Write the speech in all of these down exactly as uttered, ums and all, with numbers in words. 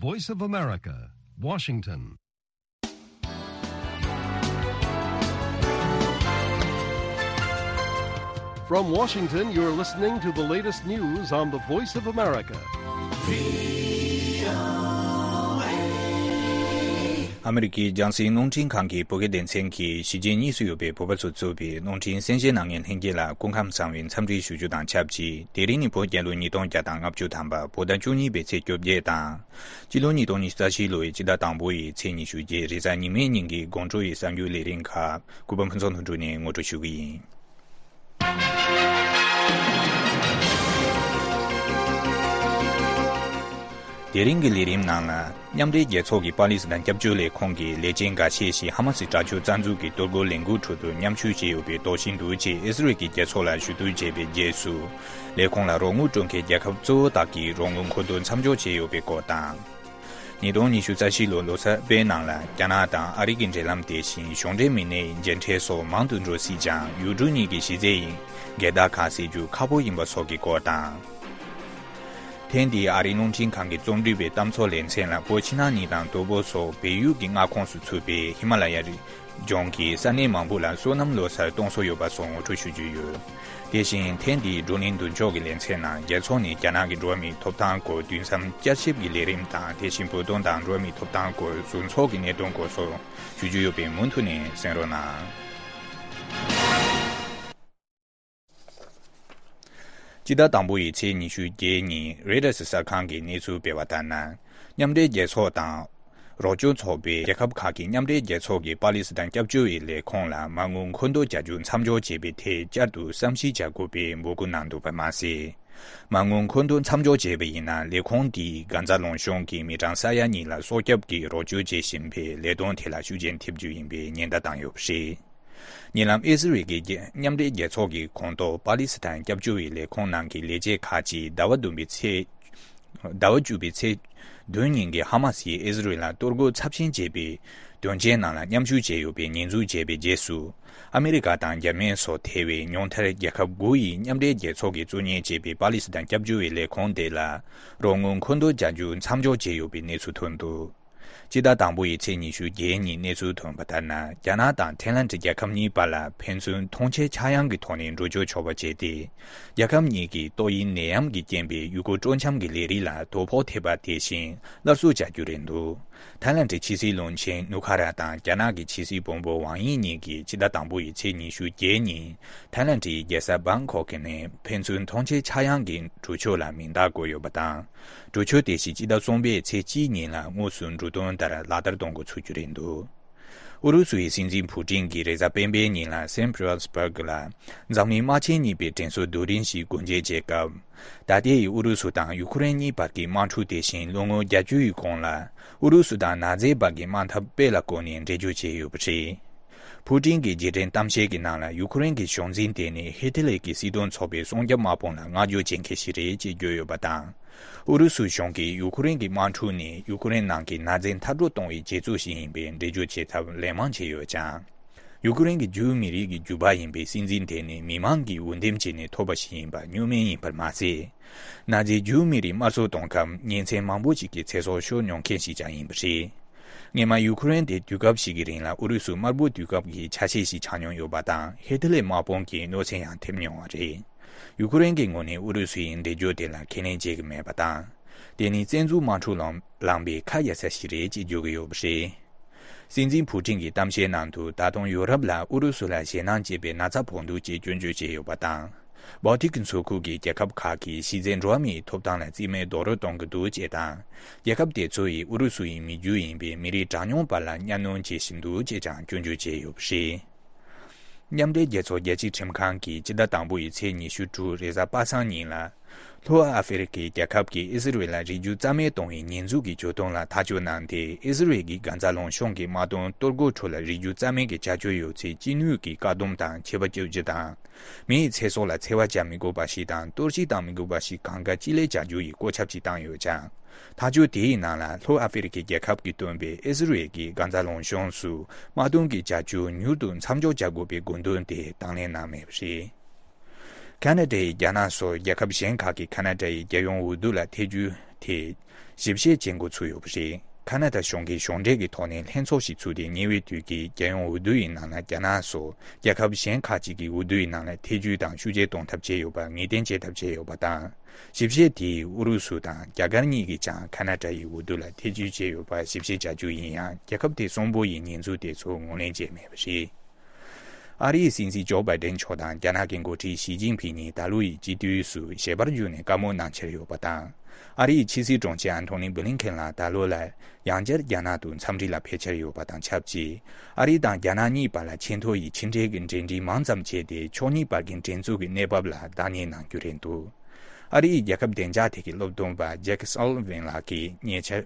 Voice of America, Washington. From Washington, you're listening to the latest news on the Voice of America. ཨ་མི་རི་ཀའི་རྒྱང་སྲིང་རླུང་འཕྲིན་ཁང་གི་བོད་སྐད་སྡེ་ཚན་གྱིས་གཞིས་བྱེས་གཉིས་སུ་ཡོད་པའི་བོད་པ་ཚོ་གཙོས་པའི་རླུང་འཕྲིན་གསན་བཞེས་གནང་མཁན་ལྷན་རྒྱས་ལ་སྐུ་ཁམས་བཟང་བའི་འཚམས་འདྲི་ཞུ་རྒྱུ་དང་ཆབས་ཅིག་དེ་རིང་ནི་བོད་རྒྱལ་ལོ་ཉིས་སྟོང་བརྒྱ་དང་ལྔ་བཅུ་ཐམ་པ་བོད་ཟླ་བཅུ་གཉིས་པའི་ཚེས་བཅོ་བརྒྱད་དང་། སྤྱི་ལོ་ཉིས་སྟོང་ཉི་ཤུ་རྩ་བཞི་ལོའི་སྤྱི་ཟླ་དང་པོ་ཡི་ཚེས་ཉི་ཤུ་བརྒྱད་རེས་གཟའ་ཉི་མའི་ཉིན་གྱི་དགོང་དྲོ་ཡི་གསར་འགྱུར་ལས་རིམ་ཁག་གུས་པ་ཕུན་ཚོགས་ལྷུན་གྲུབ་ནས་ངོ་སྤྲོད་ཞུ་གི་ཡིན། དེ་རིང་གི་ལས་རིམ་ནང་ལ། མཉམ་འབྲེལ་རྒྱལ་ཚོགས་ཀྱི་པ་ལི་སི་ཐན་སྐྱབས་བཅོལ་ལས་ཁུངས་ཀྱི་ལས་བྱེད་འགའ་ཤས་ཤིག་ཧ་མ་སི་དྲག་སྤྱོད་རྩ་འཛུགས་ཀྱི་གཏོར་རྒོལ་ལས་འགུལ་ཁྲོད་དུ་མཉམ་ཞུགས་བྱས་ཡོད་པའི་དོགས་གཞི་འདུག་ཅེས་ཨི་སི་རེལ་གྱི་རྒྱལ་ཚོགས་ལ་ཞུ་གཏུག་བྱས་པའི་རྗེས་སུ། ལས་ཁུངས་ལ་རོགས་དངུལ་སྤྲོད་མཁན་རྒྱལ་ཁབ་གཙོ་བོ་དག་གིས་རོགས་དངུལ་མཁོ་འདོན་མཚམས་འཇོག་བྱས་ཡོད་པའི་སྐོར་དང་། ཉིས་སྟོང་ཉི་ཤུ་རྩ་བཞི་ལོ་ལོ་གསར་པའི་ནང་ལ་རྒྱ་ནག་དང་ཨ་རི་གི་འབྲེལ་ལམ་དེ་བཞིན་གཞུང་འབྲེལ་མི་སྣའི་མཇལ་འཕྲད་སོགས་མང་དུ་འགྲོ་སྲིད་ཀྱང་ཡུལ་གྲུ་གཉིས་ཀྱི་གཞི་རྩའི་འགལ་ཟླ་ཁག་སེལ་རྒྱུ་ཁག་པོ་ཡིན་པ་སོགས་ཀྱི་སྐོར་དང་། ཐེངས་འདིའི་ཨ་རིའི་རླུང་འཕྲིན་ཁང་གི་རྩོམ་སྒྲིག་པའི་གཏམ་ཚོགས་ལེ་ཚན་ལ་བོད་ཕྱི་ནང་གཉིས་དང་དོལ་པོ་སོགས་བལ་ཡུལ་གྱི་མངའ་ཁོངས་སུ་ཚུད་པའི་ཧི་མ་ལ་ཡ་རི་ལྗོངས་ཀྱི་ས་གནས་མང་པོ་ལ་སོ་ནམ་ལོ་གསར་གཏོང་སྲོལ་ཡོད་པ་སོགས་ངོ་སྤྲོད་ཞུ་རྒྱུ་ཡོད། དེ་བཞིན་ཐེངས་འདིའི་བགྲོ་གླེང་མདུན་ལྕོག་གི་ལེ་ཚན་ནང་རྒྱལ་ཚོགས་ནས་རྒྱ་ནག་གི་འགྲོ་བ་མིའི་ཐོབ་ཐང་སྐོར་དུས་མཚམས་བསྐྱར་ཞིབ་ཀྱི་ལས་རིམ་དང་། དེ་བཞིན་བོད་དོན་དང་འགྲོ་བ་མིའི་ཐོབ་ཐང་སྐོར་ཟུར་ཚོགས་ཀྱི་གནད་དོན་སྐོར་སོགས་ཞུ་རྒྱུ་ཡོད་པས་མུ་མཐུད་ནས་གསན་རོགས་གནང་། སྤྱི་ཟླ་དང་པོ་ཡི་ཚེས་ཉི་ཤུ་བརྒྱད་ཉིན་རོའི་ཊར་གསར་ཁང་གིས་གནས་ཚུལ་སྤེལ་བ་ལྟར་ན། མཉམ་འབྲེལ་རྒྱལ་ཚོགས་དང་། རོགས་སྐྱོར་ཚོགས་པའི་རྒྱལ་ཁབ་ཁག་གིས་མཉམ་འབྲེལ་རྒྱལ་ཚོགས་ཀྱི་པ་ལི་སི་ཐན་སྐྱབས་བཅོལ་བའི་ལས་ཁུངས་ལ་མ་དངུལ་མཁོ་འདོན་རྒྱག་རྒྱུ་མཚམས་འཇོག་བྱས་པའི་ཐད་བསྐྱར་དུ་བསམ་ཞིབ་བྱ་དགོས་པའི་འབོད་སྐུལ་གནང་འདུག་པ་མ་ཟད། མ་དངུལ་མཁོ་འདོན་མཚམས་འཇོག་བྱས་པ་ཡིན་ན་ལས་ཁུངས་དེས་གྷན་ཛ་ལུང་གཞུང་གི་མི་གྲངས་ས་ཡ་གཉིས་ལ་སྲོག་སྐྱོབ་ཀྱི་རོགས་སྐྱོར་བྱེད་བཞིན་པའི་ལས་དོན་དེ་ལ་ཤུགས་རྐྱེན་ཐེབས་རྒྱུ་ཡིན་པའི་ཉེན་བརྡ་བཏང་ཡོད་པ་རེད། ཉེ་ལམ་ཨི་སི་རེལ་གྱི་རྒྱལ་མཉམ་འབྲེལ་རྒྱལ་ཚོགས་ཀྱི་ཁོངས་གཏོགས་པ་ལི་སི་ཐན་སྐྱབས་བཅོལ་བའི་ལས་ཁུངས་ནང་གི་ལས་བྱེད་ཁག་ཅིག་ཟླ་བ་བདུན་པའི་ཚེས། ཟླ་བ་བཅུ་པའི་ཚེས་བདུན་ཉིན་གྱི་ཧ་མ་སིས་ཨི་སི་རེལ་ལ་གཏོར་རྒོལ་ཚབས་ཆེན་བྱས་པའི་དོན་རྐྱེན་ནང་ལ་མཉམ་ཞུགས་བྱས་ཡོད་པའི་ཉེས་འཛུགས་བྱས་པའི་རྗེས་སུ། ཨ་མི་རི་ཀ་དང་འཇར་མན་སོགས་ཐེ་བའི་ཉུང་མཐར་རྒྱལ་ཁབ་དགུ་ཡིས་མཉམ་འབྲེལ་རྒྱལ་ཚོགས་ཀྱིས་གཙོ་གཉེར་བྱས་པའི་པ་ལི་སི་ཐན་སྐྱབས་བཅོལ་བའི་ལས་ཁུངས་དེ་ལ་རོགས་དངུལ་མཁོ་འདོན་བྱ་རྒྱུ་མཚམས་འཇོག་བྱས་ཡོད་པའི་གནས་ཚུལ་ཐོན་འདུག་སྤྱི་ཟླ་དང་པོ་ཡི་ཚེས་ཉི་ཤུ་བརྒྱད་ཉིན་གནས་ཚུལ་ཐོན་པ་ལྟར་ན། རྒྱ་ནག་དང་ཐའི་ལན་གྱི་རྒྱལ་ཁབ་གཉིས་བར་ལ་ཕན་ཚུན་མཐོང་མཆན་ཆག་ཡང་གི་ཐོག་ནས་འགྲོ་སྐྱོད་ཆོག་པ་བྱས་ཏེ། རྒྱལ་ཁབ་གཉིས་ཀྱིས་ཏོག་དབྱིབས་ནད་ཡམས་ཀྱི་རྐྱེན་པས་ཡུལ་སྐོར་སྤྲོ་འཆམ་གྱི་ལས་རིགས་ལ་དོ་ཕོག་ཐེབས་པ་དེ་བཞིན་སླར་གསོ་བྱ་རྒྱུ་རེད་འདུག་ཐའི་ལན་གྱི་ཕྱི་སྲིད་བློན་ཆེན་ནུ་ཁ་ར་དང་རྒྱ་ནག་གི་ཕྱི་སྲིད་བོན་པོ་ཝང་དབྱི་གཉིས་ཀྱིས་སྤྱི་ཟླ་དང་པོ་ཡི་ཚེས་ཉི་ཤུ་བརྒྱད་ཉིན་ཐའི་ལན་གྱི་རྒྱལ་ས་བྷང་ཁོག་ནས་ཕན་ཚུན་མཐོང་མཆན་ཆག་ཡང་གི་གྲོས་ཆོད་ལ་མིང་རྟགས་བཀོད་ཡོད་པ་དང་། གྲོས་ཆོད་དེ་བཞིན་སྤྱི་ཟླ་གསུམ་པའི་ཚེས་གཅིག་ཉིན་ལ་དངོས་སུ་འབྲུ་དོན་ལྟར་ལག་བསྟར་གཏོང་འགོ་ཚུགས་རྒྱུ་རེད་འདུག་ཨུ་རུ་སུའི་སྲིད་འཛིན་ཕུ་ཀྲིན་གྱིས་རེས་གཟའ་སྤེན་པའི་ཉིན་ལ་སན་པི་ཏེར་སྦུག་ལ་འཛམ་གླིང་དམག་ཆེན་གཉིས་པའི་དྲན་གསོའི་རྡོ་རིང་ཞིག་སྒོ་འབྱེད་བྱེད་སྐབས། ད་ལྟའི་ཨུ་རུ་སུ་དང་ཡུ་ཁུ་རེན་གཉིས་བར་གྱི་དམག་འཁྲུག་དེ་བཞིན་ལོ་ངོ་བརྒྱད་ཅུ་ཡི་གོང་ལ་ཨུ་རུ་སུ་དང་ནཱ་ཛི་བར་གྱི་དམག་འཐབ་སྤེལ་ལ་བཀོད་ནས་འགྲེལ་བརྗོད་བྱས་ཡོད་པ་རེད། ཕུ་ཀྲིན་གྱི་རྗེས་དྲན་གཏམ་བཤད་ཀྱི་ནང་ལ་ཡུ་ཁུ་རེན་གྱི་གཞུང་འཛིན་དེ་ནི་ཧི་ཏི་ལེ་གྱི་སྲིད་དོན་ཚོགས་པའི་སྲུང་སྐྱོབ་དམག་དཔུང་ལ་བསྔགས་བརྗོད་བྱེད་མཁན་ཞིག་རེད་ཅེས་བརྗོད་ཡོད་པ་དང་། ཨུ་རུ་སུ་གཞུང་གིས་ཡུ་ཁུ་རེན་གྱི་དམག་འཁྲུག་ནི་ཡུ་ཁུ་རེན་ནང་གི་ནཱ་ཛི་མཐར་སྐྲོད་གཏོང་བའི་རྗེས་ཚུལ་ཞིག་ཡིན་པའི་འགྲེལ་བརྗོད་བྱེད་ཐབས་ལན་མང་བྱས་ཡོད་ཀྱང་། ཡུ་ཁུ་རེན་གྱི་ཇུའུ་མི་རིགས་ཀྱི་རྒྱུད་པ་ཡིན་པའི་སྲིད་འཛིན་དེ་ནི་མི་མང་གིས་འོས་འདེམས་བྱས་ནས་ཐོབ་པ་ཞིག་ཡིན་པ་བསྙོན་མེད་ཡིན་པར་མ་ཟད། ནཱ་ཛི་ཇུའུ་མི་རིགས་དམར་གསོད་གཏོང་སྐབས་ཉིན་མཚན་མང་པོ་ཞིག་གི་ཚེ་སྲོག་ཤོར་མྱོང་མཁན་ཞིག་ཀྱང་ཡིན་པ་རེད། སྔོན་མ་ཡུ་ཁུ་རེན་དེ་དུས་སྐབས་ཤིག་གི་རིང་ལ་ཨུ་རུ་སུ་དམར་པོའི་དུས་སྐབས་ཀྱི་ཆ་ཤས་ཤིག་ཆགས་མྱོང་ཡོད་པ་དང་ཧི་ཏི་ལེ་དམག་དཔུང་གི་གནོད་འཚེ་ཡང་ཐེབས་མྱོང་བ་རེད། ཡུ་ཁུ་རེན་གྱི་ངོས་ནས་ཨུ་རུ་སུ་ཡི་འགྲེལ་བརྗོད་དེ་ལ་ཁས་ལེན་བྱེད་ཀྱི་མེད་པ་དང་། དེ་ནི་བཙན་འཛུལ་དམག་འཁྲུག་ལངས་ལངས་པའི་ཁ་ཡ་ས་ཞིག་རེད་ཅེས་བརྗོད་ཀྱི་ཡོད་པ་རེད། སྲིད་འཛིན་ཕུ་ཀྲིན་གྱི་གཏམ་བཤད་ནང་དུ་ད་དུང་ཡུ་རོབ་ལ་ཨུ་རུ་སུ་ལ་ཞེད་སྣང་སྐྱེས་པའི་ན་ཚ་ཕོག་འདུག་ཅེས་སྐྱོན་བརྗོད་བྱས་ཡོད་པ་དང་། སྦལ་ཏིག་གི་མཚོ་ཁུལ་གྱི་རྒྱལ་ཁབ་ཁག་གིས་གཞི་རྩའི་འགྲོ་བ་མིའི་ཐོབ་ཐང་ལ་རྩིས་མེད་རྡོག་རོལ་གཏོང་གི་འདུག་ཅེས་དང་། རྒྱལ་ཁབ་དེ་ཚོ་ཡིས་ཨུ་རུ་སུ་ཡི་མི་རྒྱུ་ཡིན་པའི་མི་རིགས་གྲངས་ཉུང་བར་ལ་གཉའ་གནོན་བྱེད་བཞིན་འདུག་ཅེས་ཀྱང་སྐྱོན་བརྗོད་བྱས་ཡོད་པ་རེད། མཉམ་འབྲེལ་རྒྱལ་ཚོགས་རྒྱལ་སྤྱིའི་ཁྲིམས་ཁང་གིས་སྤྱི་ཟླ་དང་པོ་ཡི་ཚེས་ཉི་ཤུ་དྲུག་རེས་གཟའ་པ་སངས་ཉིན་ལ། ལྷོ་ཨ་ཧྥེ་རི་ཁའི་རྒྱལ་ཁབ་ཀྱིས་ཨི་སི་རེལ་ལ་རིགས་རྒྱུད་རྩ་མེད་གཏོང་བའི་ཉེས་འཛུགས་ཀྱི་གྱོད་དོན་ལ་ཐག་གཅོད་གནང་སྟེ། ཨི་སི་རེལ་གྱིས་གྷ་ཛ་ལུང་གཤོང་གི་དམག་དོན་གཏོར་རྒོལ་ཁྲོད་ལ་རིགས་རྒྱུད་རྩ་མེད་ཀྱི་བྱ་སྤྱོད་ཡོད་ཚེ་ཅི་ནུས་ཀྱིས་བཀག་སྡོམ་དང་ཆད་པ་གཅོད་རྒྱུ་དང་། མི་ཡི་ཚེ་སྲོག་ལ་འཚེ་བ་བྱ་མི་དགོས་པ་ཞིག་དང་གཏོར་བཤིག་བཏང་མི་དགོས་པ་ཞིག་གང་དགའ་ཅི་ལེགས་བྱ་རྒྱུ་ཡི་བཀོད་ཁྱབ་ཅིག་བཏང་ཡོད་ཀྱང་། ཐག་གཅོད་དེའི་ནང་ལ་ལྷོ་ཨ་ཧྥེ་རི་ཁའི་རྒྱལ་ཁབ་ཀྱིས་བཏོན་པའི་ཨི་སི་རེལ་གྱི་གྷ་ཛ་ལུང་གཤོང་སུ་དམག་དོན་གྱི་བྱ་སྤྱོད་མྱུར་དུ་མཚམས་འཇོག་བྱ་དགོས་པའི་དགོས་འདུན་དེ་དང་ལེན་གནང་མེད་པ་རེད། ཁ་ན་ཌ་ཡིས་རྒྱ་ནག་སོགས་རྒྱལ་ཁབ་གཞན་ཁག་གིས་ཁ་ན་ཌ་ཡི་རྒྱལ་ཡོངས་འོས་བསྡུ་ལ་ཐེ་ཇུས་དེ་ ཞིབ་བཤེར་བྱེད་འགོ་ཚུགས་ཡོད་པ་རེད། ཁ་ན་ཌ་གཞུང་གིས་གཞུང་འབྲེལ་གྱི་ཐོག་ནས་ལྷན་ཚོགས་ཤིག་ཚུགས་ཏེ། ཉེ་བའི་དུས་ཀྱི་རྒྱལ་ཡོངས་འོས་བསྡུ་ཡི་ནང་ལ་རྒྱ་ནག་སོགས་རྒྱལ་ཁབ་གཞན་ཁག་ཅིག་གི་འོས་བསྡུ་ཡི་ནང་ལ་ཐེ་བྱུས་དང་ཤུགས་ཆེ་གཏོང་ཐབས་བྱས་ཡོད་པ་ངེས་གཏན་བྱེད་ཐབས་བྱས་ཡོད་པ་དང་། ཞིབ་བཤེར་དེས་ཨུ་རུ་སུ་དང་རྒྱ་གར་གཉིས་ཀྱིས་ཀྱང་ཁ་ན་ཌ་ཡི་འོས་བསྡུ་ལ་ཐེ་བྱུས་བྱས་ཡོད་པ་ཞིབ་བཤེར་བྱ་རྒྱུ་ཡིན་ཡང་། རྒྱལ་ཁབ་དེ་གསུམ་པོ་ཡི་ཉེས་འཛུགས་དེ་ཚོ་ངོས་ལེན་བྱས་མེད་པ་རེད། ཨ་རིའི་སྲིད་འཛིན་ཇོ་བྷའི་ཌེན་མཆོག་དང་རྒྱ་ནག་གི་འགོ་ཁྲིད་ཞི་ཅིན་ཕིང་གཉིས་ད་ལོ་ཡི་སྤྱི་འཐུས་སུ་ཞལ་པར་བརྒྱུད་ནས་བཀའ་མོལ་གནང་འཆར་ཡོད་པ་དང་། ཨ་རིའི་ཕྱི་སྲིད་དྲུང་ཆེ་ཨན་ཐོ་ནི་བྷི་ལིན་ཁེན་ལགས་ད་ལོ་ལ་ཡང་བསྐྱར་རྒྱ་ནག་ཏུ་འཚམས་འདྲི་ལ་ཕེབས་འཆར་ཡོད་པ་དང་ཆབས་ཅིག་ཨ་རི་དང་རྒྱ་ནག་གཉིས་བར་ལ་ཆེས་མཐོ་ཡི་ཕྱི་འབྲེལ་གྱི་འབྲེལ་འདྲིས་མང་ཙམ་བྱས་ཏེ། ཕྱོགས་གཉིས་བར་གྱི་འགྲན་འཛུགས་ཀྱི་གནས་བབ་ལ་བདག་གཉེར་གནང་རྒྱུ་རེད་འདུག་ཨ་རིའི་རྒྱལ་ཁབ་བདེ་འཇགས་ཐད་ཀྱི་སློབ་སྟོན་པ་ཇེག་སོ་ལི་ཝན་ལགས་ཀྱིས་ཉེ་ཆར།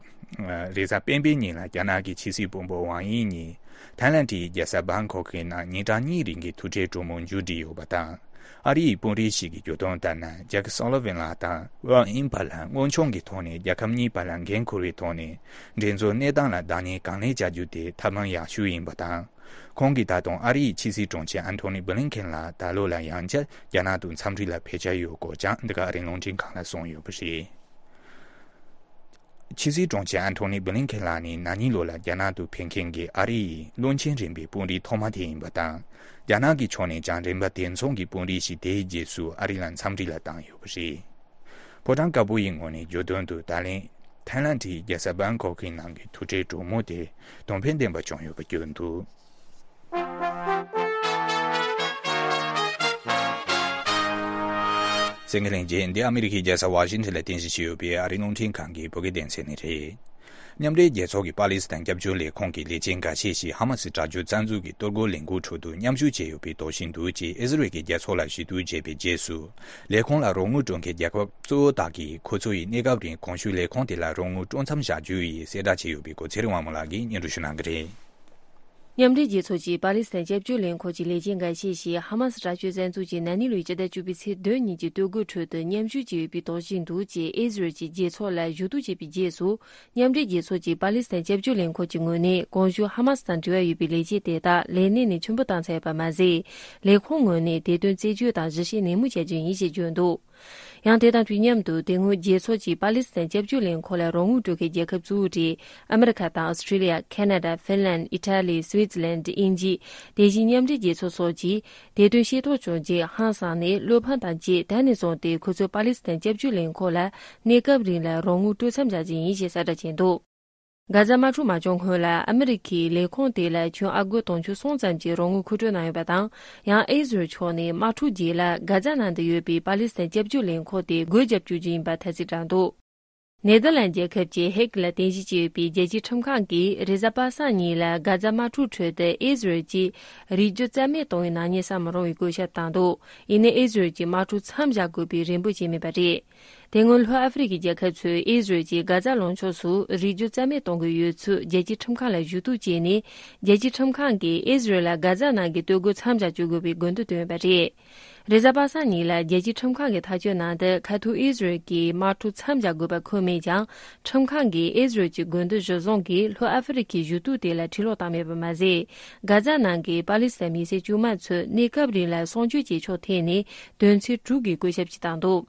རེས་གཟའ་སྤེན་པའི་ཉིན་ལ་རྒྱ་ནག་གི་ཕྱི་སྲིད་བློན་པོ་ཝང་དབྱི་གཉིས་ཐའི་ལན་གྱི་རྒྱལ་ས་བྷང་ཁོག་གི་ནང་ཉིན་གྲངས་གཉིས་རིང་གི་ཐུག་འཕྲད་གྲོས་མོལ་མཇུག་བསྒྲིལ་ཡོད་པ་དང་། ཨ་རིའི་དཔོན་རིགས་ཤིག་གིས་བརྗོད་དོན་ལྟར་ན། ཇེག་སོ་ལི་ཝན་ལགས་དང་ཝང་དབྱིའི་བར་ལ་དངོས་བྱུང་གི་ཐོག་ནས་རྒྱལ་ཁབ་གཉིས་བར་ལ་འགན་འཁུར་བའི་ཐོག་ནས་འགྲན་རྩོད་གནས་སྟངས་ལ་བདག་གཉེར་གང་ལེགས་བྱ་རྒྱུ་དེ་ཐབས་ལམ་ཡག་ཤོས་ཡིན་པ་དང་། ཁོང་གིས་ད་དུང་ཨ་རིའི་ཕྱི་སྲིད་དྲུང་ཆེ་ཨན་ཐོ་ནི་བྷི་ལིན་ཁེན་ལ་ད་ལོ་ལ་ཡང་བསྐྱར་རྒྱ་ནག་ཏུ་འཚམས་འདྲི་ལ་ཕེབས་འཆར་ཡོད་སྐོར་ཀྱང་འདི་ག་ཨ་རིའི་རླུང་འཕྲིན་ཁང་ལ་གསུངས་ཡོད་པ་རེད། ཕྱི་སྲིད་དྲུང་ཆེ་ཨན་ཐོ་ནི་བྷི་ལིན་ཁེན་ལགས་ནི་ན་ནིང་ལོ་ལ་རྒྱ་ནག་ཏུ་ཕེབས་མཁན་གྱི་ཨ་རི་ཡི་བློན་ཆེན་རིམ་པའི་དཔོན་རིགས་ཐོག་མ་དེ་ཡིན་པ་དང་། རྒྱ་ནག་གི་ཕྱོགས་ནས་ཀྱང་རིམ་པ་དེ་མཚུངས་ཀྱི་དཔོན་རིགས་ཤིག་དེའི་རྗེས་སུ་ཨ་རི་ལ་འཚམས་འདྲི་ལ་བཏང་ཡོད་པ་རེད། ཕོ་བྲང་དཀར་པོ་ཡི་ངོས་ནས་བརྗོད་དོན་དུ་ད་ལན་ཐའི་ལན་གྱི་རྒྱལ་ས་བྷང་ཁོག་གི་ནང་གི་ཐུག་འཕྲད་གྲོས་མོལ་དེ་དོན་ཕན་ལྡན་པ་བྱུང་ཡོད་པ་བརྗོད་འདུག་གསན་མཁན་ལྷན་རྒྱས། འདི་ཨ་མི་རི་ཀའི་རྒྱལ་ས་ཝ་ཤིང་ཊོན་ལ་རྟེན་གཞི་བྱས་ཡོད་པའི་ཨ་རིའི་རླུང་འཕྲིན་ཁང་གི་བོད་སྐད་སྡེ་ཚན་ནས་རེད། མཉམ་འབྲེལ་རྒྱལ་ཚོགས་ཀྱི་པ་ལི་སི་ཐན་སྐྱབས་བཅོལ་ལས་ཁུངས་ཀྱི་ལས་བྱེད་འགའ་ཤས་ཤིག་ཧ་མ་སི་དྲག་སྤྱོད་རྩ་འཛུགས་ཀྱི་གཏོར་རྒོལ་ལས་འགུལ་ཁྲོད་དུ་མཉམ་ཞུགས་བྱས་ཡོད་པའི་དོགས་གཞི་འདུག་ཅེས་ཨི་ཟི་རལ་གྱི་རྒྱལ་ཚོགས་ལ་ཞུ་གཏུག་བྱས་པའི་རྗེས་སུ། ལས་ཁུངས་ལ་རོགས་དངུལ་སྤྲོད་མཁན་རྒྱལ་ཁབ་གཙོ་བོ་དག་གིས་ཁོ་ཚོ་ཡི་གནས་སྐབས་རིང་གོང་ཞུས་ལས་ཁུངས་དེ་ལ་རོགས་དངུལ་སྤྲོད་མཚམས་བཞག་རྒྱུ་ཡི་གསལ་བསྒྲགས་བྱས་ཡོད་པའི་སྐོར་ཚེ་རིང་དབང་མོ་ལགས་ཀྱིས་སྙན་སྒྲོན་ཞུ་གནང་གི་རེད། མཉམ་འབྲེལ་རྒྱལ་ཚོགས་ཀྱི་པ་ལི་སི་ཐན་སྐྱབས་བཅོལ་ལས་ཁུངས་ཀྱི་ལས་བྱེད་འགའ་ཤས་ཤིག་ཧ་མ་སི་དྲག་སྤྱོད་བཙན་འཛུལ་གྱིས་ན་ནིང་ལོའི་ཕྱི་ཟླ་བཅུ་པའི་ཚེས་བདུན་ཉིན་གྱི་གཏོར་རྒོལ་ཁྲོད་དུ་མཉམ་ཞུགས་བྱས་ཡོད་པའི་དོགས་གཞི་འདུག་ཅེས་ཨི་ཟི་རལ་གྱི་རྒྱལ་ཚོགས་ལ་ཞུ་གཏུག་བྱས་པའི་རྗེས་སུ། མཉམ་འབྲེལ་རྒྱལ་ཚོགས་ཀྱི་པ་ལི་སི་ཐན་སྐྱབས་བཅོལ་ལས་ཁུངས་ཀྱི་ངོས་ནས་གོང་ཞུས་ཧ་མ་སི་དང་འབྲེལ་བ་ཡོད་པའི་ལས་བྱེད་དེ་དག་ལས་གནས་ནས་ཕྱིར་འབུད་བཏང་ཚར་ཡོད་པ་མ་ཟད། ལས་ཁུངས་ངོས་ནས་དེ་དོན་རྩད་གཅོད་དང་ཞིབ་བཤེར་ནན་མོ་བྱ་རྒྱུ་ཡིན་ཞེས་བརྗོད་འདུག་ཡང་དེ་དང་དུས་མཉམ་དུ་དེ་སྔོན་རྒྱལ་ཚོགས་ཀྱི་པ་ལི་སི་ཐན་སྐྱབས་བཅོལ་ལས་ཁུངས་ལ་རོགས་དངུལ་སྤྲོད་མཁན་རྒྱལ་ཁབ་གཙོ་བོ་གྲས་ཨ་མི་རི་ཁ་དང་ཨོ་སི་ཀྲི་ལི་ཡ། ཁ་ན་ཌ། ཧྥིན་ལན། ཨི་ཊ་ལི། སུའི་ཙི་ལན། དབྱིན་ཇི། དེ་བཞིན་མཉམ་འབྲེལ་རྒྱལ་ཚོགས་སོགས་ཀྱིས་དེ་དོན་ཤེས་རྟོགས་བྱུང་རྗེས་ཧང་སངས་ནས་བློ་ཕམ་དང་བཅས། ད་ནས་བཟུང་སྟེ་ཁོ་ཚོས་པ་ལི་སི་ཐན་སྐྱབས་བཅོལ་ལས་ཁུངས་ལ་གནས་སྐབས་རིང་ལ་རོགས་དངུལ་སྤྲོད་མཚམས་བཞག་རྒྱུ་ཡིན་ཞེས་གསལ་བསྒྲགས་བྱས་འདུག་གྷ་ཛ་དམག་འཁྲུག་མ་བྱུང་སྔོན་ལ་ཨ་མི་རི་ཁའི་ལས་ཁུངས་དེ་ལ་ཁྱོན་ཨ་སྒོར་དུང་ཕྱུར་གསུམ་ཙམ་གྱི་རོགས་དངུལ་མཁོ་སྤྲོད་གནང་ཡོད་པ་དང་། ཡང་ཨི་ཟི་རལ་ཕྱོགས་ནས་དམག་འཁྲུག་རྗེས་ལ་གྷ་ཛ་ནང་དུ་ཡོད་པའི་པ་ལི་སི་ཐན་སྐྱབས་བཅོལ་ལས་ཁུངས་དེ་སྒོ་བརྒྱབ་བཅུག་རྒྱུ་ཡིན་པ་ཐ་ཚིག་བསྒྲགས་འདུག་ནེ་དར་ལན་རྒྱལ་ཁབ་ཀྱི་ཧེག་ལ་རྟེན་གཞི་བྱས་ཡོད་པའི་རྒྱལ་སྤྱིའི་ཁྲིམས་ཁང་གིས་རེས་གཟའ་པ་སངས་ཉིན་ལ་གྷ་ཛ་དམག་འཁྲུག་ཁྲོད་དུ་ཨི་ཟི་རལ་གྱིས་རིགས་རྒྱུད་རྩ་མེད་གཏོང་བའི་ནག་ཉེས་བསམ་མི་རུང་བའི་བཀོད་ཁྱབ་བཏང་འདུག་ཡིན་ནའི་ཨི་ཟི་རལ་གྱིས་དམག་འཁྲུག་མཚམས་བཞག་དགོས་པའི་རེ་འབོད་བྱས་མེད་པ་རེད། དེ་སྔོན་ལྷོ་ཨ་ཧྥེ་རི་ཁའི་རྒྱལ་ཁབ་ཚོས་ཨི་ཟི་རལ་གྱིས་གྷ་ཛ་ལུང་ཕྱོགས་སུ་རིགས་རྒྱུད་རྩ་མེད་གཏོང་གི་ཡོད་ཚུལ་རྒྱལ་སྤྱིའི་ཁྲིམས་ཁང་ལ་ཞུ་གཏུག་བྱས་ནས། རྒྱལ་སྤྱིའི་ཁྲིམས་ཁང་གིས་ཨི་ཟི་རལ་ལ་གྷ་ཛ་ནང་གི་གཏོར་རྒོལ་མཚམས་བཞག་བཅུག་དགོས་པའི་དགོས་འདུན་བཏོན་ཡོད་པ་རེད། རེས་གཟའ་པ་སངས་ཉིན་ལ་རྒྱལ་སྤྱིའི་ཁྲིམས་ཁང་གི་ཐག་གཅོད་ནང་དུ་ཁ་ཐུག་ཨི་ཟི་རལ་གྱིས་དམག་འཁྲུག་མཚམས་བཞག་དགོས་པ་འཁོད་མེད་ཀྱང་། ཁྲིམས་ཁང་གིས་ཨི་ཟི་རལ་གྱི་དགོས་འདུན་གཞིར་བཟུང་གིས་ལྷོ་ཨ་ཧྥེ་རི་ཁའི་ཞུ་གཏུག་དེ་ལ་ཕྱིར་ལོག་བཏང་མེད་པ་མ་ཟད། གྷ་ཛ་ནང་གི་པ་ལི་སི་ཐན་མི་སེར་དཀྱུས་མ་ཚོས་གནས་སྐབས་རིང་ལ་གསོ་སྐྱོང་བྱེད་ཕྱོགས་ཐད་ནས་དོན་ཚན་དྲུག་གི་བཀོད་ཁྱབ་ཅིག་བཏང་འདུག་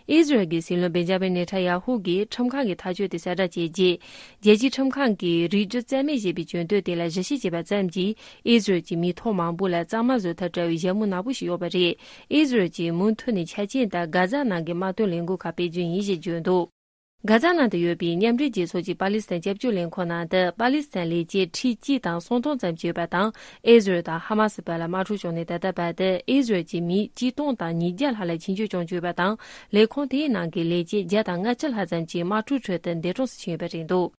ཨི་ཟི་རལ་གྱི་སྲིད་བློན་བེན་ཇ་མིན་ནེ་ཐན་ཡ་ཧུ་གིས་ཁྲིམས་ཁང་གི་ཐག་གཅོད་དེ་གསལ་བསྒྲགས་བྱས་རྗེས། རྒྱལ་སྤྱིའི་ཁྲིམས་ཁང་གིས་རིགས་རྒྱུད་རྩ་མེད་ཞེས་པའི་བརྗོད་དོན་དེ་ལ་གཞི་བཞག་བྱས་པ་ཙམ་གྱིས་ཨི་ཟི་རལ་གྱི་མི་ཐོག་མང་པོ་ལ་གཙང་མ་བཟོ་ཐབས་བྲལ་བའི་ཞྭ་མོ་ནག་པོ་ཞིག་ཡོད་པ་རེད། ཨི་ཟི་རལ་གྱིས་མུ་མཐུད་ནས་ཆ་རྐྱེན་ལྟར་གྷ་ཛ་ནང་གི་དམག་དོན་ལས་འགུལ་ཁག་སྤེལ་རྒྱུ་ཡིན་ཞེས་བརྗོད་འདུག་གྷ་ཛ་ནང་དུ་ཡོད་པའི་མཉམ་འབྲེལ་རྒྱལ་ཚོགས་ཀྱི་པ་ལི་སི་ཐན་སྐྱབས་བཅོལ་ལས་ཁུངས་ནང་དུ་པ་ལི་སི་ཐན་ལས་བྱེད་ཁྲི་གཅིག་དང་སུམ་སྟོང་ཙམ་ཅིག་ཡོད་པ་དང་། ཨི་ཟི་རལ་དང་ཧ་མ་སི་བར་ལ་དམག་འཁྲུག་བྱུང་ནས་ད་ལྟ་བར་དུ་ཨི་ཟི་རལ་གྱི་མི་གཅིག་སྟོང་དང་ཉིས་བརྒྱ་ལྷག་ལ་འཆིང་སྐྱོབ་བྱུང་ཡོད་པ་དང་། ལས་ཁུངས་དེའི་ནང་གི་ལས་བྱེད་བརྒྱ་དང་ལྔ་བཅུ་ལྷག་ཙམ་ཅིག་དམག་འཁྲུག་ཁྲོད་དུ་འདས་གྲོངས་སུ་ཕྱིན་ཡོད་པ་རེད་འདུག་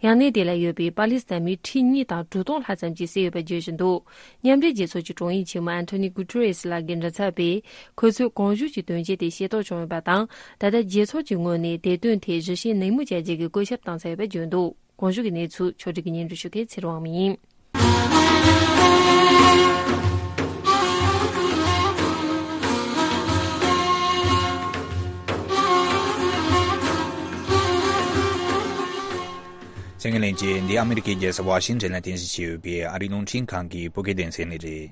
ཡང་གནས་དེ་ལ་ཡོད་པའི་པ་ལི་སི་ཐན་མི་ཁྲི་གཉིས་དང་དྲུག་སྟོང་ལྷག་ཙམ་གྱིས་བསད་ཡོད་པ་བརྗོད་བཞིན་འདུག་མཉམ་འབྲེལ་རྒྱལ་ཚོགས་ཀྱི་དྲུང་ཡིག་ཆེན་མོ་ཨན་ཐོ་ནི་གུ་ཏུ་རེ་སི་ལགས་ཀྱིས་མགྲིན་ཚབ་པས། ཁོ་ཚོས་གོང་ཞུས་ཀྱི་དོན་རྐྱེན་དེ་ཤེས་རྟོགས་བྱུང་ཡོད་པ་དང་། ད་ལྟ་རྒྱལ་ཚོགས་ཀྱི་ངོས་ནས་དེ་དོན་ཐད་ཞིབ་བཤེར་ནན་མོ་བྱ་རྒྱུ་གི་བཀོད་ཁྱབ་བཏང་ཚར་ཡོད་པ་བརྗོད་འདུག་གོང་ཞུས་ཀྱི་གནས་ཚུལ་ཕྱོགས་སྒྲིག་གིས་སྙན་སྒྲོན་ཞུ་མཁན་ཚེ་རིང་དབང་མོ་ཡིན། གསན་མཁན་ལྷན་རྒྱས། འདི་ཨ་མི་རི་ཀའི་རྒྱལ་ས་ཝ་ཤིང་ཊོན་ལ་རྟེན་གཞི་བྱས་ཡོད་པའི་ཨ་རིའི་རླུང་འཕྲིན་ཁང་གི་བོད་སྐད་སྡེ་ཚན་ནས་རེད།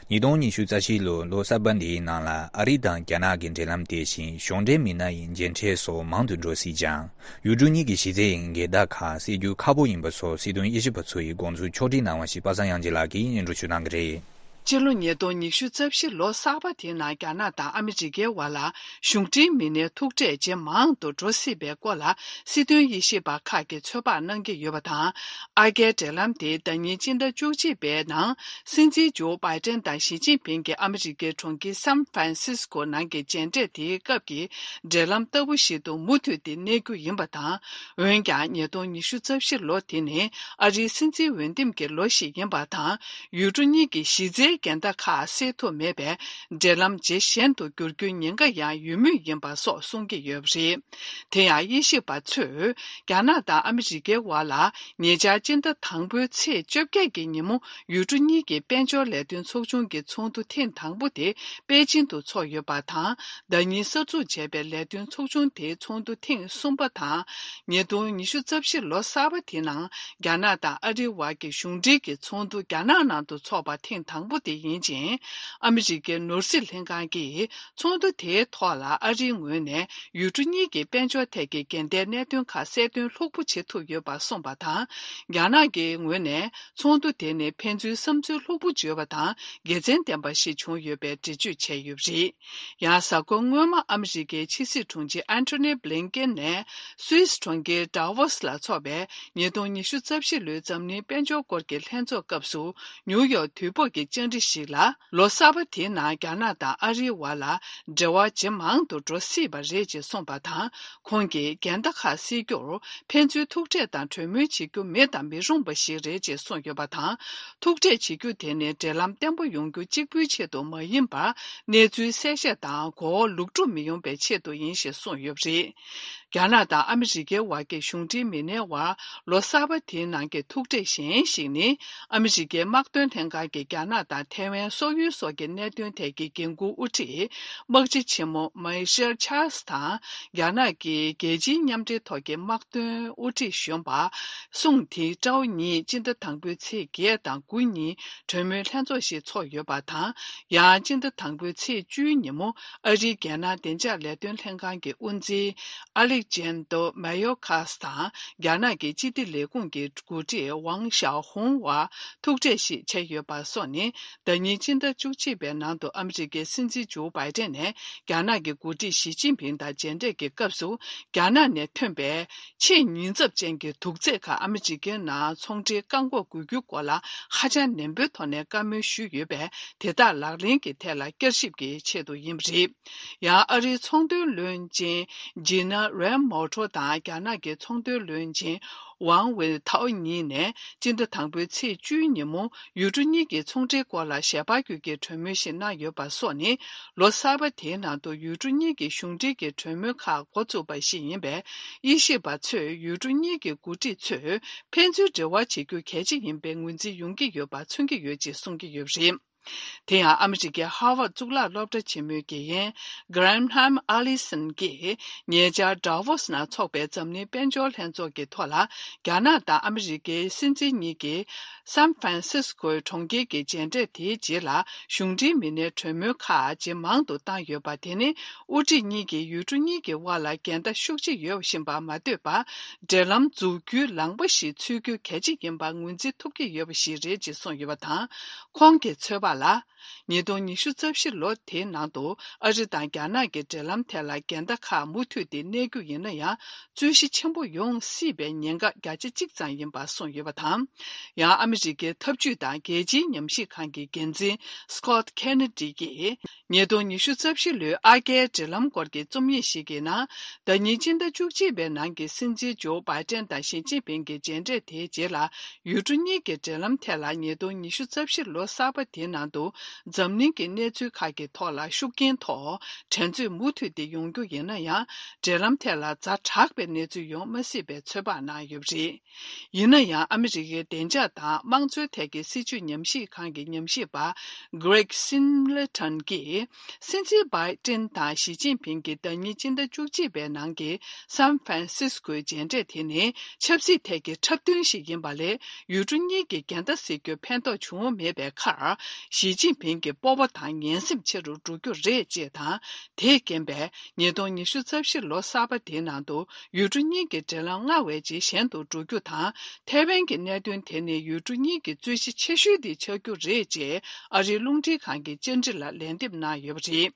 ཉིས་སྟོང་ཉི་ཤུ་རྩ་བཞི་ལོའི་ལོ་གསར་པ་འདིའི་ནང་ལ་ཨ་རི་དང་རྒྱ་ནག་གི་འབྲེལ་ལམ་དེ་བཞིན་གཞུང་འབྲེལ་མི་སྣ་ཡི་མཇལ་འཕྲད་སོགས་མང་དུ་འགྲོ་སྲིད་ཀྱང་། ཡུལ་གྲུ་གཉིས་ཀྱི་གཞི་རྩའི་འགལ་ཟླ་ཁག་སེལ་རྒྱུ་ཁག་པོ་ཡིན་པ་སོགས་སྲིད་དོན་དབྱེ་ཞིབ་པ་ཚོ་ཡི་དགོངས་ཚུལ་ཕྱོགས་སྒྲིག་གནང་བ་ཞིག་པ་སངས་དབྱངས་ཅན་ལགས་ཀྱིས་སྙན་སྒྲོན་ཞུ་གནང་གི་རེད། སྤྱི་ལོ་ཉིས་སྟོང་ཉི་ཤུ་རྩ་བཞི་ལོ་གསར་པ་དེའི་ནང་རྒྱ་ནག་དང་ཨ་མི་རི་ཀའི་དབར་ལ་གཞུང་འབྲེལ་མི་སྣའི་ཐུག་འཕྲད་ཇེ་མང་དུ་འགྲོ་སྲིད་པའི་སྐོར་ལ་སྲིད་དོན་དབྱེ་ཞིབ་པ་ཁག་གིས་ཚོད་དཔག་གནང་གི་ཡོད་པ་དང་། ཨ་རྒྱའི་འབྲེལ་ལམ་དེ་ཟླ་ཉིན་སྤྱི་ཟླ་བཅུ་གཅིག་པའི་ནང་སྲིད་འཛིན་ཇོ་བྷའི་ཏན་དང་ཞི་ཅིན་ཕིང་གི་ཨ་མི་རི་ཀའི་གྲོང་ཁྱེར་སན་ཧྥ་རན་སིས་ཀོ་ནང་གི་མཇལ་འཕྲད་དེའི་སྐབས་ཀྱི་འབྲེལ་ལམ་ལྟ་བུ་ཞིག་ཏུ་མུ་མཐུད་དེ་གནས་རྒྱུ་ཡིན་པ་དང་། འོན་ཀྱང་ཉིས་སྟོང་ཉི་ཤུ་རྩ་བཞི་ལོ་དེ་ནི་ཨ་རིའི་སྲིད་འཛིན་འོས་འདེམས་ཀྱི་ལོ་ཞིག་ཡིན་པ་དང་། ཡུལ་གྲུ་གཉིས་ཀྱི་གཞི་རྩའི་འགལ་ཟླ་ཁག་སེལ་ཐུབ་མེད་པས། འབྲེལ་ལམ་ཇེ་ཞན་དུ་འགྱུར་རྒྱུའི་ཉེན་ཁ་ཡང་ཡོད་མུས་ཡིན་པ་སོགས་གསུང་གི་ཡོད་པ་རེད། དེ་ཡང་དབྱེ་ཞིབ་པ་ཚོས་རྒྱ་ནག་དང་ཨ་མི་རི་ཀའི་དབར་ལ་ཉེ་ཆར་སྤྱི་ཟླ་དང་པོའི་ཚེས་བཅོ་བརྒྱད་ཀྱི་ཉིན་མོ་ཡུལ་གྲུ་གཉིས་ཀྱི་དཔལ་འབྱོར་ལས་དོན་ཚོགས་ཆུང་གི་ཚོགས་འདུ་ཐེངས་དང་པོ་དེ་པེ་ཅིན་དུ་ཚོགས་ཡོད་པ་དང་། ཟླ་ཉིན་གསར་འཛུགས་བྱས་པའི་ལས་དོན་ཚོགས་ཆུང་དེའི་ཚོགས་འདུ་ཐེངས་གསུམ་པ་དང་། ཉིས་སྟོང་ཉི་ཤུ་རྩ་བཞི་ལོ་གསར་པ་དེའི་ནང་རྒྱ་ནག་དང་ཨ་རིའི་དབར་གྱི་གཞུང་འབྲེལ་གྱི་ཚོགས་འདུ་རྒྱ་ནག་ནང་དུ་འཚོགས་པ་ཐེངས་དང་པོ་དེ་ཡིན་ཅིང་། ཨ་མི་རི་ཀའི་ནོར་སྲིད་ལྷན་ཁང་གིས་ཚོགས་འདུ་དེའི་ཐོག་ལ་ཨ་རིའི་ངོས་ནས་ཡུལ་གྲུ་གཉིས་ཀྱི་དཔལ་འབྱོར་ཐད་ཀྱི་འགལ་ཟླའི་གནད་དོན་ཁག་གསལ་སྟོན་ལྷུག་པོ་བྱེད་ཐུབ་ཡོད་པ་གསུངས་པ་དང་། རྒྱ་ནག་གི་ངོས་ནས་ཚོགས་འདུ་དེ་ནི་ཕན་ཚུན་བསམ་ཚུལ་ལྷུག་པོ་བརྗོད་པ་དང་དགེ་མཚན་ལྡན་པ་ཞིག་བྱུང་ཡོད་པའི་འགྲེལ་བརྗོད་བྱས་ཡོད་པ་རེད། ཡང་གཟའ་འཁོར་སྔོན་མ་ཨ་མི་རི་ཀའི་ཕྱི་སྲིད་དྲུང་ཆེ་ཨན་ཐོ་ནི་བྷི་ལིན་ཀེན་ནས་སུད་སི་གྲོང་ཁྱེར་ཌ་ཝོ་སི་ལ་འཚོགས་པའི་ཉིས་སྟོང་ཉི་ཤུ་རྩ་བཞི་ལོའི་འཛམ་གླིང་དཔལ་འབྱོར་སྐོར་གྱི་ལྷན་ཚོགས་སྐབས་སུ་ནིའུ་ཡོག་དུས་བབ་ཀྱི་བཅར་འདྲི་ཞིག་ལ། ལོ་གསར་པ་དེའི་ནང་རྒྱ་ནག་དང་ཨ་རིའི་དབར་ལ་འབྲེལ་བ་ཇེ་མང་དུ་འགྲོ་སྲིད་པ་རེད་ཅེས་གསུངས་པ་དང་། ཁོང་གིས་འགལ་ཟླ་ཁག་སེལ་རྒྱུར་ཕན་ཚུན་ཐུག་འཕྲད་དང་གྲོས་མོལ་བྱེད་རྒྱུ་མེད་དང་མི་རུང་བ་ཞིག་རེད་ཅེས་གསུངས་ཡོད་པ་དང་། ཐུག་འཕྲད་བྱེད་རྒྱུ་དེ་ནི་འབྲེལ་ལམ་བརྟན་པོ་ཡོང་རྒྱུ་གཅིག་པུའི་ཆེད་དུ་མ་ཡིན་པར། གནས་ཚུལ་གསལ་བཤད་དང་གོ་བ་ལོག་སྒྲུབ་མི་ཡོང་བའི་ཆེད་དུ་ཡིན་ཞེས་གསུངས་ཡོད་པ་རེད། རྒྱ་ནག་དང་ཨ་མི་རི་ཀའི་དབར་གྱི་གཞུང་འབྲེལ་མི་སྣའི་དབར་ལོ་གསར་པ་དེའི་ནང་གི་ཐུག་འཕྲད་གཞན་ཞིག་ནི། ཨ་མི་རི་ཀའི་དམག་དོན་ལྷན་ཁང་གི་རྒྱ་ནག་དང་ཐའེ་ཝན་སོག་ཡུལ་སོགས་ཀྱི་གནད་དོན་ཐད་ཀྱི་འགན་འཁུར་དབུ་ཁྲིད། དམག་སྤྱི་ཆེན་མོ་མའེ་ཤེལ་ཆཱལ་སི་དང་། རྒྱ་ནག་གི་རྒྱལ་སྤྱིའི་མཉམ་འབྲེལ་ཐོག་གི་དམག་དོན་དབུ་ཁྲིད་གཞོན་པ། སུང་ཐི་ཀྲའོ་གཉིས་སྤྱི་ཟླ་དང་པོའི་ཚེས་བརྒྱད་དང་དགུ་ཉིན་གྲོས་མོལ་ལྷན་ཚོགས་ཤིག་ཚོགས་ཡོད་པ་དང་། ཡང་སྤྱི་ཟླ་དང་པོའི་ཚེས་བཅུའི་ཉིན་མོ། ཨ་རིའི་རྒྱལ་ནང་བདེ་འཇགས་ལས་དོན་ལྷན་ཁང་གི་དབུ་འཛིན་ཨ་ལེག་ཇན་དོ་མེ་ཡོ་ཁཱ་སི་དང་རྒྱ་ནག་གི་སྤྱི་བདེ་ལས་ཁུངས་ཀྱི་འགོ་ཁྲིད་ཝང་ཞའོ་ཧུང་བར་ཐུག་འཕྲད་ཞིག་བྱས་ཡོད་པ་སོགས་ནི། ཟླ་ཉིན་སྤྱི་ཟླ་བཅུ་གཅིག་པའི་ནང་དུ་ཨ་མི་རི་ཀའི་སྲིད་འཛིན་ཇོ་བྷའི་ཏན་ནས་རྒྱ་ནག་གི་འགོ་ཁྲིད་ཞི་ཅིན་ཕིང་དང་མཇལ་འཕྲད་ཀྱི་སྐབས་སུ། རྒྱ་ནག་ནས་ཐོན་པའི་ཆེས་ཉེན་ཚབས་ཅན་གྱི་དུག་རྫས་ཁག་ཨ་མི་རི་ཀའི་ནང་ཚོང་འབྲེལ་བཀག་འགོག་དགོས་རྒྱུའི་སྐོར་ལ་ཧ་ཅང་ནན་པོའི་ཐོག་ནས་བཀའ་མོལ་ཞུས་ཡོད་པས། དེ་དག་ལག་ལེན་གྱི་ཐད་ལ་བསྐྱར་ཞིབ་ཀྱི་ཆེད་དུ་ཡིན་པ་རེད། ཡང་ཨ་རིའི་ཚོང་དོན་བློན་ཆེན་ཇི་ན་རན་མོ་ཊོ་དང་རྒྱ་ནག་གི་ཚོང་དོན་བློན་ཆེན་ཝང་ཝེ་ཐའོ་གཉིས་ནས་སྤྱི་ཟླ་དང་པོའི་ཚེས་བཅུའི་ཉིན་མོ་ཡུལ་གྲུ་གཉིས་ཀྱི་ཚོང་འབྲེལ་སྐོར་ལ་ཞལ་པར་བརྒྱུད་ཀྱི་གྲོས་མོལ་ཞིག་གནང་ཡོད་པ་སོགས་ནི། ལོ་གསར་པ་དེའི་ནང་དུ་ཡུལ་གྲུ་གཉིས་ཀྱི་གཞུང་འབྲེལ་གྱི་གྲོས་མོལ་ཁག་འགོ་བཙུགས་པ་ཞིག་ཡིན་པས། དབྱེ་ཞིབ་པ་ཚོས་ཡུལ་གྲུ་གཉིས་ཀྱི་འགོ་ཁྲིད་ཚོས་ཕན་ཚུན་འབྲེལ་བ་བྱེད་རྒྱུ་གལ་ཆེ་ཡིན་པའི་ངོས་འཛིན་ཡོང་གི་ཡོད་པ་མཚོན་གྱི་ཡོད་ཅེས་གསུང་གི་ཡོད་པ་རེད། དེ་ཡང་ཨ་མི་རི་ཀའི་ཧར་ཝརཌ་གཙུག་ལག་སློབ་གྲྭ་ཆེན་མོའི་དགེ་རྒན་གྷ་རེམ་ཧམ་ཨ་ལི་སན་གྱིས་ཉེ་ཆར་ཌ་ཝོ་སི་ནང་འཚོགས་པའི་འཛམ་གླིང་དཔལ་འབྱོར་ལྷན་ཚོགས་ཀྱི་ཐོག་ལ། རྒྱ་ནག་དང་ཨ་མི་རི་ཀའི་སྲིད་འཛིན་གཉིས་ཀྱིས་སན་ཧྥ་རན་སིས་ཀོའི་གྲོང་ཁྱེར་གྱི་མཇལ་འཕྲད་དེའི་རྗེས་ལ། གཞུང་འབྲེལ་མི་སྣའི་གྲོས་མོལ་ཁག་ཇེ་མང་དུ་བཏང་ཡོད་པ་དེ་ནི། དབུ་ཁྲིད་གཉིས་ཀྱིས་ཡུལ་གྲུ་གཉིས་ཀྱི་དབར་ལ་འགལ་ཟླ་ཤུགས་ཆེ་ཡོད་བཞིན་པ་མ་ལྟོས་པར། འབྲེལ་ལམ་འཛུགས་རྒྱུའི་ལངས་པ་ཞིག་འཚོལ་རྒྱུ་གལ་ཆེ་ཡིན་པ་ངོས་འཛིན་ཐུབ་ཀྱི་ཡོད་པ་ཞིག་རེད་ཅེས་གསུངས་ཡོད་པ་དང་། ཁོང་གི་ཚོད་དཔག་ལ། ཉིས་སྟོང་ཉི་ཤུ་རྩ་བཞི་ལོ་དེའི་ནང་དུ་ཨ་རི་དང་རྒྱ་ནག་གི་འབྲེལ་ལམ་ཐད་ལ་འགལ་ཟླ་ཁག་མུ་མཐུད་དེ་གནས་རྒྱུ་ཡིན་ན་ཡང་། རྩོད་གཞི་ཆེན་པོ་ཡོང་སྲིད་པའི་ཉེན་ཁ་བརྒྱ་ཆ་གཅིག་ཙམ་ཡིན་པ་གསུངས་ཡོད་པ་དང་། ཡང་ཨ་མི་རི་ཀའི་འཐབ་ཇུས་དང་རྒྱལ་སྤྱིའི་ཉམས་ཞིབ་ཁང་གི་འགན་འཛིན་སི་ཀོ་ཊི་ཁེ་ནེ་ཌི་ཡིས། ཉིས་སྟོང་ཉི་ཤུ་རྩ་བཞི་ལོའི་ཨ་རྒྱའི་འབྲེལ་ལམ་སྐོར་གྱི་རྩོམ་ཡིག་ཞིག་གི་ནང་། ཟླ་ཉིན་སྤྱི་ཟླ་བཅུ་གཅིག་པའི་ནང་གི་སྲིད་འཛིན་ཇོ་བྷའི་ཏན་དང་ཞི་ཅིན་ཕིང་གི་མཇལ་འཕྲད་དེའི་རྗེས་ལ། ཡུལ་གྲུ་གཉིས་ཀྱི་འབྲེལ་ལམ་ཐད་ལ་ཉིས་སྟོང་ཉི་ཤུ་རྩ་བཞི་ལོ་གསར་པ་དེའི་ནང་དུ། འཛམ་གླིང་གི་གནས་ཚུལ་ཁག་གི་ཐོག་ལ་ཤུགས་རྐྱེན་ཐོགས། འགྲན་རྩོད་མུ་མཐུད་དེ་ཡོང་རྒྱུ་ཡིན་ན་ཡང་། འབྲེལ་ལམ་ཐད་ལ་ཛ་དྲག་པའི་གནས་ཚུལ་ཡོང་མ་སྲིད་པའི་ཚོད་དཔག་གནང་ཡོད་པ་རེད། ཡིན་ན་ཡང་། ཨ་མི་རི་ཀའི་བདེ་འཇགས་དང་དམངས་གཙོའི་ཐད་ཀྱི་སྲིད་བྱུས་ཉམས་ཞིབ་ཁང་གི་ཉམས་ཞིབ་པ་Greg Singleton་གྱིས། སྲིད་འཛིན་བྷའི་ཏིན་དང་ཞི་ཅིན་ཕིང་གི་ཟླ་ཉིན་སྤྱི་ཟླ་བཅུ་གཅིག་པའི་ནང་གི་སན་ཧྥ་རན་སིས་ཀོའི་མཇལ་འཕྲད་དེ་ནི་ཆབ་སྲིད་ཐད་ཀྱི་འཁྲབ་སྟོན་ཞིག་ཡིན་པ་ལས། ཡུལ་གྲུ་གཉིས་ཀྱི་འགལ་ཟླ་སེལ་རྒྱུར་ཕན་ཐོགས་བྱུང་མེད་པའི་ཁར། ཞི་ཅིན་ཕིང་གི་སྤོབས་པ་དང་ངན་སེམས་ཆེ་རུ་འགྲོ་རྒྱུ་རེད་ཅེས་དང་། དེས་རྐྱེན་པས་ཉིས་སྟོང་ཉི་ཤུ་རྩ་བཞི་ལོ་གསར་པ་དེའི་ནང་དུ་ཡུལ་གྲུ་གཉིས་ཀྱི་འབྲེལ་ལམ་སྔར་བས་ཇེ་ཞན་དུ་འགྲོ་རྒྱུ་དང་། ཐའེ་ཝན་གྱི་གནད་དོན་དེ་ནི་ཡུལ་གྲུ་གཉིས་ཀྱི་རྩོད་གཞི་ཆེ་ཤོས་དེ་ཆགས་རྒྱུ་རེད་ཅེས་ཨ་རིའི་རླུང་འཕྲིན་ཁང་གི་བཅར་འདྲི་ལ་ལན་འདེབས་གནང་ཡོད་པ་རེད།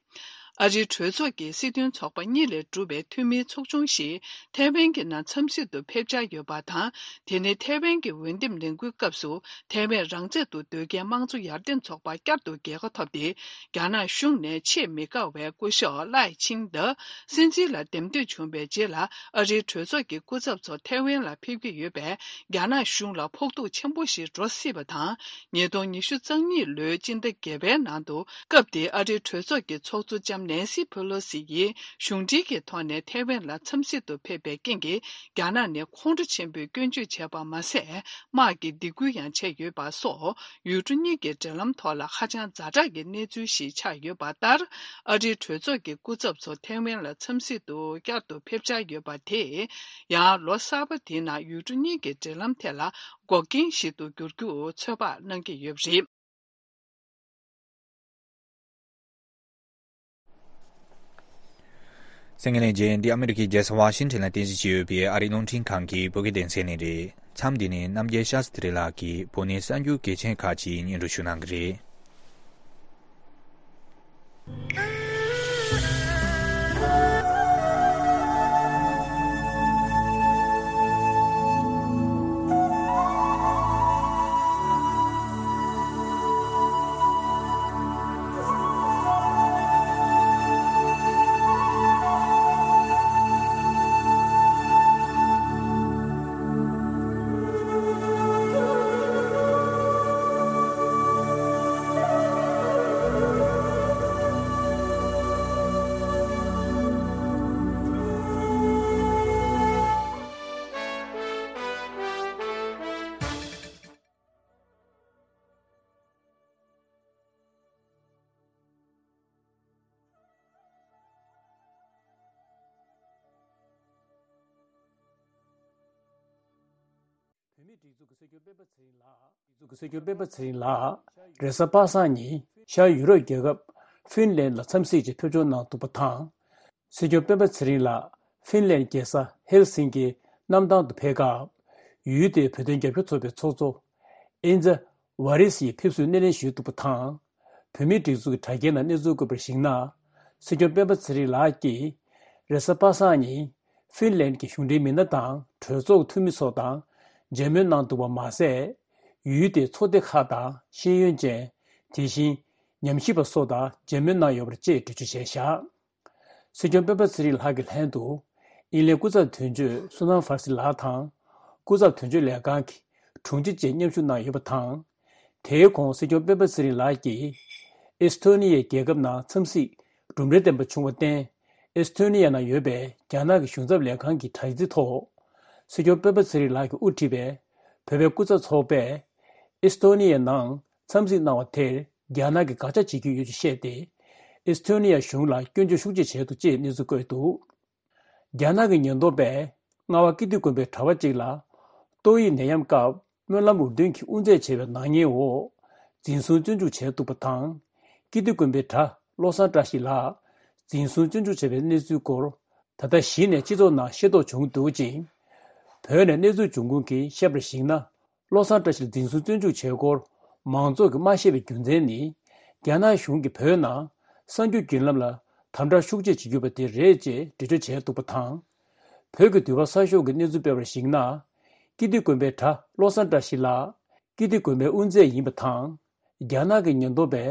ཨ་རིའི་གྲོས་ཚོགས་ཀྱི་སྲིད་དོན་ཚོགས་པ་གཉིས་ལས་གྲུབ་པའི་འཐུས་མིའི་ཚོགས་ཆུང་ཞིག་ཐའེ་ཝན་གྱི་ནང་འཚམས་གཟིགས་དུ་ཕེབས་འཆར་ཡོད་པ་དང་། དེ་ནི་ཐའེ་ཝན་གྱི་འོས་འདེམས་ལས་འགུལ་སྐབས་སུ་ཐའེ་ཝན་རང་བཙན་དུ་སྡོད་མཁན་དམངས་གཙོ་ཡར་ཐོན་ཚོགས་པ་བསྐྱར་དུ་རྒྱལ་ཁ་ཐོབ་སྟེ། རྒྱ་ནག་གཞུང་ནས་ཆེས་མི་དགའ་བའི་སྐུ་ཞབས་ལའེ་ཆིང་ཏེ་སྲིད་འཛིན་ལ་འདེམས་ཐོན་བྱུང་བའི་རྗེས་ལ། ཨ་རིའི་གྲོས་ཚོགས་ཀྱི་སྐུ་ཚབ་ཚོ་ཐའེ་ཝན་ལ་ཕེབས་ཀྱི་ཡོད་པས། རྒྱ་ནག་གཞུང་ལ་ཕོག་ཐུག་ཆེན་པོ་ཞིག་འགྲོ་སྲིད་པ་དང་། ཉིས་སྟོང་ཉི་ཤུ་རྩ་གཉིས་ལོའི་སྤྱི་ཟླ་བརྒྱད་པའི་ནང་དུ། སྐབས་དེའི་ཨ་རིའི་གྲོས་ཚོགས་ཀྱི་ཚོགས་གཙོ་ལྕམ་ནན་སི་ཕེ་ལོ་སི་ཡིས་གཞུང་འབྲེལ་གྱི་ཐོག་ནས་ཐའེ་ཝན་ལ་འཚམས་གཟིགས་དུ་ཕེབས་པའི་རྐྱེན་གྱིས། རྒྱ་ནག་ནས་ཁོང་ཁྲོ་ཆེན་པོས་སྐྱོན་བརྗོད་བྱས་པ་མ་ཟད། དམག་གིས་སྡིགས་སྐུལ་ཡང་བྱས་ཡོད་པ་སོགས། ཡུལ་གྲུ་གཉིས་ཀྱི་འབྲེལ་ལམ་ཐོག་ལ་ཧ་ཅང་ཛ་དྲག་གི་གནས་ཚུལ་ཞིག་ཆགས་ཡོད་པ་ལྟར། ཨ་རིའི་གྲོས་ཚོགས་ཀྱི་སྐུ་ཚབ་ཚོ་ཐའེ་ཝན་ལ་འཚམས་གཟིགས་དུ་བསྐྱར་དུ་ཕེབས་འཆར་ཡོད་པ་དེས། ཡང་ལོ་གསར་པ་དེའི་ནང་ཡུལ་གྲུ་གཉིས་ཀྱི་འབྲེལ་ལམ་ཐད་ལ་འགོག་རྐྱེན་ཞིག་ཏུ་འགྱུར་རྒྱུ་ཚོད་དཔག་གནང་གི་ཡོད་པ་རེད། གསན་མཁན་ལྷན་རྒྱས། འདི་ཨ་མི་རི་ཀའི་རྒྱལ་ས་ཝ་ཤིང་ཊོན་ལ་རྟེན་གཞི་བྱས་ཡོད་པའི་ཨ་རིའི་རླུང་འཕྲིན་ཁང་གི་བོད་སྐད་སྡེ་ཚན་ནས་རེད། མཚམས་འདི་ནས་རྣམ་རྒྱལ་ཤཱ་སྟྲི་ལགས་ཀྱིས་བོད་ནས་གསར་འགྱུར་གལ་ཆེན་ཁག་ཅིག་སྙན་སྒྲོན་ཞུ་གནང་གི་རེད། བོད་མིའི་སྒྲིག་འཛུགས་ཀྱི་སྲིད་སྐྱོང་སྤེན་པ་ཚེ་རིང་ལགས། སྲིད་སྐྱོང་སྤེན་པ་ཚེ་རིང་ལགས་རེས་གཟའ་པ་སངས་ཉིན་ཤར་ཡུ་རོབ་རྒྱལ་ཁབ་ཧྥིན་ལན་ལ་འཚམས་གཟིགས་ཀྱིས་ཕེབས་འབྱོར་གནང་འདུག་པ་དང་། སྲིད་སྐྱོང་སྤེན་པ་ཚེ་རིང་ལགས་ཧྥིན་ལན་རྒྱལ་ས་ཧེལ་སིང་ཀིའི་གནམ་ཐང་དུ་ཕེབས་སྐབས། ཡུལ་དེའི་བོད་དོན་རྒྱབ་སྐྱོར་ཚོགས་པའི་ཚོགས་གཙོ་ཨིན་ཛ་ཝ་རི་སི་ཡིས་ཕེབས་བསུའི་སྣེ་ལེན་ཞུས་འདུག་པ་དང་། བོད་མིའི་སྒྲིག་འཛུགས་ཀྱི་དྲ་རྒྱའི་ནང་གནས་ཚུལ་བཀོད་པར་གཞིགས་ན། སྲིད་སྐྱོང་སྤེན་པ་ཚེ་རིང་ལགས་ཀྱིས་རེས་གཟའ་པ་སངས་ཉིན་ཧྥིན་ལན་གྱི་གཞུང་འབྲེལ་མི་སྣ་དང་གྲོས་ཚོགས་ཀྱི་འཐུས་མི་ཚོ་དང་མཇལ་མོལ་གནང་འདུག་པ་མ་ཟད། ཡུལ་དེའི་ཚོགས་སྡེ་ཁག་དང་ཤེས་ཡོན་ཅན། དེ་བཞིན་ཉམས་ཞིབ་པ་སོགས་དང་མཇལ་མོལ་གནང་ཡོད་པ་བཅས་འགྲེལ་བརྗོད་བྱས་བཞག་སྲིད་སྐྱོང་སྤེན་པ་ཚེ་རིང་ལགས་ཀྱི་ལྷན་དུ། ཨིན་ལན་སྐུ་ཚབ་དོན་གཅོད་སུ་ནམ་ཧྥར་སི་ལགས་དང་། སྐུ་ཚབ་དོན་གཅོད་ལས་ཁང་གི་དྲུང་ཆེ་བཅས་མཉམ་ཞུགས་གནང་ཡོད་པ་དང་། དེའི་གོང་སྲིད་སྐྱོང་སྤེན་པ་ཚེ་རིང་ལགས་ཀྱིས། ཨེས་ཐོ་ནི་ཡའི་རྒྱལ་ཁབ་ནང་འཚམས་གཟིགས་གྲུབ་འབྲས་ལྡན་པ་བྱུང་བར་བརྟེན། ཨེས་ཐོ་ནི་ཡ་ནང་ཡོད་པའི་རྒྱ་ནག་གི་གཞུང་ཚབ་ལས་ཁང་གི་དྲ་ཚིགས་ཐོག་སྲིད་སྐྱོང་སྤེན་པ་ཚེ་རིང་ལགས་ཀྱིས་དབུ་ཁྲིད་པའི་བོད་པའི་སྐུ་ཚབ་ཚོགས་པས། ཨེས་ཐོ་ནི་ཡའི་ནང་འཚམས་གཟིགས་གནང་བ་དེར་རྒྱ་ནག་གིས་དགག་བྱ་བྱེད་ཀྱི་ཡོད་ཅེས་བཤད་དེ། ཨེས་ཐོ་ནི་ཡ་གཞུང་ལ་སྐྱོན་བརྗོད་ཤུགས་ཆེ་བྱས་འདུག་ཅེས་གནས་ཚུལ་བཀོད་འདུག་རྒྱ་ནག་གི་ཉེན་རྟོག་པས་རྔ་བ་ཀིརྟི་དགོན་པའི་གྲྭ་པ་གཅིག་ལ་ཏོག་དབྱིབས་ནད་ཡམས་སྐབས་སྨོན་ལམ་འུར་འདོན་གྱིས་དབུ་མཛད་བྱས་པའི་ནག་ཉེས་འོག་འཛིན་བཟུང་བཙོན་འཇུག་བྱས་འདུག་པ་དང་། ཀིརྟི་དགོན་པའི་གྲྭ་བློ་བཟང་བཀྲ་ཤིས་ལགས་འཛིན་བཟུང་བཙོན་འཇུག་བྱས་པའི་གནས་ཚུལ་སྐོར་ད་ལྟ་གཞི་ནས་སྤྱི་ཚོགས་ནང་ཤེས་རྟོགས་བྱུང་འདུག་ཅིང་། བོད་ནས་གནས་ཚུལ་འབྱུང་ཁུངས་ཀྱིས་བཤད་པར་གཞིགས་ན། བློ་བཟང་བཀྲ་ཤིས་འཛིན་བཟུང་བཙོན་འཇུག་བྱས་སྐོར་མང་ཚོགས་ཀྱིས་མ་ཤེས་པའི་རྒྱུ་མཚན་ནི། རྒྱ་ནག་གཞུང་གིས་བོད་ནང་གསར་འགྱུར་བརྒྱུད་ལམ་ལ་དམ་དྲག་ཤུགས་ཆེ་བྱེད་ཀྱི་ཡོད་པ་དེ་རེད་ཅེས་འགྲེལ་བརྗོད་བྱས་འདུག་པ་དང་། བོད་ཀྱི་དུས་བབ་གསར་ཤོག་གིས་གནས་ཚུལ་སྤེལ་བར་གཞིགས་ན། ཀིརྟི་དགོན་པའི་གྲྭ་བློ་བཟང་བཀྲ་ཤིས་ལགས་ཀིརྟི་དགོན་པའི་དབུ་མཛད་ཡིན་པ་དང་། རྒྱ་ནག་གི་ཉེན་རྟོག་པས་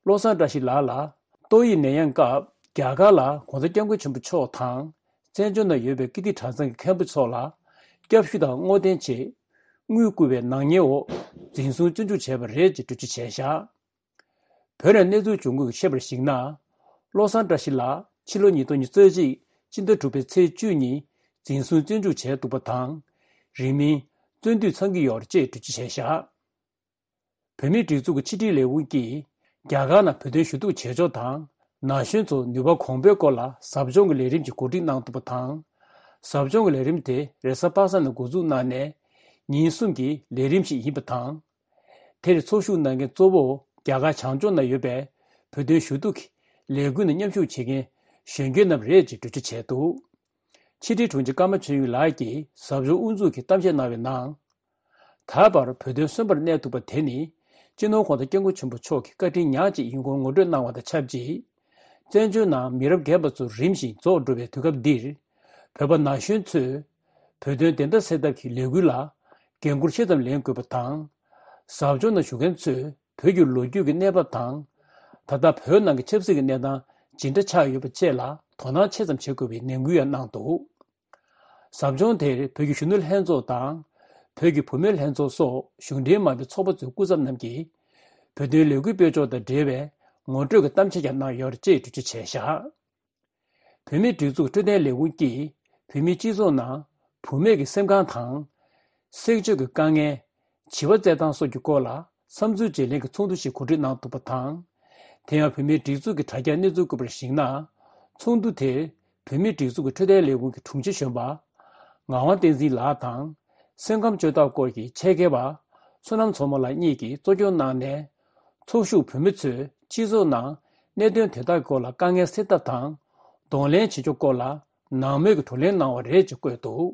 བློ་བཟང་བཀྲ་ཤིས་ལགས་ལ་ཏོག་དབྱིབས་ནད་ཡམས་སྐབས་རྒྱ་གར་ལ་༸གོང་ས་༸སྐྱབས་མགོན་ཆེན་པོ་མཆོག་དང་། བཙན་བྱོལ་ནང་ཡོད་པའི་ཀིརྟི་གྲྭ་ཚང་གི་མཁན་པོ་ཚོ་ལ་སྐྱབས་ཞུ་དང་བསྔོ་རྟེན་ཆེད་དངུལ་བསྐུར་བའི་ནག་ཉེས་འོག་འཛིན་བཟུང་བཙོན་འཇུག་བྱས་པ་རེད་ཅེས་འགྲེལ་བརྗོད་བྱས་བཞག་བོད་ནས་གནས་ཚུལ་འབྱུང་ཁུངས་ཀྱིས་བཤད་པར་གཞིགས་ན། བློ་བཟང་བཀྲ་ཤིས་ལགས་ཕྱི་ལོ་ཉིས་སྟོང་ཉི་ཤུ་རྩ་གཅིག་སྤྱི་ཟླ་དྲུག་པའི་ཚེས་བཅུ་ཉིན་འཛིན་བཟུང་བཙོན་འཇུག་བྱས་འདུག་པ་དང་། རིང་མིན་བཙོན་འདུས་ཚང་གི་ཡོད་རེད་ཅེས་འགྲེལ་བརྗོད་བྱས་བཞག་བོད་མིའི་སྒྲིག་འཛུགས་ཀྱི་ཕྱི་དྲིལ་ལས་ཁུངས་ཀྱིས་ རྒྱ་གར་ནང་བོད་དོན་ཞུ་གཏུག་བྱེད་ཕྱོགས་དང་། ན་གཞོན་ཚོར་ནུས་པ་གོང་འཕེལ་སྐོར་ལ་ཟབ་སྦྱོང་གི་ལས་རིམ་ཞིག་གོ་སྒྲིག་གནང་ཐུབ་པ་དང་། ཟབ་སྦྱོང་གི་ལས་རིམ་དེ་རེས་གཟའ་པ་སངས་ནས་འགོ་འཛུགས་གནང་ནས་ཉིན་གསུམ་གྱི་ལས་རིམ་ཞིག་ཡིན་པ་དང་། དེར་ཚོགས་ཞུགས་གནང་མཁན་གཙོ་བོ་རྒྱ་གར་བྱང་ཕྱོགས་ན་ཡོད་པའི་བོད་དོན་ཞུ་གཏུག་གི་ལས་འགུལ་ནང་མཉམ་ཞུགས་བྱེད་མཁན་གཞོན་སྐྱེས་རྣམས་རེད་ཅེས་འགྲེལ་བརྗོད་བྱས་འདུག་ཕྱི་དྲིལ་དྲུང་ཆེ་ཀརྨ་ཆོས་དབྱིངས་ལགས་ཀྱིས་ཟབ་སྦྱོང་དབུ་འཛུགས་ཀྱིས་གཏམ་བཤད་གནང་བའི་ནང་། ད་བར་བོད་དོན་གསོན་པོར་གནས་ཐུབ་པ་དེ་ནི་སྤྱི་ནོར་༧གོང་ས་༧སྐྱབས་མགོན་ཆེན་པོ་མཆོག་གི་བཀའ་དྲིན་ཉག་གཅིག་ཡིན་སྐོར་ངོ་སྤྲོད་གནང་བ་དང་ཆབས་ཅིག་བཙན་བྱོལ་ནང་མི་རབས་རྒན་པ་ཚོ་རིམ་བཞིན་རྫོགས་འགྲོ་བའི་དུས་སྐབས་འདིར། བོད་པ་ན་གཞོན་ཚོས་བོད་དོན་བདེན་མཐའ་གསལ་ཐབས་ཀྱི་ལས་འགུལ་ལ་འགན་འཁུར་ཆེ་ཙམ་ལེན་དགོས་པ་དང་། ཟབ་སྦྱོང་ནང་ཞུགས་མཁན་ཚོས་བོད་ཀྱི་ལོ་རྒྱུས་ཀྱི་གནས་བབ་དང་། ད་ལྟ་བོད་ནང་གི་ཆབ་སྲིད་ཀྱི་གནས་སྟངས་ཇི་འདྲ་ཆགས་ཡོད་པ་བཅས་ལ་དོ་སྣང་ཆེ་ཙམ་བྱེད་དགོས་པའི་ནན་སྐུལ་ཡང་གནང་འདུག་ཟབ་སྦྱོང་དེར་བོད་ཀྱི་གཞོན་ནུ་ལྷན་ཚོགས་དང་། བོད་ཀྱི་བུད་མེད་ལྷན་ཚོགས་སོགས་གཞུང་འབྲེལ་མ་ཡིན་པའི་ཚོགས་པ་ཚོའི་སྐུ་ཚབ་རྣམས་ཀྱིས། བོད་དོན་ལས་འགུལ་སྤེལ་ཕྱོགས་དང་འབྲེལ་བའི་ངོ་སྤྲོད་ཀྱི་གཏམ་བཤད་ཀྱང་གནང་ཡོད་རེད་ཅེས་འགྲེལ་བརྗོད་བྱས་བཞག་བོད་མིའི་སྒྲིག་འཛུགས་འཕྲོད་བསྟེན་ལས་ཁུངས་ཀྱིས་བོད་མིའི་སྤྱི་ཚོགས་ནང་བུད་མེད་ཀྱི་སེམས་ཁམས་དང་། སེམས་ཤུགས་ཀྱི་དཀའ་ངལ། བྱིས་པ་བཙས་སྟངས་སོགས་ཀྱི་སྐོར་ལ་བསམ་ཚུལ་བརྗེ་ལེན་གྱི་ཚོགས་འདུ་ཞིག་གོ་སྒྲིག་གནང་འདུག་པ་དང་། དེ་ཡང་བོད་མིའི་སྒྲིག་འཛུགས་ཀྱི་དྲ་རྒྱའི་གནས་ཚུལ་བཀོད་པར་གཞིགས་ན། ཚོགས་འདུ་དེར་བོད་མིའི་སྒྲིག་འཛུགས་ཀྱི་འཕྲོད་བསྟེན་ལས་ཁུངས་ཀྱི་དྲུང་ཆེ་གཞོན་པ་ངག་དབང་བསྟན་འཛིན་ལགས་དང་། སེམས་ཁམས་བཅོས་ཐབས་སྐོར་གྱི་ཆེད་མཁས་པ་བསོད་ནམས་མཚོ་མོ་ལགས་གཉིས་ཀྱིས་གཙོ་སྐྱོང་གནང་ནས། ཚོགས་ཞུགས་བོད་མི་ཚོས་སྤྱི་ཚོགས་ནང་གནད་དོན་དེ་དག་སྐོར་ལ་དཀའ་ངལ་སེལ་ཐབས་དང་། གདོང་ལེན་བྱེད་ཕྱོགས་སྐོར་ལ་ནང་མོལ་གྱི་བགྲོ་གླེང་གནང་བ་རེད་ཅེས་བཀོད་འདུག་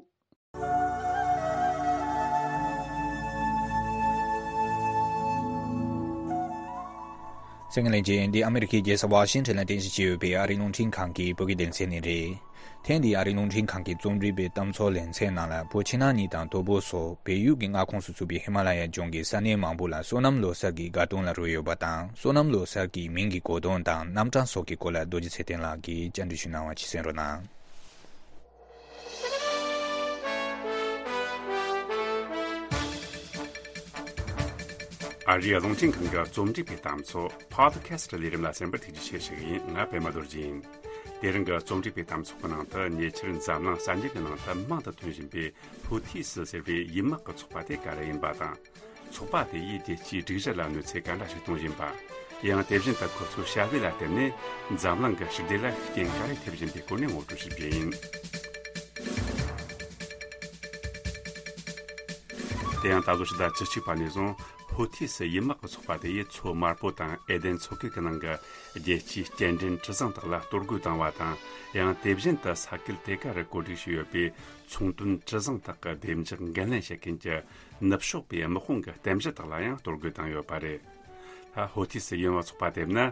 གསན་མཁན་ལྷན་རྒྱས། འདི་ཨ་མེ་རི་ཁའི་རྒྱལ་ས་ཝ་ཤིང་ཊོན་ལ་རྟེན་གཞི་བྱས་ཡོད་པའི་ཨ་རིའི་རླུང་འཕྲིན་ཁང་གི་བོད་སྐད་སྡེ་ཚན་ནས་རེད། ཐེངས་འདིའི་ཨ་རིའི་རླུང་འཕྲིན་ཁང་གི་རྩོམ་སྒྲིག་པའི་གཏམ་ཚོགས་ལེ་ཚན་ནང་ལ། བོད་ཕྱི་ནང་གཉིས་དང་དོལ་པོ་སོགས་བལ་ཡུལ་གྱི་མངའ་ཁོངས་སུ་ཚུད་པའི་ཧི་མ་ལ་ཡ་ལྗོངས་ཀྱི་ས་གནས་མང་པོ་ལ་སོ་ནམ་ལོ་གསར་གྱི་དགའ་སྟོན་ལ་རོལ་ཡོད་པ་དང་། སོ་ནམ་ལོ་གསར་གྱི་མིང་གི་གོ་དོན་དང་རྣམ་གྲངས་སོགས་ཀྱི་སྐོར་ལ་རྡོ་རྗེ་ཚེ་བརྟན་ལགས་ཀྱིས་བཅར་འདྲི་ཞུས་གནང་བ་ཅིག་གསན་རོགས་གནང་། ཨ་རིའི་རླུང་འཕྲིན་ཁང་གི་རྩོམ་སྒྲིག་པའི་གཏམ་ཚོགས་Podcast ལས་རིམ་ལ་གསན་པར་ཐུགས་རྗེ་ཆེ་ཞུ་གི་ཡིན། ང་པད་མ་རྡོ་རྗེ་ཡིན། དེ་རིང་གི་རྩོམ་སྒྲིག་པའི་གཏམ་ཚོགས་ཀྱི་ནང་དུ། ཉེ་ཆར་འཛམ་གླིང་གསར་འགྱུར་གྱི་ནང་དུ་མང་དུ་ཐོན་བཞིན་པའི་ཧུ་ཐི་སི་ཟེར་བའི་ཡུལ་དམག་གི་ཚོགས་པ་དེ་ག་རེ་ཡིན་པ་དང་། ཚོགས་པ་དེ་ཡིས་རྒྱལ་སྤྱིའི་སྒྲིག་གཞི་ལ་གནོད་འཚེ་ག་འདྲ་ཞིག་གཏོང་བཞིན་པ། ཡང་དེ་བཞིན་དུ་ཁོ་ཚོའི་བྱ་བ་ལ་བརྟེན་ནས་འཛམ་གླིང་གི་ཞི་བདེ་ལ་རྐྱེན་ག་རེ་ཐེབས་བཞིན་པའི་སྐོར་ནས་ངོ་སྤྲོད་ཞུ་རྒྱུ་ཡིན། དེ་ཡང་ད་ལོ་ཕྱི་ཟླ་བཅུ་གཅིག་པ་ནས་བཟུང་ཧུ་ཐི་སི་ཡུལ་དམག་གི་ཚོགས་པ་དེ་ཡིས་མཚོ་དམར་པོ་དང་ཨེ་དན་མཚོ་ཁུལ་གྱི་ནང་གི་རྒྱལ་སྤྱིའི་སྐྱེལ་འདྲེན་གྲུ་གཟིངས་དག་ལ་གཏོར་རྒོལ་བཏང་བ་དང་། ཡང་དེ་བཞིན་དུ་ས་ཁུལ་དེ་ག་རུ་བཀོད་སྒྲིག་བྱས་ཡོད་པའི་ཚོང་དོན་གྲུ་གཟིངས་དག་གི་བདེ་འཇགས་འགན་ལེན་བྱེད་མཁན་གྱི་ནུབ་ཕྱོགས་པའི་དམག་དཔུང་གི་རྟེན་གཞི་དག་ལ་ཡང་གཏོར་རྒོལ་བཏང་ཡོད་པ་རེད། ད་ཧོ་ཐི་སི་ཡུལ་དམག་ཚོགས་པ་དེ་ནི་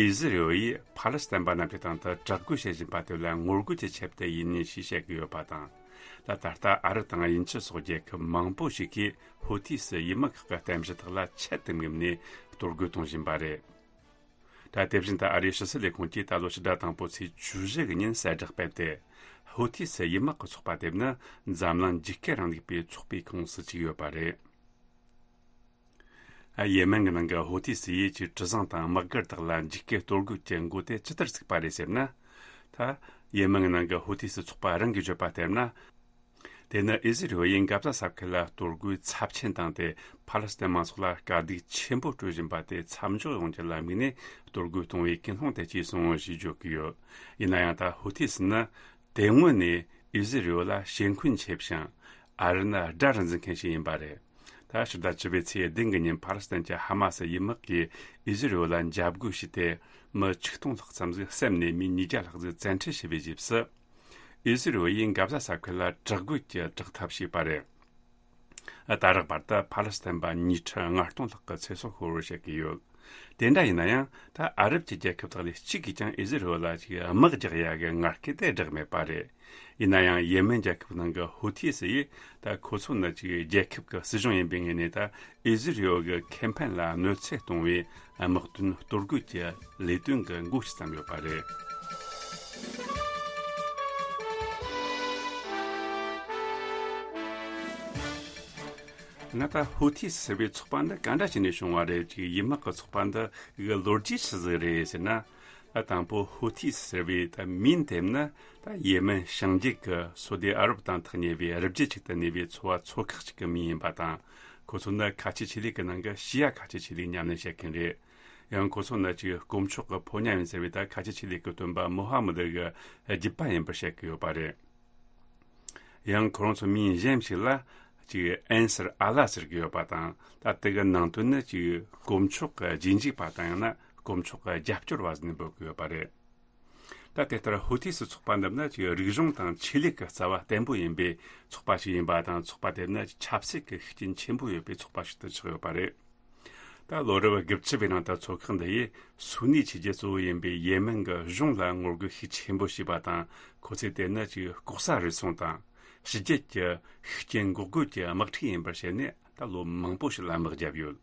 ཨི་ཟི་རེལ་ཡིས་ཕཱ་ལེ་སི་ཐན་པ་རྣམས་ཀྱི་སྟེང་དུ་དྲག་རྒོལ་བྱེད་བཞིན་པ་དེ་ལ་ངོ་རྒོལ་གྱི་ཆེད་དུ་ཡིན་ཞེས་བཤད་ཀྱི་ཡོད་པ་དང་། ད་ད་ལྟ་ཨ་རི་དང་དབྱིན་ཇི་སོགས་རྒྱལ་ཁབ་མང་པོ་ཞིག་གིས་ཧོ་ཐི་སི་ཡུལ་དམག་ཁག་གི་རྟེན་གཞི་དག་ལ་ཆེད་དུ་དམིགས་ནས་གཏོར་རྒོལ་གཏོང་བཞིན་པ་རེད། ད་དེ་བཞིན་དུ་ཨ་རིའི་ཕྱི་སྲིད་ལས་ཁུངས་ཀྱིས་ད་ལོ་ཕྱི་ཟླ་དང་པོ་ཚེས་བཅུ་བཞི་གི་ཉིན་གསལ་བསྒྲགས་སྤེལ་ཏེ། ཧོ་ཐི་སི་ཡུལ་དམག་གི་ཚོགས་པ་དེ་ནི་འཛམ་གླིང་འཇིགས་སྐུལ་རིང་ལུགས་པའི་ཚོགས་པའི་ཁོངས་སུ་བཅུག་ཡོད་པ་རེད། ཡེ་མེན་གྱི་ནང་གི་ཧོ་ཐི་སི་ཡིས་ཀྱི་གྲུ་གཟིངས་དང་དམག་སྒར་དག་ལ་འཇིགས་སྐུལ་གཏོར་རྒོལ་གྱི་འགོ་དེ་ཇི་ལྟར་བཙུགས་པ་རེད་ཟེར་ན། ད་ཡེ་མེན་གྱི་ནང་གི་ཧོ་ཐི་སི་ཚོགས་པ་རང་གིས་བརྗོད་པ་ལྟར་ན། དེ་ནི་ཨི་ཟི་རེལ་ཡིས་འགག་རྩ་ས་ཁུལ་ལ་གཏོར་རྒོལ་ཚབས་ཆེན་བཏང་སྟེ། ཕཱ་ལེ་སི་ཐན་མང་ཚོགས་ལ་དཀའ་སྡུག་ཆེན་པོ་སྤྲོད་བཞིན་པ་དེ་མཚམས་འཇོག་ཡོང་རྒྱུ་ལ་དམིགས་ནས་གཏོར་རྒོལ་གཏོང་བའི་ཀུན་སློང་དེ་སྐྱེས་སོང་ཞེས་བརྗོད་ཀྱི་ཡོད། ཡིན་ན་ཡང་ད་ཧོ་ཐི་སི་ནི་དེ་སྔོན་ནས་ཨི་ཟི་རེལ་ལ་ཞེ་འཁོན་ཆེ་ཞིང་། ཨ་རི་ནི་དགྲར་འཛིན་མཁན་ཞིག་ཡིན་པ་རེད། ད་ཕྱི་ཟླ་བཅུ་པའི་ཚེས་བདུན་གྱི་ཉིན་ཕཱ་ལེ་སི་ཐན་གྱི་ཧ་མ་སི་ཡུལ་དམག་གིས་ཨི་ཟི་རེལ་ལ་འཇབ་རྒོལ་བྱས་ཏེ། མི་ཆིག་སྟོང་ལྷག་ཙམ་ཞིག་བསད་ནས། མི་ཉིས་བརྒྱ་ལྷག་ཞིག་བཙན་ཁྲིད་བྱས་པའི་རྗེས་སུ། ཨི་ཟི་རེལ་ཡིས་འགག་རྩ་ས་ཁུལ་ལ་དྲག་རྒོལ་གྱི་དྲག་འཐབ་བྱས་པ་རེད། ད་རེག་བར་དུ་ཕཱ་ལེ་སི་ཐན་པ་ཉིས་ཁྲི་ལྔ་སྟོང་ལྷག་གི་ཚེ་སྲོག་ཤོར་བར་བཤད་ཀྱི་ཡོད། དེ་འདྲ་ཡིན་ན་ཡང་། ད་ཨ་རབ་ཀྱི་རྒྱལ་ཁབ་དག་ལས་གཅིག་གིས་ཀྱང་ཨི་ཟི་རེལ་ལ་ཅིག་དམག་རྒྱག་ཡ་གི་ངར་སྐད་དེ་བསྒྲགས་མེད་པ་རེད། ཡིན་ན་ཡང་ཡེ་མེན་རྒྱལ་ཁབ་ནང་གི་ཧོ་ཐི་སི་ཡིས། ད་ཁོ་ཚོ་ནི་ཅིག་རྒྱལ་ཁབ་ཀྱི་སྲིད་གཞུང་ཡིན་པའི་ངོས་ནས། ད་ཨི་ཟི་རེལ་གྱི་ཁེ་ཕན་ལ་གནོད་འཚེ་གཏོང་བའི་དམག་དོན་གཏོར་རྒོལ་གྱི་ལས་དོན་གྱི་འགོ་ཞིག་བརྩམས་ཡོད་པ་རེད། ང་ད་ཧོ་ཐི་སི་ཟེར་བའི་ཚོགས་པ་འདི་ག་འདྲ་བྱས་ནས་བྱུང་བ་རེད། ཅིག་ཡུལ་དམག་གི་ཚོགས་པ་འདི་གི་ལོ་རྒྱུས་ཆི་ཟིག་རེད་ཟེར་ན། ད་དང་པོ་ཧོ་ཐི་སི་ཟེར་བའི་ད་མིང་དེ་ནི་ད་ཡེ་མེན་བྱང་རྒྱུད་ཀྱི་སོ་ཏི་ཨ་རབ་དང་ཐག་ཉེ་བའི་རི་རྒྱུད་ཅིག་ཏུ་གནས་པའི་ཚོ་བ་ཚོ་ཁག་ཅིག་གི་མིང་ཡིན་པ་དང་། ཁོ་ཚོ་ནི་ཁ་ཆེ་ཆོས་ལུགས་ཀྱི་ནང་གི་ཤི་ཡ་ཁ་ཆེ་ཆོས་ལུགས་ཉམས་ལེན་བྱེད་མཁན་རེད། ཡང་ཁོ་ཚོ་ནི་ཅིག་དཀོན་མཆོག་གི་ཕོ་ཉ་ཡིན་ཟེར་བའི་ད་ཁ་ཆེ་ཆོས་ལུགས་ཀྱི་སྟོན་པ་མོ་ཧ་མུ་ད་གི་རྒྱུད་པ་ཡིན་པར་བཤད་ཀྱི་ཡོད་པ་རེད། ཡང་ཁོ་རང་ཚོ་མིང་གཞན་ཞིག་ལ་ཅིག་ཨན་སར་ཨ་ལ་ཟེར་གྱི་ཡོད་པ་དང་། ད་དེ་གི་ནང་དོན་ནི་ཅིག་དཀོན་མཆོག་གི་རྗེས་འཇུག་པ་དང་ཡང་ན་དཀོན་མཆོག་གི་རྒྱབ་སྐྱོར་བ་ཟེར་ནས་འབོད་ཀྱི་ཡོད་པ་རེད། ད་དེ་ལྟར་ཧུ་ཐི་སི་ཚོགས་པ་འདི་ནི་ཅིག་རིག་གཞུང་དང་ཆོས་ལུགས་ཀྱི་རྩ་བ་བརྟན་པོ་ཡིན་པའི་ཚོགས་པ་ཞིག་ཡིན་པ་དང་། ཚོགས་པ་དེ་ནི་ཆབ་སྲིད་ཀྱི་ཤུགས་རྐྱེན་ཆེན་པོ་ཡོད་པའི་ཚོགས་པ་ཞིག་ཏུ་ཆགས་ཡོད་པ་རེད། ད་ལོ་རབས་བརྒྱད་ཅུ་བའི་ནང་དུ་ཚོགས་ཁག་འདི་ཡིས་སུ་ནི་ཆོས་རྒྱལ་གཙོ་བོ་ཡིན་པའི་ཡེ་མེན་གྱི་གཞུང་ལ་ངོ་རྒོལ་ཤུགས་ཆེན་པོ་བྱས་པ་དང་། ཁོ་ཚོས་དེ་ནི་ཅིག་ལྐོག་ཟ་རུལ་སུངས་དང་ཕྱི་རྒྱལ་གྱི་ཤུགས་རྐྱེན་འགོག་རྒོལ་གྱི་དམག་འཁྲུག་ཡིན་པར་བཤད་ནས་ད་ལོ་མང་པོ་ཞིག་ལ་དམག་བརྒྱབ་ཡོད།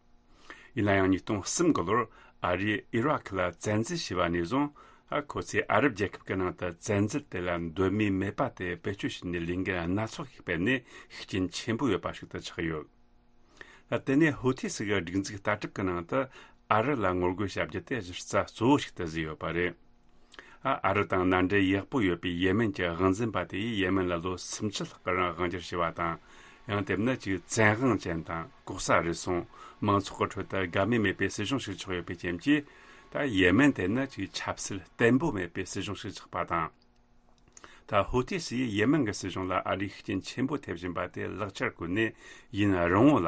ཡིན་ན་ཡང་ཉིས་སྟོང་གསུམ་གི་ལོར་ཨ་རིས་ཨི་རག་ལ་བཙན་འཛུལ་བྱས་པ་ནས་བཟུང་། ཨ་ཁོ་ཚོས་ཨ་རབ་རྒྱལ་ཁབ་ཀྱི་ནང་དུ་བཙན་འཛུལ་དེ་ལ་འདོད་མོས་མེད་པ་དེ་བེད་སྤྱོད་བྱས་ནས་ལས་འགུལ་སྣ་ཚོགས་ཤིག་སྤེལ་ནས་ཤུགས་རྐྱེན་ཆེན་པོ་ཡོད་པ་ཞིག་ཏུ་ཆགས་ཡོད། ད་དེ་ནས་ཧུ་ཐི་སི་གི་སྒྲིག་འཛུགས་ལྟ་གྲུབ་ཀྱི་ནང་དུ་ཨ་རི་ལ་ངོ་རྒོལ་བྱ་རྒྱུ་དེ་གཞི་རྩ་གཙོ་བོ་ཞིག་ཏུ་བཟོས་ཡོད་པ་རེད། ཨ་ཨ་རི་དང་མནའ་འབྲེལ་ཡག་པོ་ཡོད་པའི་ཡེ་མེན་གྱི་དབང་འཛིན་པ་དེ་ཡིས་ཡེ་མེན་ལ་ལོ་སུམ་ཅུ་ལྷག་གི་རིང་དབང་སྒྱུར་བྱས་པ་དང་། ཡང་དེ་ནི་ཅིག་བཙན་དབང་ཅན་དང་ལྐོག་ཟ་རུལ་སུངས། མང་ཚོགས་ཀྱི་ཁྲོད་དུ་དགའ་མོས་མེད་པའི་སྲིད་གཞུང་ཞིག་ཆགས་ཡོད་པའི་རྐྱེན་གྱིས། ད་ཡེ་མེན་དེ་ནི་ཅིག་ཆབ་སྲིད་བརྟན་པོ་མེད་པའི་སྲིད་གཞུང་ཞིག་ཆགས་པ་དང་། ད་ཧུ་ཐི་སི་ཡིས་ཡེ་མེན་གྱི་སྲིད་གཞུང་ལ་ཨ་རིས་ཤུགས་རྐྱེན་ཆེན་པོ་ཐེབས་བཞིན་པ་དེ་ལག་ཆར་བཀོད་ནས་ཡུན་རིང་བོ་ལ་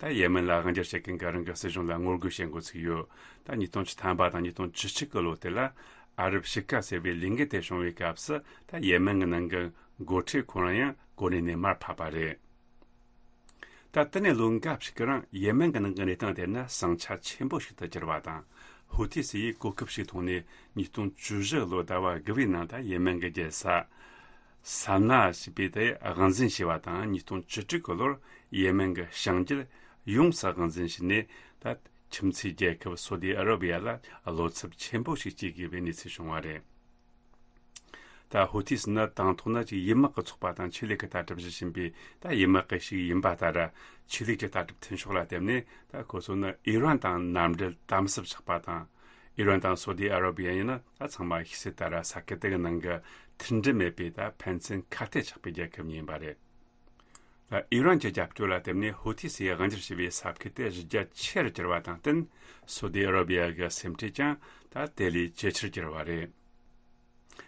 ད་ཡེ་མེན་ལ་དབང་སྒྱུར་བྱེད་མཁན་གྱི་རང་གི་སྲིད་གཞུང་ལ་ངོ་རྒོལ་བྱེད་འགོ་ཚུགས་ཡོད། ད་ཉིས་སྟོང་བཅུ་ཐམ་པ་དང་ཉིས་སྟོང་བཅུ་གཅིག་གི་ལོ་དེ་ལ་ཨ་རབ་ཕྱེད་ཀ་ཟེར་བའི་ལས་འགུལ་དེ་བྱུང་བའི་སྐབས་སུ། ད་ཡེ་མེན་གྱི་ནང་གི་འགོ་ཁྲིད་ཁོ་རང་ཡང་གོ་གནས་ནས་མར་ཕབ་པ་རེད། ད་དེ་ནས་ལོ་འགའ་ཞིག་གི་རིང་ཡེ་མེན་གྱི་ནང་གི་གནས་སྟངས་དེ་ནི་ཟིང་ཆ་ཆེན་པོ་ཞིག་ཏུ་གྱུར་བ་དང་། ཧུ་ཐི་སི་ཡིས་གོ་སྐབས་ཤིག་མཐོང་ནས་ཉིས་སྟོང་བཅུ་བཞི་ལོ་ཟླ་བ་དགུ་པའི་ནང་ད་ཡེ་མེན་གྱི་རྒྱལ་ས་སཱ་ན་ཞེས་པའི་དེ་དབང་འཛིན་བྱས་པ་དང་། ཉིས་སྟོང་བཅུ་དྲུག་གི་ལོར་ཡེ་མེན་གྱི་བྱང་རྒྱུད་ཡོངས་སུ་དབང་འཛིན་བྱས་ནས། ད་ཁྱིམ་མཚེས་རྒྱལ་ཁབ་སོ་ཏི་ཨ་ར་བི་ཡ་ལ་བློ་འཚབ་ཆེན་པོ་ཞིག་སྐྱེ་དགོས་པའི་གནས་ཚུལ་བྱུང་བ་རེད། ད་ཧུ་ཐི་སི་ནི་དང་ཐོག་ན་ཅིག་ཡུལ་དམག་གི་ཚོགས་པ་དང་ཆོས་ལུགས་ཀྱི་ལྟ་གྲུབ་བཞི་ཡིན་པའི་ད་ཡུལ་དམག་གི་ཞིག་ཡིན་པ་ལྟར། ཆོས་ལུགས་ཀྱི་ལྟ་གྲུབ་མཐུན་ཕྱོགས་ལ་བརྟེན་ནས། ད་ཁོ་ཚོ་ནི་ཨི་རན་དང་མནའ་འབྲེལ་དམ་ཟབ་ཆགས་པ་དང་། ཨི་རན་དང་སོ་ཏི་ཨ་ར་བི་ཡ་ཡིན་ན་ད་ཚང་མ་ཤེས་གསལ་ལྟར་ས་ཁུལ་དེ་གི་ནང་གི་མཐུན་སྒྲིལ་མེད་པའི་ད་ཕན་ཚུན་ཁ་གཏད་ཆགས་པའི་རྒྱལ་ཁབ་གཉིས་ཡིན་པ་རེད། ད་ཨི་རན་གྱི་རྒྱབ་སྐྱོར་ལ་བརྟེན་ནས་ཧུ་ཐི་སིས་དབང་སྒྱུར་བྱས་པའི་ས་ཁུལ་དེ་གཞི་རྒྱ་ཆེ་རུ་གྱུར་བ་དང་བསྟུན། སོ་ཏི་ཨ་ར་བི་ཡ་གི་སེམས་ཁྲལ་ཀྱང་ད་དེ་ལས་ཇེ་ཆེར་གྱུར་བ་རེད།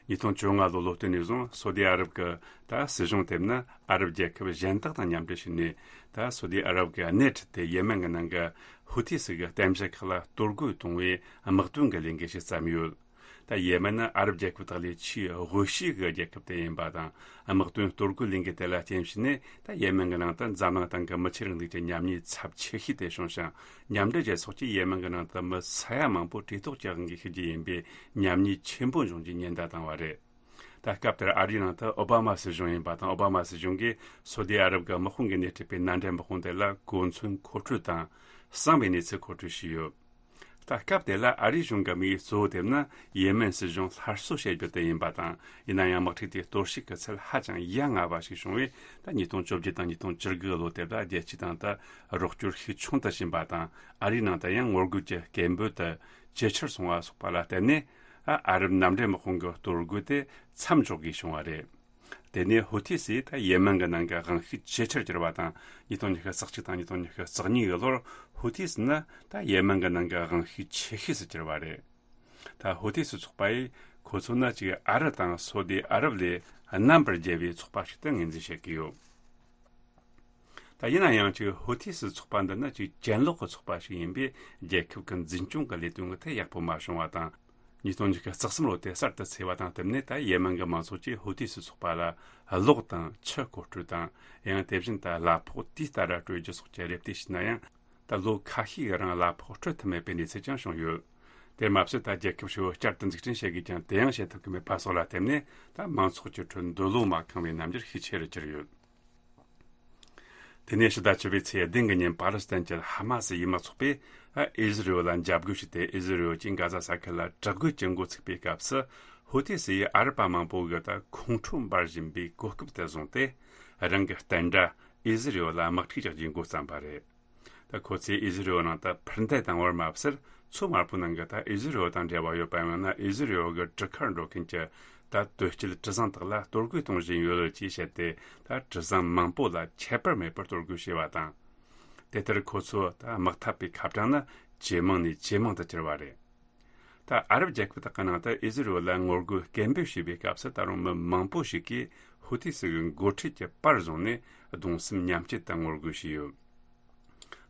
ཉིས་སྟོང་བཅོ་ལྔ་ལོ་ལོ་སྟོད་ནས་བཟུང་སོ་ཏི་ཨ་རབ་ཀྱི་ད་སྲིད་གཞུང་དེ་ནི་ཨ་རབ་རྒྱལ་ཁབ་གཞན་དག་དང་མཉམ་འབྲེལ་བྱས་ནས། ད་སོ་ཏི་ཨ་རབ་ཀྱིས་སྣེ་ཁྲིད་དེ་ཡེ་མེན་གྱི་ནང་གི་ཧུ་ཐི་སི་གི་རྟེན་གཞི་ཁག་ལ་གཏོར་རྒོལ་གཏོང་བའི་དམག་དོན་གྱི་ལས་འགུལ་ཞིག་བརྩམས་ཡོད། ད་ཡེ་མེན་ནི་ཨ་རབ་རྒྱལ་ཁབ་དག་ལས་ཆེས་དབུལ་ཤོས་ཀྱི་རྒྱལ་ཁབ་དེ་ཡིན་པ་དང་། དམག་དོན་གཏོར་རྒོལ་ལས་འགུལ་དེ་ལ་རྐྱེན་བྱས་ནས། ད་ཡེ་མེན་གྱི་ནང་དུ་འཛམ་གླིང་སྟེང་གི་མི་ཆོས་རིང་ལུགས་ཀྱི་ཉམས་ཉེས་ཚབས་ཆེ་ཤོས་དེ་བྱུང་ཞིང་། མཉམ་འབྲེལ་རྒྱལ་ཚོགས་ཀྱིས་ཡེ་མེན་གྱི་ནང་དུ་མི་ས་ཡ་མང་པོ་བཀྲེས་ལྟོགས་ཀྱི་དབང་གིས་ཤི་རྒྱུ་ཡིན་པའི་ཉམས་ཉེས་ཆེན་པོ་འབྱུང་རྒྱུའི་ཉེན་བརྡ་བཏང་བ་རེད། ད་སྐབས་དེར་ཨ་རིའི་ནང་དུ་ཨོ་བྷ་མ་སྲིད་གཞུང་ཡིན་པ་དང་། ཨོ་བྷ་མ་སྲིད་གཞུང་གིས་སོ་ཏི་ཨ་རབ་ཀྱི་དམག་དཔུང་གིས་སྣེ་ཁྲིད་པའི་མནའ་འབྲེལ་དམག་དཔུང་དེ་ལ་གོ་མཚོན་མཁོ་སྤྲོད་དང་། གསང་བའི་གནས་ཚུལ་མཁོ་སྤྲོད་བྱས་ཡོད། ད་སྐབས་དེ་ལ་ཨ་རིའི་གཞུང་གི་དམིགས་ཡུལ་གཙོ་བོ་དེ་ནི་ཡེ་མེན་སྲིད་གཞུང་སླར་གསོ་བྱེད་རྒྱུ་དེ་ཡིན་པ་དང་། ཡིན་ན་ཡང་དམག་འཁྲུག་དེའི་གཏོར་བཤིག་གི་ཚད་ཧ་ཅང་ཡ་ང་བ་ཞིག་བྱུང་བས། ད་ཉིས་སྟོང་བཅོ་བརྒྱད་དང་ཉིས་སྟོང་བཅུ་དགུ་ལོ་དེ་ལ་རྒྱལ་སྤྱིའི་སྟེང་དུ་རོགས་སྐྱོར་ཤུགས་ཆུང་དུ་ཕྱིན་པ་དང་། ཨ་རིའི་ནང་དུ་ཡང་ངོ་རྒོལ་གྱི་སྐད་འབོད་དེ་ཇེ་ཆེར་སོང་བ་སོགས་པ་ལ་བརྟེན་ནས། ཨ་ཨ་རབ་མནའ་འབྲེལ་དམག་དཔུང་གི་གཏོར་རྒོལ་དེ་མཚམས་འཇོག་དགོས་བྱུང་བ་རེད། དེ་ནས་ཧུ་ཐི་སིས་ད་ཡེ་མེན་གྱི་ནང་གི་དབང་ཤུགས་ཇེ་ཆེར་གྱུར་བ་དང་། ཉིས་སྟོང་ཉི་ཤུ་རྩ་གཅིག་དང་ཉིས་སྟོང་ཉི་ཤུ་རྩ་གཉིས་ཀྱི་ལོར་ཧུ་ཐི་སི་ནི་ད་ཡེ་མེན་གྱི་ནང་གི་དབང་ཤུགས་ཆེ་ཤོས་སུ་གྱུར་བ་རེད། ད་ཧུ་ཐི་སི་ཚོགས་པ་ཡིས་ཁོ་ཚོ་ནི་གཅིག་ཨ་རི་དང་སོ་ཏི་ཨ་རབ་ལས་རྣམ་པར་རྒྱལ་བའི་ཚོགས་པ་ཞིག་ཏུ་ངོས་འཛིན་བྱེད་ཀྱི་ཡོད། ད་ཡིན་ན་ཡང་གཅིག་ཧུ་ཐི་སི་ཚོགས་པ་འདི་ནི་གཅིག་གྱེན་ལོག་གི་ཚོགས་པ་ཞིག་ཡིན་པས། རྒྱལ་ཁབ་ཀྱི་འཛིན་སྐྱོང་གི་ལས་དོན་གྱི་ཐད་ཡག་པོ་མ་བྱུང་བ་དང་། ཉིས་སྟོང་ཉི་ཤུ་རྩ་གསུམ་ལོ་དེ་གསར་དུ་འཚོགས་པ་དང་བསྟུན་ནས། ད་ཡེ་མེན་གྱི་མང་ཚོགས་ཀྱིས་ཧུ་ཐི་སི་ཚོགས་པ་ལ་གློག་དང་ཆུ་མཁོ་སྤྲོད་དང་། ཡང་དེ་བཞིན་དུ་གླ་ཕོགས་དུས་ལྟར་སྤྲོད་རྒྱུ་སོགས་ཀྱི་རེ་ལྟོས་བྱས་ན་ཡང་། ད་ལོ་ཁ་ཤས་ཀྱི་རིང་གླ་ཕོགས་སྤྲོད་ཐུབ་མེད་པའི་གནས་ཚུལ་ཀྱང་བྱུང་ཡོད། དེར་མ་ཟད། ད་རྒྱལ་ཁབ་ཧྲིལ་བོ་བསྐྱར་དུ་འཛུགས་སྐྲུན་བྱེད་དགོས་ཀྱང་། དེ་ཡང་བྱེད་ཐུབ་ཀྱི་མེད་པ་སོགས་ལ་བརྟེན་ནས། ད་མང་ཚོགས་ཀྱི་ཁྲོད་འདོད་བློ་མ་ཁེངས་པའི་རྣམ་འགྱུར་ཤུགས་ཆེ་རུ་གྱུར་ཡོད། དེ་ནས་ཕྱི་ཟླ་བཅུ་པའི་ཚེས་བདུན་གྱི་ཉིན། པ་ལི་སི་ཐན་གྱི་ཧ་མ་སི་ཡུལ་དམག་ཚོགས་པས་ཨི་ཟི་རེལ་ལ་འཇབ་རྒོལ་བྱས་ཏེ། ཨི་ཟི་རེལ་གྱིས་གྷ་ཟ་ས་ཁུལ་ལ་དྲག་རྒོལ་གྱི་འགོ་ཚུགས་པའི་སྐབས་སུ། ཧུ་ཐི་སི་ཡིས་ཨ་རི་པ་མང་པོ་གི་ད་ཁོང་ཁྲོ་འབར་བཞིན་པའི་གོ་སྐབས་དེ་བཟུང་སྟེ། རང་གི་བསྟན་དགྲ་ཨི་ཟི་རེལ་ལ་དམག་འཁྲུག་རྒྱག་རྒྱུའི་འགོ་བརྩམས་པ་རེད། ད་ཁོ་ཚོས་ཨི་ཟི་རེལ་ནང་དུ་འཕུར་མདེལ་བཏང་བར་མ་ཟད། མཚོ་དམར་པོའི་ནང་གི་ད་ཨི་ཟི་རེལ་དང་འབྲེལ་བ་ཡོད་པ་ཡང་ན་ཨི་ཟི་རེལ་གྱི་གྲུ་ཁར་འགྲོ་མཁན་གྱི་ད་དོས་སྐྱེལ་གྲུ་གཟིངས་དག་ལ་གཏོར་རྒོལ་གཏོང་བཞིན་ཡོད་ཅེས་བཤད་དེ། ད་གྲུ་གཟིངས་མང་པོ་ལ་ཁྱད་པར་མེད་པར་གཏོར་རྒོལ་བྱས་པ་དང་། དེ་ལྟར་ཁོ་ཚོས་ད་དམག་འཐབ་པའི་ཁ་གྲངས་ནི་ ཇེ་མང་ནས་ཇེ་མང་དུ་གྱུར་བ་རེད། ད་ཨ་རབ་རྒྱལ་ཁབ་དག་གི་ནང་དུ་ཨི་ཟི་རུ་ལ་ངོ་རྒོལ་སྐད་འབོད་བྱས་པའི་སྐབས་སུ་ད་རུང་མི་མང་པོ་ཞིག་གིས་ཧུ་ཐི་སི་གི་འགོ་ཁྲིད་ཀྱི་པར་བཟུང་ནས་གདུང་སེམས་མཉམ་སྐྱེད་དང་ངོ་རྒོལ་བྱས་ཡོད།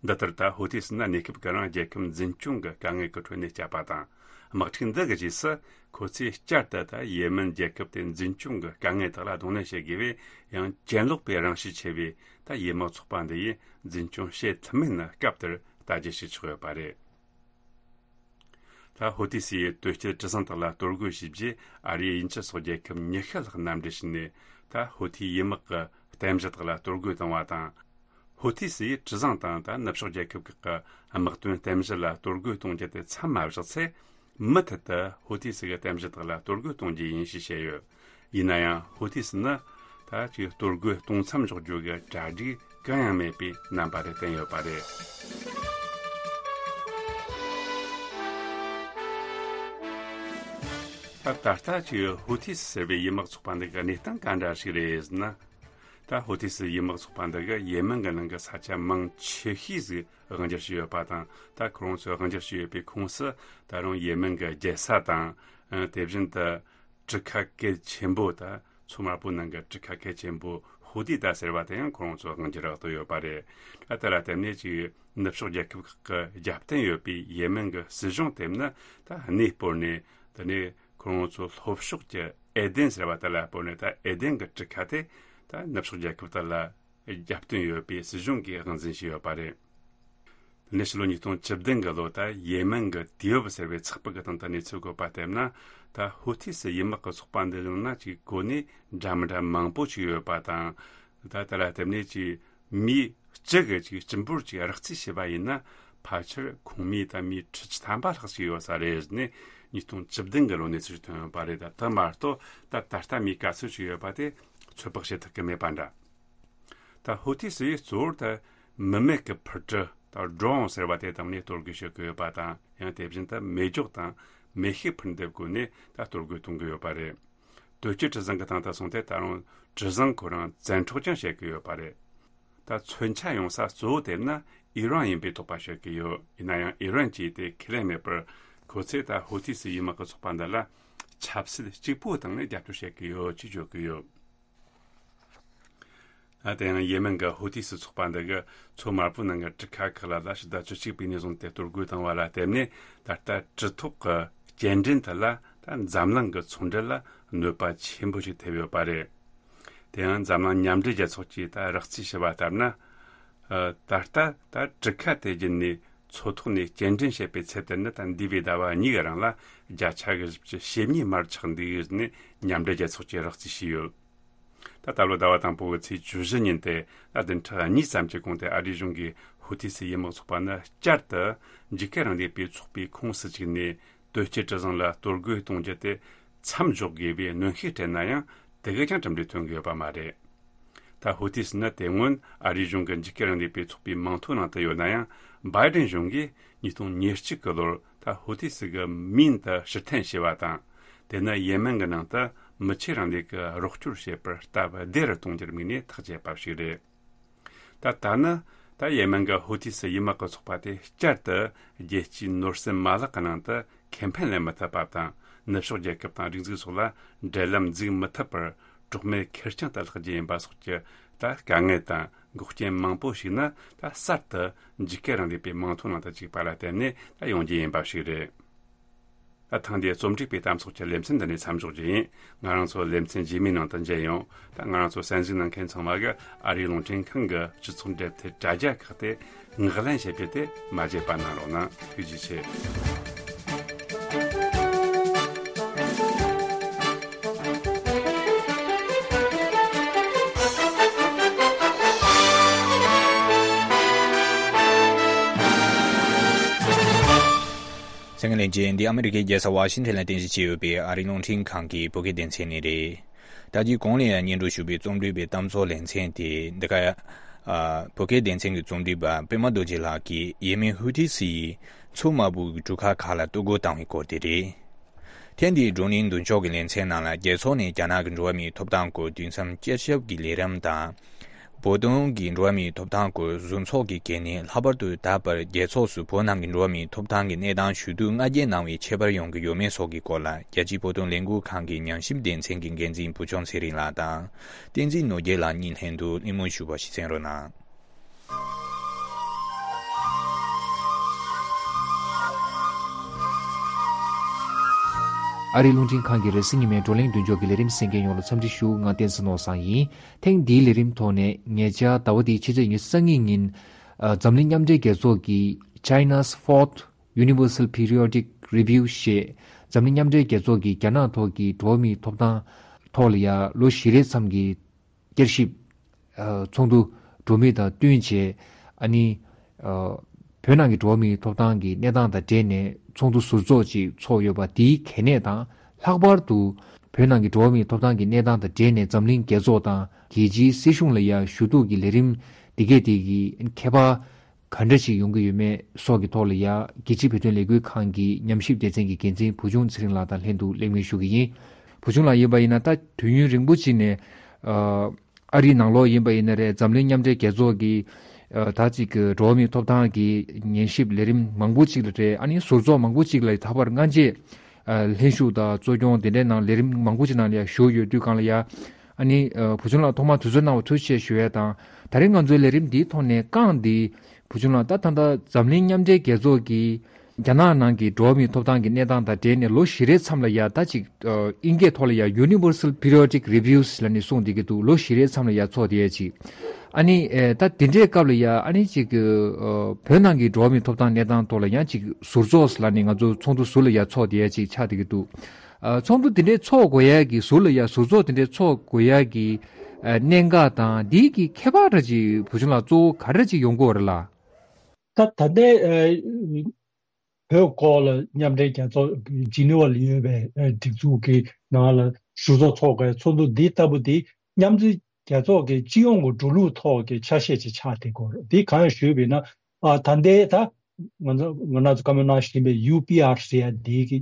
འདི་ལྟར་ད་ཧུ་ཐི་སི་ནི་གནས་སྐབས་ཀྱི་རང་རྒྱལ་ཁབ་འཛིན་སྐྱོང་གི་དཀའ་ངལ་གྱི་ཁྲོད་ནས་བསྐྱབས་པ་དང་། དམག་འཁྲུག་འདི་གི་རྗེས་སུ་ཁོ་ཚོས་བསྐྱར་དུ་ད་ཡེ་མེན་རྒྱལ་ཁབ་དེ་འཛིན་སྐྱོང་གི་དཀའ་ངལ་དག་ལ་གདོང་ལེན་བྱེད་དགོས་པས། ཡང་གྱེན་ལོག་པའི་རང་གཤིས་ཆེ་བའི་ད་ཡེ་དམག་ཚོགས་པ་འདི་ཡིས་འཛིན་སྐྱོང་བྱེད་ཐུབ་མིན་ནི་སྐབས་དེར་ལྟ་རྒྱུ་ཞིག་ཆགས་ཡོད་པ་རེད། ད་ཧོ་ཐི་སི་ཡི་དོལ་སྐྱེད་གྲུ་གཟིངས་དག་ལ་གཏོར་རྒོལ་བྱས་རྗེས། ཨ་རིའི་དབྱིན་ཇི་སོགས་རྒྱལ་ཁབ་ཉི་ཤུ་ལྷག་མནའ་འབྲེལ་བྱས་ནས། ད་ཧོ་ཐི་ཡི་དམག་གི་རྟེན་གཞི་དག་ལ་གཏོར་རྒོལ་བཏང་བ་དང་། ཧོ་ཐི་སི་ཡིས་གྲུ་གཟིངས་དང་ད་ནུབ་ཕྱོགས་རྒྱལ་ཁབ་ཁག་གི་དམག་དོན་རྟེན་གཞི་ལ་གཏོར་རྒོལ་གཏོང་རྒྱུ་དེ་མཚམས་མ་བཞག་ཚེ། མུ་མཐུད་དུ་ཧོ་ཐི་སི་གི་རྟེན་གཞི་དག་ལ་གཏོར་རྒོལ་གཏོང་རྒྱུ་ཡིན་ཞེས་བཤད་ཡོད། ཡིན་ན་ཡང་ཧོ་ཐི་སི་ནི་ད་ཅིག་གཏོར་རྒོལ་གཏོང་མཚམས་འཇོག་རྒྱུ་གི་གྲ་སྒྲིག་གང་ཡང་མེད་པའི་རྣམ་པ་རེ་བསྟན་ཡོད་པ་རེད། ད་ད་ལྟ་ཅིག་ཧོ་ཐི་སི་ཟེར་བའི་ཡུལ་དམག་ཚོགས་པ་འདི་གི་གནས་སྟངས་ག་འདྲ་ཞིག་རེད་ཟེར་ན། ད་ཧོ་ཐི་སི་ཡུལ་དམག་ཚོགས་པ་འདི་གིས་ཡེ་མེན་གྱི་ནང་གི་ས་ཆ་མང་ཆེ་ཤོས་ཟིག་དབང་སྒྱུར་བྱས་ཡོད་པ་དང་། ད་ཁོ་རང་ཚོས་དབང་སྒྱུར་བྱས་ཡོད་པའི་ཁོངས་སུ་ད་རུང་ཡེ་མེན་གྱི་རྒྱལ་ས་དང་། ཨ། དེ་བཞིན་དུ་གྲུ་ཁ་གལ་ཆེན་པོ། ད་མཚོ་དམར་པོའི་ནང་གི་གྲུ་ཁ་གལ་ཆེན་པོ་ཧུ་ཏི་ཏ་ཟེར་བ་དེ་ཡང་ཁོ་རང་ཚོས་དབང་སྒྱུར་འོག་ཏུ་ཡོད་པ་རེད། ཨ། དེ་ལ་བརྟེན་ནས་ཅིག་ནུབ་ཕྱོགས་རྒྱལ་ཁབ་ཁག་གི་རྒྱབ་རྟེན་ཡོད་པའི་ཡེ་མེན་གྱི་སྲིད་གཞུང་དེ་ནི་ད་གནས་སྤོར་ནས། དེ་ནས་ཁོ་རང་ཚོ་ལྷོ་ཕྱོགས་ཀྱི་ཨེ་དེན་ཟེར་བ་དེ་ལ་སྤོར་ནས། ད་ཨེ་དེན་གྱི་གྲུ་ཁ་དེ་ད་ནུབ་ཕྱོགས་རྒྱལ་ཁབ་དག་ལ་རྒྱབ་རྟེན་ཡོད་པའི་སྲིད་གཞུང་གིས་དབང་འཛིན་བྱས་ཡོད་པ་རེད། དེ་ནས་ཕྱི་ལོ་ཉིས་སྟོང་བཅུ་བདུན་གྱི་ལོ། ད་ཡེ་མེན་གྱི་དུས་བབ་ཟེར་བའི་ཚགས་པར་གྱི་སྟེང་དུ་གནས་ཚུལ་བཀོད་པ་ལྟར་ན། ད་ཧུ་ཐི་སི་ཡུལ་དམག་གི་ཚོགས་པ་འདི་ནང་ན་ཅིག་གོ་གནས་འདྲ་མི་འདྲ་མང་པོ་ཅིག་ཡོད་པ་དང་། ད་དེ་ལ་བརྟེན་ནས་ཅིག་མི་གཅིག་གིས་ཅིག་སྤྱི་འབོར་ཅིག་རགས་རྩིས་བྱས་པ་ཡིན་ན། ཕལ་ཆེར་ཁོངས་མི་ད་མི་ཁྲི་བཅུ་ཐམ་པ་ལྷག་ཅིག་ཡོད་ས་རེད་ཟེར་ནས་ཉིས་སྟོང་བཅུ་བདུན་གྱི་ལོ་གནས་ཚུལ་ཐོན་ཡོད་པ་རེད། ད་དེ་མ་གཏོགས་ད་ད་ལྟ་མི་ག་ཚོད་ཅིག་ཡོད་པ་དེ་ཚོད་དཔག་བྱེད་ཐུབ་ཀྱི་མེད་པ་འདྲ། ད་ཧུ་ཐི་སི་ཡིས་གཙོ་བོར་ད་མི་མེད་ཀྱི་འཕུར་གྲུ། ད་ཌྲོན་ཟེར་བ་དེ་བཏང་ནས་གཏོར་རྒོལ་བྱེད་ཀྱི་ཡོད་པ་དང་། ཡང་དེ་བཞིན་དུ་མེ་སྒྱོགས་དང་མེ་ཤུགས་འཕུར་མདེབ་བཀོལ་ནས་ད་གཏོར་རྒོལ་གཏོང་གི་ཡོད་པ་རེད། དོལ་སྐྱེད་གྲུ་གཟིངས་ཀྱི་སྟེང་དུ་སོང་སྟེ། ད་རུང་གྲུ་གཟིངས་ཁོ་རང་བཙན་འཕྲོག་ཀྱང་བྱེད་ཀྱི་ཡོད་པ་རེད། ད་མཚོན་ཆ་ཡོང་ས་གཙོ་བོ་དེ་ནི་ཨི་རན་ཡིན་པའི་དོགས་པ་བྱེད་ཀྱི་ཡོད། ཡིན་ན་ཡང་ཨི་རན་གྱིས་དེ་ཁས་ལེན་མེད་པར། ཁོ་ཚོས་ད་ཧུ་ཐི་སི་ཡུལ་དམག་གི་ཚོགས་པ་འདི་ལ་ཆབ་སྲིད་གཅིག་པུའི་སྟེང་ནས་རྒྱབ་སྐྱོར་བྱེད་ཀྱི་ཡོད་ཅེས་བརྗོད་ཀྱི་ཡོད། ཨ། དེ་ཡང་ཡེ་མེན་གྱི་ཧུ་ཐི་སི་ཚོགས་པ་འདི་གིས་མཚོ་དམར་པོའི་ནང་གི་གྲུ་ཁ་ཁག་ལ་ད་ཕྱི་ཟླ་བཅུ་གཅིག་པའི་ནས་བཟུང་སྟེ་གཏོར་རྒོལ་བཏང་བ་ལ་བརྟེན་ནས། ད་ལྟ་གྲུ་ཐོག་གི་སྐྱེལ་འདྲེན་དེ་ལ་ད་འཛམ་གླིང་གི་ཚོང་འབྲེལ་ལ་གནོད་པ་ཆེན་པོ་ཞིག་ཐེབས་ཡོད་པ་རེད། དེ་ཡང་འཛམ་གླིང་མཉམ་འབྲེལ་རྒྱལ་ཚོགས་ཀྱིས་ད་རགས་རྩིས་བྱས་པ་ལྟར་ན། ཨ། ད་ལྟ་ད་གྲུ་ཁ་དེ་བརྒྱུད་ནས་མཚོ་ཐོག་ནས་སྐྱེལ་འདྲེན་བྱེད་པའི་ཚད་དེ་ནི་ད་འདས་པའི་ཟླ་བ་གཉིས་ཀྱི་རིང་ལ་བརྒྱ་ཆ་གི་བཞི་བཅུ་ཞེ་གཉིས་མར་ཆག་འདུག་ཟེར་ནས་མཉམ་འབྲེལ་རྒྱལ་ཚོགས་ཀྱིས་རགས་རྩིས་བྱས་ཡོད། ད་ད་ལོ་ཟླ་བ་དང་པོ་གི་ཚེས་བཅུ་བཞི་ཉིན་ཏེ། ད་བདུན་ཕྲག་གཉིས་ཙམ་གྱི་གོང་དེ་ཨ་རིའི་གཞུང་གིས་ཧུ་ཐི་སི་ཡུལ་དམག་ཚོགས་པ་ནི་བསྐྱར་དུ་འཇིགས་སྐུལ་རིང་ལུགས་པའི་ཚོགས་པའི་ཁོངས་སུ་བཅུག་ནས། དོལ་སྐྱེད་གྲུ་གཟིངས་ལ་གཏོར་རྒོལ་གཏོང་རྒྱུ་དེ་མཚམས་འཇོག་དགོས་པའི་གནོན་ཤུགས་སྤྲད་ན་ཡང་། དེ་གས་ཀྱང་གྲུབ་འབྲས་ཐོན་གྱི་ཡོད་པ་མ་རེད། ད་ཧུ་ཐི་སི་ནི་དེ་སྔོན་ཨ་རིའི་གཞུང་གི་འཇིགས་སྐུལ་རིང་ལུགས་པའི་ཚོགས་པའི་མིང་ཐོའི་ནང་དུ་ཡོད་ན་ཡང་། བྷའི་ཌེན་གཞུང་གིས་ཉིས་སྟོང་ཉེར་གཅིག་གི་ལོར་ད་ཧུ་ཐི་སི་གི་མིང་དེ་ཕྱིར་འཐེན་བྱས་པ་དང་། དེ་ནི་ཡེ་མེན་གྱི་ནང་དུ་མི་ཆོས་རིང་ལུགས་ཀྱི་རོགས་སྐྱོར་བྱེད་པར་སྟབས་བདེ་རུ་གཏོང་རྒྱུར་དམིགས་ནས་ཐག་བཅད་པ་ཞིག་རེད། ད་ལྟ་ནི་ད་ཡེ་མེན་གྱི་ཧུ་ཐི་སི་ཡུལ་དམག་གི་ཚོགས་པ་དེ་བསྐྱར་དུ་རྒྱལ་སྤྱིའི་ནོར་སྲིད་མ་ལག་གི་ནང་དུ་ཁེ་ཕན་ལེན་མི་ཐུབ་པ་དང་། ནུབ་ཕྱོགས་རྒྱལ་ཁབ་དང་སྒྲིག་འཛུགས་སོགས་ལ་འབྲེལ་ལམ་འཛུགས་མི་ཐུབ་པར། གྲོགས་མེད་ཁེར་རྐྱང་དུ་ལྷག་རྒྱུ་ཡིན་པ་སོགས་ཀྱི་ད་དཀའ་ངལ་དང་འགོག་རྐྱེན་མང་པོ་ཞིག་ནི། ད་གསར་དུ་འཇིགས་སྐུལ་རིང་ལུགས་པའི་མིང་ཐོའི་ནང་དུ་བཅུག་པ་ལ་བརྟེན་ནས་ད་ཡོང་རྒྱུ་ཡིན་པ་ཞིག་རེད། ད་ཐེངས་འདིའི་རྩོམ་སྒྲིག་པའི་གཏམ་ཚོགས་ཀྱི་ལེ་ཚན་འདི་ནས་མཚམས་འཇོག་རྒྱུ་ཡིན། ང་རང་ཚོ་ལེ་ཚན་རྗེས་མའི་ནང་དུ་མཇལ་ཡོང་། ད་ང་རང་ཚོ་གསན་གཟིགས་གནང་མཁན་ཚང་མ་གིས་ཨ་རིའི་རླུང་འཕྲིན་ཁང་གི་སྤྱི་ཚོགས་འབྲེལ་མཐུད་དྲ་རྒྱ་ཁག་དེ་ངོས་ལེན་བྱེད་རྒྱུ་དེ་མ་བརྗེད་པ་གནང་རོགས་གནང་། ཐུགས་རྗེ་ཆེ། གསན་མཁན་ལྷན་རྒྱས། འདི་ཨ་མི་རི་ཀའི་རྒྱལ་ས་ཝ་ཤིང་ཊོན་ལ་རྟེན་གཞི་བྱས་ཡོད་པའི་ཨ་རིའི་རླུང་འཕྲིན་ཁང་གི་བོད་སྐད་སྡེ་ཚན་ནས་རེད། ད་ཅི་གོང་ལ་ཡང་སྙན་སྒྲོན་ཞུས་པའི་རྩོམ་སྒྲིག་པའི་གཏམ་ཚོགས་ལེ་ཚན་དེ་འདི་ག་ཨ། བོད་སྐད་སྡེ་ཚན་གྱི་རྩོམ་སྒྲིག་པ་པད་མ་རྡོ་རྗེ་ལགས་ཀྱིས་ཡེ་མེན་ཧུ་ཐི་སི་ཡིས་མཚོ་དམར་པོའི་གྲུ་ཁ་ཁག་ལ་གཏོར་རྒོལ་བཏང་བའི་སྐོར་དེ་རེད། ཐེངས་འདིའི་བགྲོ་གླེང་མདུན་ལྕོག་གི་ལེ་ཚན་ནང་ལ། རྒྱལ་ཚོགས་ནས་རྒྱ་ནག་གི་འགྲོ་བ་མིའི་ཐོབ་ཐང་སྐོར་དུས་མཚམས་བསྐྱར་ཞིབ་ཀྱི་ལས་རིམ་དང་། བོད་དོན་གྱི་འགྲོ་བ་མིའི་ཐོབ་ཐང་སྐོར་གཟུགས་ཚོགས་ཀྱི་འགན་ནི་ལྷག་པར་དུ་ད་བར་རྒྱལ་ཚོགས་སུ་བོད་ནང་གི་འགྲོ་བ་མིའི་ཐོབ་ཐང་གི་གནས་སྟངས་ཞུ་གཏུག་ང་རྒྱལ་གནང་བའི་ཁྱད་པར་ཡོང་གི་ཡོད་མེད་སོགས་ཀྱི་སྐོར་ལ། རྒྱལ་སྤྱིའི་བོད་དོན་ལས་འགུལ་ཁང་གི་ཉམས་ཞིབ་སྡེ་ཚན་གྱི་འགན་འཛིན་བུ་ཆུང་ཚེ་རིང་ལགས་དང་། བསྟན་འཛིན་ནོར་རྒྱས་ལགས་གཉིས་ལྷན་དུ་གླེང་མོལ་ཞུས་པ་ཞིག་གསན་རོགས་གནང་། ཨ་རིའི་རླུང་འཕྲིན་ཁང་གི་རེས་གཟའ་ཉི་མའི་བགྲོ་གླེང་མདུན་ཅོག་གི་ལས་རིམ་གསན་མཁན་ཡོངས་ལ་འཚམས་འདྲི་ཞུ། ང་བསྟན་འཛིན་ནོར་བཟང་ཡིན། ཐེངས་འདིའི་ལས་རིམ་ཐོག་ནས་ཉེ་ཆར་ཟླ་བ་འདིའི་ཕྱི་ཚེས་ཉི་ཤུ་རྩ་གཉིས་ཉིན། ཨ། འཛམ་གླིང་མཉམ་འབྲེལ་རྒྱལ་ཚོགས་ཀྱི་China's Fourth Universal Periodic Review ཞེས་འཛམ་གླིང་མཉམ་འབྲེལ་རྒྱལ་ཚོགས་ཀྱིས་རྒྱ་ནག་ཐོག་གི་འགྲོ་བ་མིའི་ཐོབ་ཐང་ཐོག་ལ་ཡ་ལོ་བཞི་རེའི་མཚམས་ཀྱི་བསྐྱར་ཞིབ། ཨ། ཚོགས་འདུ་འགྲོ་མུས་དང་བསྟུན་བྱས། ཨ་ནི། ཨ། བོད་ནང་གི་འགྲོ་བ་མིའི་ཐོབ་ཐང་གི་གནས་སྟངས་དང་འབྲེལ་ནས་ཚོགས་འདུ་ཟུར་འཛུགས་ཅིག་ཚོགས་ཡོད་པ་དེའི་གལ་གནད་དང་། ལྷག་པར་དུ་བོད་ནང་གི་འགྲོ་བ་མིའི་ཐོབ་ཐང་གི་གནས་སྟངས་དང་འབྲེལ་ནས་འཛམ་གླིང་རྒྱལ་ཚོགས་དང་རྒྱལ་སྤྱིའི་སྲིད་གཞུང་ལ་ཡ་ཞུ་གཏུག་གི་ལས་རིམ་འདི་གས་དེ་གི་ཁྱད་པར་ག་འདྲ་ཞིག་ཡོང་གི་ཡོད་མེད་སོགས་ཀྱི་ཐོག་ལ་ཡ་རྒྱལ་སྤྱིའི་བོད་དོན་ལས་འགུལ་ཁང་གི་ཉམས་ཞིབ་སྡེ་ཚན་གྱི་འགན་འཛིན་བུ་ཆུང་ཚེ་རིང་ལགས་དང་ལྷན་དུ་གླེང་མོལ་ཞུ་གི་ཡིན། བུ་ཆུང་ལགས་ཡིན་པ་ཡིན་ན་ད་དུས་ཡུན་རིང་པོ་ཅིག་ནས། ཨ། ཨ་རིའི་ནང་ལོགས་ཡིན་པ་ཡིན་ན་རེད། འཛམ་གླིང་མཉམ་འབྲེལ་རྒྱལ་ཚོགས་ཀྱི། ཨ། ད་ཅིག་གི་འགྲོ་བ་མིའི་ཐོབ་ཐང་གི་ཉན་ཞིབ་ལས་རིམ་མང་པོ་ཅིག་ལ་རེད། ཨ་ནི་ཟུར་ཚོགས་མང་པོ་ཅིག་ལ་ད་བར་སྔ་རྗེས། ཨ། ལྷན་ཞུགས་དང་གཙོ་སྐྱོང་དེ་འདྲའི་ནང་ལས་རིམ་མང་པོ་ཅིག་ནང་ལ་ཡ་ཞུགས་ཡོད་དུས་སྒང་ལ་ཡ། ཨ་ནི། ཨ། བུ་ཆུང་ལགས་ཐོག་མར་དུས་ཚོད་གནང་བ་ཐུགས་རྗེ་ཆེ་ཞུ་ཡས་དང་། ད་རེས་ང་ཚོའི་ལས་རིམ་འདིའི་ཐོག་ནས་རྐང་འདི། བུ་ཆུང་ལགས་ད་ད་ལྟ་འཛམ་གླིང་མཉམ་འབྲེལ་རྒྱལ་ཚོགས་ཀྱི། རྒྱ་ནག་ནང་གི་འགྲོ་བ་མིའི་ཐོབ་ཐང་གི་གནས་སྟངས་དང་འབྲེལ་ནས་ལོ་བཞི་རེའི་མཚམས་ལ་ཡ་ད་ཅིག་ཨ། ཨིན་སྐད་ཐོག་ལ་ཡ་Universal Periodic Reviews ལབ་ནས་གསུངས་བསྡད་ཀྱི་འདུག་ལོ་བཞི་རེའི་མཚམས་ལ་ཡ་ཚོགས་བསྡད་ཡ་ཅིག་ཨ་ནི། ཨེ། ད་དེ་འདྲའི་སྐབས་ལ་ཡ་ཨ་ནི་ཅིག་ཨ། བོད་ནང་གི་འགྲོ་བ་མིའི་ཐོབ་ཐང་གནས་སྟངས་ཐོག་ལ་ཡང་ཅིག་ཟུར་ཚོགས་ལབ་ནས་ང་ཚོ་ཚོགས་འདུ་ཟུར་ལ་ཡ་ཚོགས་བསྡད་ཡ་ཅིག་ཆགས་བསྡད་ཀྱི་འདུག་ཨ། ཚོགས་འདུ་དེ་འདྲའི་ཚོགས་དགོས་ཡ་གི་ཟུར་ལ་ཡ་ཟུར་ཚོགས་དེ་འདྲའི་ཚོགས་དགོས་ཡ་གི། ཨ། གནད་འགག་དང་འདི་གི་ཁྱད་པར་འདྲ་ཅིག་བུ་ཆུང་ལགས་གཙོ་བོ་ག་འདྲ་ཅིག་ཡོང་གི་ཡོད་རེད་ལགས། ད་ད་ལྟའི་ཨ་བོད་སྐོར་ལ་མཉམ་འབྲེལ་རྒྱལ་ཚོགས་ཇི་ནི་ཝ་ལ་ཡོད་པའི་ཨ་སྒྲིག་འཛུགས་ཀྱི་ནང་ལ་ཟུར་ཚོགས་ཚོགས་དགོས་ཚོགས་འདུ་འདི་ལྟ་བུ་འདི་མཉམ་འབྲེལ་རྒྱལ་ཚོགས་ཀྱི་སྤྱི་ཡོངས་ཀྱི་འགྲོ་ལུགས་ཐོག་གི་ཆ་ཤས་ཅིག་ཆགས་བསྡད་ཀྱི་ཡོད་རེད། འདི་གང་ཡིན་ཞུས་པ་ཡིན་ན། ཨ། ད་ལྟའི་ད་ང་ཚོ་ང་རང་ཚོ་བཀའ་མོལ་གནང་བཞིན་པའི་ཡུ་པི་ཨར་ཟེར་ཡ་འདི་གི།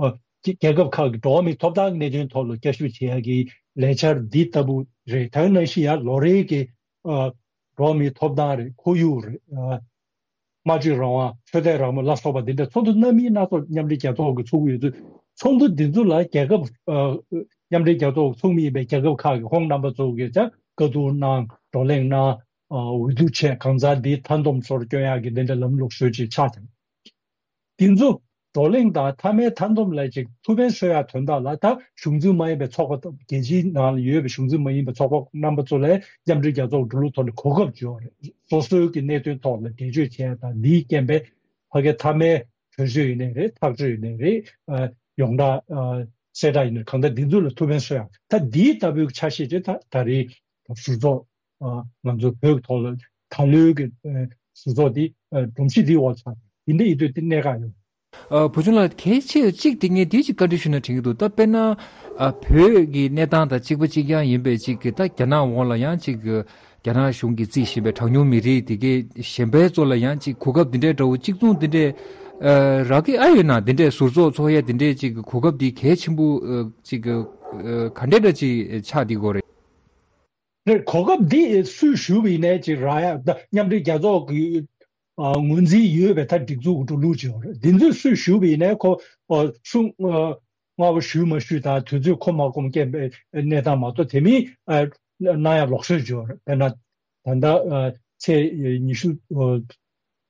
ཨ། རྒྱལ་ཁབ་ཁག་གི་འགྲོ་བ་མིའི་ཐོབ་ཐང་གི་གནད་དོན་ཐོག་ལ་བསྐྱར་ཞིབ་བྱེད་ཡ་གི་ལས་འཆར་འདི་ལྟ་བུ་རེད། ད་ག་ནང་བཞིན་ཡང་ལོ་རེའི་གི། ཨ། འགྲོ་བ་མིའི་ཐོབ་ཐང་རེད། ཁོར་ཡུག་རེད། ཨ། སྨྲ་བརྗོད་རང་དབང་། ཆོས་དད་རང་མོས་ལ་སོགས་པ་འདི་འདྲ་ཚོགས་འདུ་སྣ་མིན་སྣ་ཚོགས་མཉམ་འབྲེལ་རྒྱལ་ཚོགས་ཀྱིས་ཚོགས་ཀྱི་ཡོད་དུས། ཚོགས་འདུ་འདི་ཚོ་ལ་རྒྱལ་ཁབ། ཨ། མཉམ་འབྲེལ་རྒྱལ་ཚོགས་ཚོགས་མི་ཡིན་པའི་རྒྱལ་ཁབ་ཁག་གི་ཁོང་རྣམ་པ་ཚོ་གིས་ཀྱང་བཀའ་བསྡུར་གནང་། བགྲོ་གླེང་གནང་། ཨ། འོས་བསྡུ་བྱས། གང་ཟག་འདི་མཐའ་སྡོམ་ཚོར་སྐྱོན་ཡག་གི་འདི་འདྲ་ལམ་ལུགས་བཟོས་ཅིག་ཆགས་ཀྱང་། འདི་ཚོ་བགྲོ་གླེང་དང་མཐའ་མའི་མཐའ་སྡོམ་ལ་ཅིག་ཐུགས་ཕན་གསོས་ཡག་དོན་དག་ལ། ད་གཞུང་འཛིན་མ་ཡིན་པའི་ཚོགས་པ། རྒྱལ་སྤྱིའི་ནང་ལ་ཡོད་པའི་གཞུང་འཛིན་མ་ཡིན་པའི་ཚོགས་པ་རྣམ་པ་ཚོ་ལ་མཉམ་འབྲེལ་རྒྱལ་ཚོགས་འགྲོ་ལུགས་ཐོག་ནས་གོ་སྐབས་བྱུང་བ་རེད། སོ་སོའི་གི་གནད་དོན་ཐོག་ལ་འགྲེལ་བརྗོད་བྱས་དང་། འདིའི་རྐྱེན་པས་ཕ་གའི་མཐའ་མའི་གྲོས་ཆོད་ཡིན་ནའི་རེད། ཐག་གཅོད་ཡིན་ནའི་རེད། ཨ། ཡོངས་གྲགས། ཨ། གསལ་བསྒྲགས་ཡིན་ནའི་གང་ལྟར་འདི་ཚོ་ལ་ཐུགས་ཕན་གསོས་ཡག། ད་འདིའི་ལྟ་བུའི་ཆ་ཤས་ཅིག་ད་ད་རེས་ཟུར་ཚོགས། ཨ། ང་ཚོ་བོད་ཀྱི་ཐོག་ལ་ད་ལོའི་གི། ཨ། ཟུར་ཚོགས་འདི། ཨ། སྒྲོམ་གཞི་འདིའི་འོག་ཆགས། འདི་འདྲ་ཡིན་དུས་འདི་གནད་འགག་ཡོད། ཨ། བུ་ཆུང་ལགས་གལ་ཆེ་གཅིག་དེ་ངས་འདི་ཅིག་བཀའ་འདྲི་ཞུ་ན་དྲན་གྱི་འདུག་ད་དཔེར་ན། ཨ། བོད་ཀྱི་གནས་སྟངས་དང་གཅིག་པ་གཅིག་རྐྱང་ཡིན་པའི་ཅིག་གི་ད་རྒྱ་ནག་འོག་ལ་ཡང་ཅིག་གི་རྒྱ་ནག་གཞུང་གིས་བརྩིས་བཞིན་པའི་གྲངས་ཉུང་མི་རིགས་དེ་གའི་གཞན་པའི་ཚོ་ལ་ཡང་ཅིག་གོ་སྐབས་འདི་འདྲའི་འདྲ་བོ་གཅིག་མཚུངས་འདི་འདྲའི། ཨ། རག་གི་ཨ་ཡོད་ན། འདི་འདྲའི་ཟུར་ཚོགས་ཚོགས་ཡས་འདི་འདྲའི་ཅིག་གི་གོ་སྐབས་འདི་གལ་ཆེན་པོ། ཨ། ཅིག་གི། ཨ། ག་འདྲའི་འདྲ་ཅིག་ཆགས་འདི་དགོས་རེད། རེད། གོ་སྐབས་འདི་སུས་ཞུས་པ་ཡིན་ནའི་ཅིག་རག་ཡ། ད་མཉམ་འབྲེལ་རྒྱལ་ཚོགས་ཀྱི། ཨ། ངོས་འཛིན་ཡོད་པའི་ད་སྒྲིག་འཛུགས་ཀྱི་འགྲོ་ལུགས་ཅིག་ཡོད་རེད། འདི་ཚོས་སུས་ཞུས་པ་ཡིན་ནའི་ཁོ། ཨ། སུ། ཨ། སྔ་པོ་ཞུས་མ་ཞུས་དང་དུས་ཚོད་ཁོམ་མ་ཁོམ་སྐྱེལ་བའི་གནས་སྟངས་མ་གཏོགས། དེ་མིན། ཨ། གནང་ཡ་ལོགས་སུ་ཡོད་རེད། དཔེར་ན་ད་ལྟ། ཨ། ཚེས་ཉི་ཤུ། ཨ།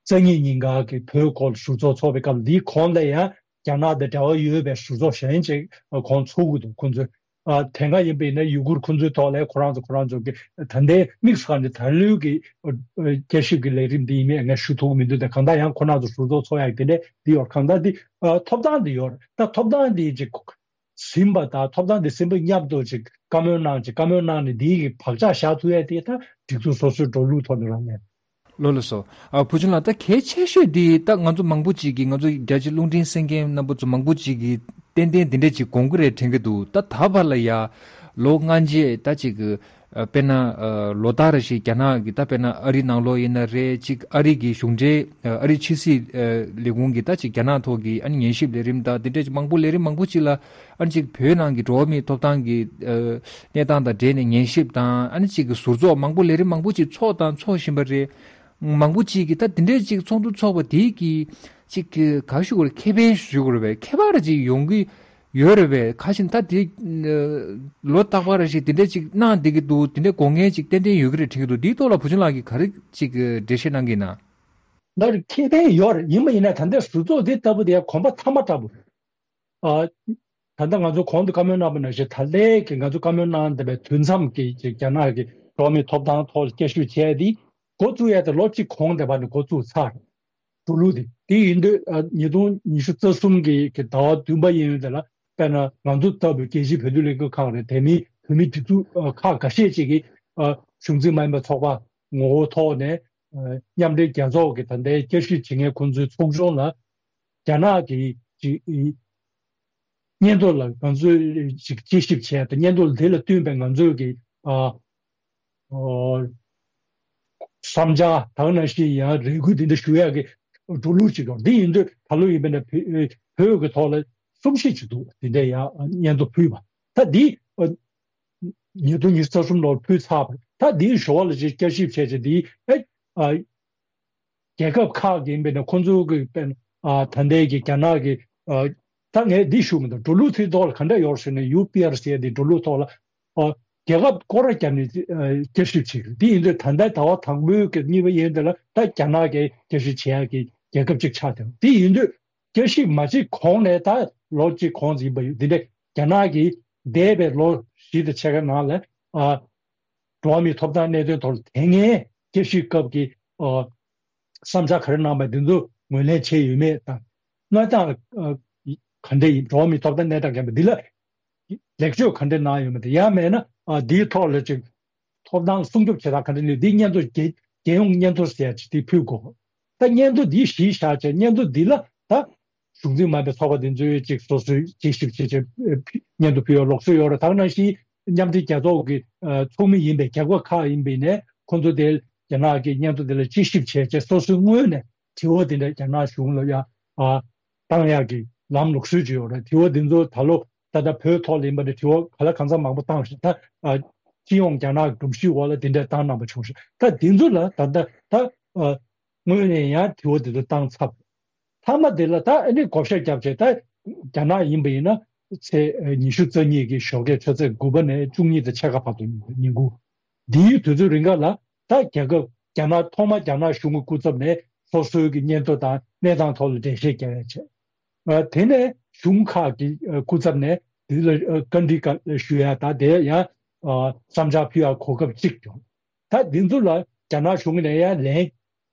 རྩ་གཉིས་ཉིན་ག་གི་བོད་སྐོར་ཟུར་ཚོགས་ཚོགས་པའི་སྐབས་འདིའི་གོང་ལ་ཡང་རྒྱ་ནག་དང་འབྲེལ་བ་ཡོད་པའི་ཟུར་ཚོགས་གཞན་ཅིག་གོང་ཚོགས་ཀྱི་འདུག་ཁོང་ཚོས། ཨ། དེ་སྔ་ཡིན་པ་ཡིན་ན་ཡུ་གུར་ཁོང་ཚོའི་ཐོག་ལ་ཁོ་རང་ཚོ་ཁོ་རང་ཚོ་གི་ད་ལྟའི་དམིགས་སུ་བཀར་ནས་ད་ལོའི་གི། ཨ། བསྐྱར་ཞིབ་ཀྱི་ལས་རིམ་འདི་ཡིན་མིན་ངས་ཞུ་ཐུབ་ཀྱི་མི་འདུག་དེ་གང་ལྟར་ཡང་ཁོ་རང་ཚོ་ཟུར་ཚོགས་ཚོགས་ཡག་དེ་འདྲ་འདི་ཡོད། གང་ལྟར་འདི། ཨ། ཐོབ་ཐང་འདི་ཡོད་རེད། ད་ཐོབ་ཐང་འདི་ཅིག་ཟིན་པ་དང་ཐོབ་ཐང་འདི་ཟིན་པ་མཉམ་དུ་ཅིག་བཀའ་མོལ་གནང་། ཅིག་བཀའ་མོལ་གནང་ནས་འདིའི་གི་བག་ཆགས་བཞག་ཐུབ་ཡ་དེ་ད་སྒྲིག་འཛུགས་སོ་སོའི་འགྲོ་ལུགས་ཐོག་ནས་རང་ངས། ལགས་ལགས་སོ། ཨ། བུ་ཆུང་ལགས། ད་གལ་ཆེ་ཤོས་འདི་ད་ང་ཚོ་མང་པོ་ཅིག་གིས། ང་ཚོ་རྒྱ་ཆེ་རླུང་འཕྲིན་གསན་མཁན་རྣམ་པ་ཚོ་མང་པོ་ཅིག་གིས་ཏན་ཏན་འདི་འདྲ་ཅིག་དགོངས་ཀྱི་རེད་དྲན་གྱི་འདུག་ད་ད་བར་ལ་ཡ་ལོ་ལྔ་རྗེས་ད་ཅིག་གི་ ཨ་དཔེར་ན་ཨ་ལོ་ལྟར་རེ་བཞིན་རྒྱ་ནག་གི་ད་དཔེར་ན་ཨ་རི་ནང་ལོགས་ཡིན་ན་རེད། གཅིག་ཨ་རི་གི་གཞུང་འབྲེལ་ཨ་ཨ་རི་ཕྱི་སྲིད་ཨ་ལས་ཁུངས་ཀྱི་ད་གཅིག་རྒྱ་ནག་ཐོག་གི་ཨ་ནི་ཉན་ཞིབ་ལས་རིམ་དང་དེ་འདྲ་ཅིག་མང་པོ་ལས་རིམ་མང་པོ་ཅིག་ལ་ཨ་ནི་གཅིག་བོད་ནང་གི་འགྲོ་བ་མིའི་ཐོབ་ཐང་གི་ཨ་གནས་སྟངས་དང་འབྲེལ་ནས་ཉན་ཞིབ་དང་ཨ་ནི་གཅིག་གི་ཟུར་ཚོགས་མང་པོ་ལས་རིམ་མང་པོ་ཅིག་ཚོགས་དང་ཚོགས་བཞིན་པ་རེད། མང་པོ་ཅིག་གིས་ད་དེ་འདྲའི་ཅིག་ཚོགས་འདུ་ཚོགས་པ་དེའི་གི་ཅིག་གི་ག་ཞུ་དགོས་རེད། ཁེ་ཕན་ཞུ་དགོས་རེད་པས། ཁྱད་པར་ཅིག་ཡོང་གི་ཡོད་རེད་པས། ཁ་ཤས་ད་དེ་ལོ་རྟག་པར་ཞིག་དེ་འདྲ་ཅིག་གནང་བསྡད་ཀྱི་འདུག་དེ་འདྲའི་དགོངས་འགལ་ཅིག་ཏན་ཏན་ཡོད་ཀྱི་རེད་དྲན་གྱི་འདུག་དེའི་ཐོག་ལ་བུ་ཆུང་ལགས་ཀྱིས་ག་རེ་ཅིག་འགྲེལ་བཤད་གནང་གི་ཡིན་ན། ལར་ཁེ་ཕན་ཡོད་རེད། ཡིན་པ་ཡིན་ན་ད་ལྟའི་ཟུར་ཚོགས་དེ་ལྟ་བུ་དེ་གོམ་པ་མཐའ་མ་འདྲ་པོ་རེད། ཨ། ད་ལྟ་ང་ཚོ་གོང་དུ་བཀའ་མོལ་གནང་པ་ནང་བཞིན་ད་ལྟའི་གི་ང་ཚོ་བཀའ་མོལ་གནང་བསྡད་པའི་དུས་མཚམས་ཀྱི་ཀྱི་རྒྱ་ནག་གི་འགྲོ་བ་མིའི་ཐོབ་ཐང་ཐོག་ལ་བསྐྱར་ཞིབ་བྱས་ཏེ་འགོ་བཙུགས་ཡ་དེ་ལོ་གཅིག་གོང་དེ་བར་ནས་འགོ་བཙུགས་ཚར། འགྲོ་ལུགས་དེ་དེ་ཡིན་དུས་ཨ་ཉིས་སྟོང་ཉི་ཤུ་རྩ་གསུམ་གི་གི་ཟླ་བ་བདུན་པ་ཡིན་ཡོད་དེ་ལ་དཔེར་ན་ང་ཚོ་ལྟ་བུའི་རྒྱལ་སྤྱིའི་བོད་དོན་ལས་འགུལ་ཁང་རེད། དེ་མིན་བོད་མིའི་སྒྲིག་འཛུགས་ཨ་ཁག་འགའ་ཤས་ཅིག་གིས་ཨ་གཞུང་འཛིན་མ་ཡིན་པའི་ཚོགས་པ་ངོ་བོ་ཐོག་ནས་ཨ་མཉམ་འབྲེལ་རྒྱལ་ཚོགས་ཀྱི་ད་ལྟའི་བསྐྱར་ཞིབ་བྱེད་མཁན་ཁོང་ཚོའི་ཚོགས་ཆུང་ལ་རྒྱ་ནག་གི་ཅིག་སྙན་ཐོ་ལ་ང་ཚོས་ཅིག་དཔྱད་ཞིབ་བྱས་ཏེ་སྙན་ཐོ་དེ་ལ་བསྟུན་པའི་ང་ཚོས་ཀྱི་ཨ་ཨོ་བསམ་འཆར་དང་ནང་བཞིན་ཡང་རེ་སྐུལ་དེ་འདྲ་ཞུ་ཡག་གི་འགྲོ་ལུགས་ཅིག་ཡོད། འདི་ཡིན་དུས་ད་ལོ་ཡིན་པ་ན་བོད་བོད་ཀྱི་ཐོག་ལ་གསུམ་བཞི་ཅིག་འདུག་དེ་འདྲ་ཡང་སྙན་ཐོ་ཕུལ་བ། ད་འདི་ཨ་ཉིས་སྟོང་ཉི་ཤུ་རྩ་གསུམ་ལོར་ཕུལ་ཚར་བ། ད་འདིའི་ཞོར་ལ་ཅིག་བསྐྱར་ཞིབ་བྱས་ཏེ་འདི་ཨེ་ཨ་རྒྱལ་ཁབ་ཁག་གི་ཡིན་པས་ན་ཁོང་ཚོ་གི་དཔེར་ན་ཨ་ད་ལྟའི་གི་རྒྱ་ནག་གི་ཨ་ད་ངས་འདི་ཞུ་མི་འདུག་འགྲོ་ལུགས་དེའི་ཐོག་ལ་ག་འདྲ་ཡོད་ཟེར་ན་ཡུ་པི་ཨར་ཟེར་ཡ་འདི་འགྲོ་ལུགས་ཐོག་ལ་ཨ་རྒྱལ་ཁབ་སྐོར་ར་བརྒྱབ་ནས་ཨ་བསྐྱར་ཞིབ་བྱེད་ཀྱི་འདི་ཡིན་དུས་ད་ལྟ་ཟླ་བ་དང་པོའི་གི་གཉིས་པ་ཡིན་དེ་ལ་ད་རྒྱ་ནག་གིས་བསྐྱར་ཞིབ་བྱེད་ཡ་གི་རྒྱལ་ཁབ་ཅིག་ཆགས་བསྡད་འདི་ཡིན་དུས། བསྐྱར་ཞིབ་མ་བྱེད་གོང་ནས་ད་ལོ་གཅིག་གོང་ཙམ་ཡིན་པ་ཡོད། འདི་འདྲ་རྒྱ་ནག་གིས་འདས་པའི་ལོ་བཞི་དང་ཕྱེད་ཀ་ནང་ལ་ཨ་འགྲོ་བ་མིའི་ཐོབ་ཐང་གནད་དོན་ཐོག་ལ་དེ་སྔའི་བསྐྱར་ཞིབ་སྐབས་ཀྱི་ཨ་བསམ་འཆར་ག་རེ་གནང་པ་འདི་ཚོ་ངོས་ལེན་བྱས་ཡོད་མེད་དང་། གནས་སྟངས་ཨ་ག་འདྲ་ཡིན། འགྲོ་བ་མིའི་ཐོབ་ཐང་གནས་སྟངས་ག་འདྲ་འདི་ལ་ལེགས་བཅོས་ག་འདྲ་གནང་ཡོད་མེད་དང་། ཡང་མེད་ན་ཨ་འདིའི་ཐོག་ལ་ཅིག་ཐོབ་ཐང་སྲུང་སྐྱོབ་བྱེད་སྟངས་ག་འདྲ་ནི་འདི་སྙན་ཐོ་རྒྱལ་རྒྱལ་ཡོངས་སྙན་ཐོ་ཟེར་ཡ་ཅིག་འདི་ཕུལ་དགོས། ད་སྙན་ཐོ་འདི་གཞི་བཞག་བྱས་སྙན་ཐོ་འདི་ལ་ད་གཞུང་འཛིན་མ་ཡིན་པའི་ཚོགས་པ་འདི་ཚོས་ཅིག་སོ་སོའི་དཔྱད་ཞིབ་བྱེད་བྱེད་སྙན་ཐོ་ཕུལ་ཡ་ལུགས་སྲོལ་ཡོད་རེད། ད་ག་ནང་བཞིན་མཉམ་འབྲེལ་རྒྱལ་ཚོགས་ཀྱི་ཚོགས་མི་ཡིན་པའི་རྒྱལ་ཁབ་ཁག་ཡིན་པའི་ནས་ཁོང་ཚོ་དེ་རྒྱ་ནག་གི་སྙན་ཐོ་དེ་ལ་དཔྱད་ཞིབ་བྱས་བྱས་སོ་སོའི་ངོས་ནས་དྲི་བ་དེ་འདྲ་རྒྱ་ནག་གཞུང་ལ་ཡ་བཏང་ཡག་གི་ལམ་ལུགས་སྲོལ་ཅིག་ཡོད་རེད། དྲི་བ་འདི་ཚོ་ད་ལོ་ད་ལྟ་བོད་ཐོག་ལ་ཡིན་པ་འདྲ་དྲི་བ་ག་ལ་གང་འཚམ་མང་པོ་བཏང་ཞིང་ད་ཨ་སྤྱི་ཡོངས་རྒྱ་ནག་གི་སྒྲོམ་གཞིའི་འོག་ལ་དེ་འདྲ་བཏང་གནང་པ་བྱུང་ཞིང་ད་འདི་ཚོ་ལ་ད་ལྟ་ད་ཨ་དངོས་ནས་ཡང་དྲི་བ་འདི་ཚོ་བཏང་ཚར། མཐའ་མ་དེ་ལ་ད་ཨ་ནི་བགོ་བཤའ་བརྒྱབ་བྱས་ད་རྒྱ་ནག་ཡིན་པ་ཡིན་ན་ཚེས་ཉི་ཤུ་རྩ་གཉིས་ཀྱི་ཞོགས་ཀས་ཆུ་ཚོད་དགུ་པ་ནས་བཅུ་གཉིས་དང་ཕྱེད་ཀ་བར་དུ་ཉིན་དགུ། འདིའི་དུས་ཚོད་རིང་ག་ལ་ད་རྒྱལ་ཁབ་རྒྱ་ནག་ཐོག་མ་རྒྱ་ནག་གཞུང་གི་སྐུ་ཚབ་ནས་སོ་སོའི་གི་སྙན་ཐོ་དང་གནས་སྟངས་ཐོག་ལ་འགྲེལ་བཤད་བརྒྱབ་ཡ་བྱས། ཨ་དེ་ནས་གཞུང་ཁག་གི་ཨ་སྐུ་ཚབ་ནས་དེ་ལ་ཨ་བཀའ་འདྲི་བཀའ་ཞུ་ཡ་དང་དེ་ཡང་ཨ་བསམ་འཆར་ཕུལ་ཡ་གོ་སྐབས་གཅིག་བྱུང་། ད་འདི་ཚོ་ལ་རྒྱ་ནག་གཞུང་ནས་ཡང་ལན་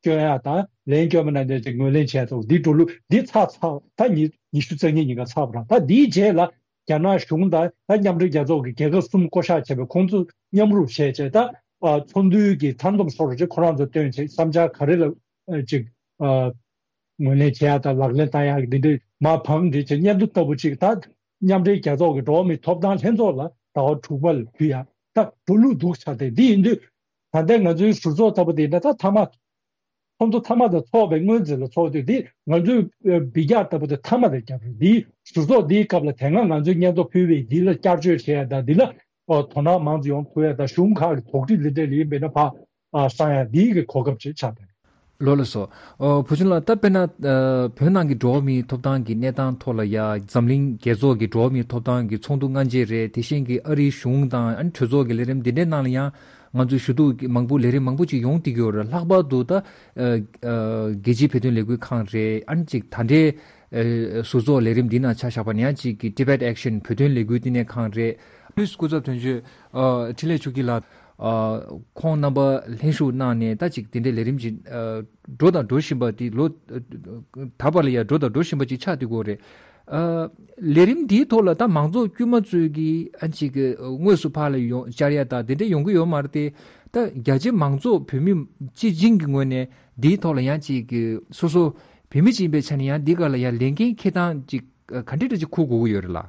སྐྱོན་ཡ་དང་ལན་སྐྱོན་མ་གནང་བྱས་ཅིག་ངོས་ལེན་བྱས་ཐོག་འདི་འགྲོ་ལུགས་འདི་ཚར་ཚར་ད་ཉི་ཉི་ཤུ་རྩ་གཉིས་ཉིན་ཀ་ཚར་བ་རང་ད་འདིའི་རྗེས་ལ་རྒྱ་ནག་གཞུང་དང་ད་མཉམ་འབྲེལ་རྒྱལ་ཚོགས་ཀྱི་རྒྱལ་ཁབ་གསུམ་བསྐོ་བཞག་བྱས་པའི་ཁོང་ཚོ་མཉམ་རུབ་བྱས་བྱས་ད་ཨ་ཚོགས་འདུའི་གི་མཐའ་སྡོམ་སོགས་རུ་ཅིག་ཁོ་རང་ཚོ་བཏོན་བྱས་བསམ་འཆར་ག་རེ་ལ་ཨ་ཅིག་ཨ་ངོས་ལེན་བྱེད་ཡ་དང་ལག་ལེན་བསྟར་ཡ་གི་འདི་འདྲའི་མ་བང་འདྲི་བྱས་སྙན་ཐོ་ལྟ་བུ་ཅིག་ད་མཉམ་འབྲེལ་རྒྱལ་ཚོགས་ཀྱི་འགྲོ་བ་མིའི་ཐོབ་ཐང་ལྷན་ཚོགས་ལ་ཟླ་བ་དྲུག་པ་ལ་ཕུལ་ཡ་ད་འགྲོ་ལུགས་འདུག་ཆགས་ཏེ་འདི་ཡིན་དུས་ད་ལྟའི་ང་ཚོའི་ཟུར་ཚོགས་ལྟ་བུ་དེ་ཡིན་ན་ད་མཐའ་མ་ཁོང་ཚོ་མཐའ་མ་དང་ཚོགས་པའི་སྔོན་ཚེ་ལ་ཚོགས་དུས་འདི་ང་ཚོའི་འབུད་རྒྱག་ལྟ་བུ་དེ་མཐའ་མ་དེ་རྒྱབ་རེད། འདིའི་ཟུར་ཚོགས་འདིའི་སྐབས་ལ་དེ་སྔ་ང་ཚོས་སྙན་ཐོ་ཕུལ་བའི་འདི་ལ་བསྐྱར་བཅོས་བྱེད་ཡ་དང་འདི་ལ་དོ་སྣང་མང་ཙམ་ཡོང་ཐུབ་ཡ་དང་གཞུང་ཁག་གི་དོགས་འདྲི་འདི་འདྲ་ལ་ཡིན་པས་ན་ཕ་ཨ་བསམ་ཡ་འདིའི་གི་གོ་སྐབས་ཅིག་ཆགས་པས། ལོ་ལ་སོ། ཨོ་བུ་ཆུང་ལགས་ད་དཔེར་ན་ཨ་བོད་ནང་གི་འགྲོ་བ་མིའི་ཐོབ་ཐང་གི་གནས་སྟངས་ཐོག་ལ་ཡ་འཛམ་གླིང་རྒྱལ་ཚོགས་ཀྱི་འགྲོ་བ་མིའི་ཐོབ་ཐང་གི་ཚོགས་འདུ་སྔ་རྗེས་རེད། དེ་བཞིན་གྱི་ཨ་རིའི་གཞུང་དང་ཨ་ནི་གྲོས་ཚོགས་ཀྱི་ལས་རིམ་འདི་འདྲའི་ནང་ལ་ཡང་ང་ཚོས་ཞུ་གཏུག་མང་པོ་ལས་རིམ་མང་པོ་ཅིག་ཡོང་བསྡད་ཀྱི་ཡོད་རེད། ལྷག་པར་དུ་ད་ཨ་ཨ་རྒྱལ་སྤྱིའི་བོད་དོན་ལས་འགུལ་ཁང་རེད། ཨ་ནི་ཅིག་ད་ལྟའི་ཨ་ཟུར་ཚོགས་ལས་རིམ་འདི་ནང་ཆ་བཞག་པ་ན་ཡང་ཅིག་གི་Tibet Action བོད་དོན་ལས་འགུལ་བསྟི་གནས་ཁང་རེད། ཕུལ་སྐུ་ཚབ་དོན་གཅོད་ཨ་འཕྲིན་ལས་ཆོས་སྐྱིད་ལགས། ཨ་ཁོང་རྣམ་པ་ལྷན་ཞུགས་གནང་ནས་ད་ཅིག་དེ་འདྲའི་ལས་རིམ་ཅིག་ཨ་འགྲོ་དང་འགྲོ་བཞིན་པ་དེ་ལོ་ད་བར་ལ་ཡང་འགྲོ་དང་འགྲོ་བཞིན་པ་ཅིག་ཆགས་བསྡད་ཀྱི་ཡོད་རེད། ཨ་ལས་རིམ་འདིའི་ཐོག་ལ་ད་མང་ཚོགས་དཀྱུས་མ་ཚོས་ཀྱིས་ཨ་ཅིག་དངོས་སུ་ཕར་ལ་ཡོང་བཅར་ཡ་ད་དེ་འདྲ་ཡོང་གི་ཡོད་མ་རེད་དེ། ད་རྒྱ་ཆེ་མང་ཚོགས་བོད་མི་སྤྱི་བྱིངས་ཀྱི་ངོས་ནས་འདིའི་ཐོག་ལ་ཡང་ཅིག་སོ་སོ་བོད་མི་ཅིག་ཡིན་པའི་ཆ་ནས་ཡང་འདི་ག་ལ་ཡང་ལས་འགན་འཁྱེར་སྟངས་ཅིག་ག་འདྲ་འདྲ་ཅིག་འཁུར་དགོས་ཀྱི་ཡོད་རེད་ལ།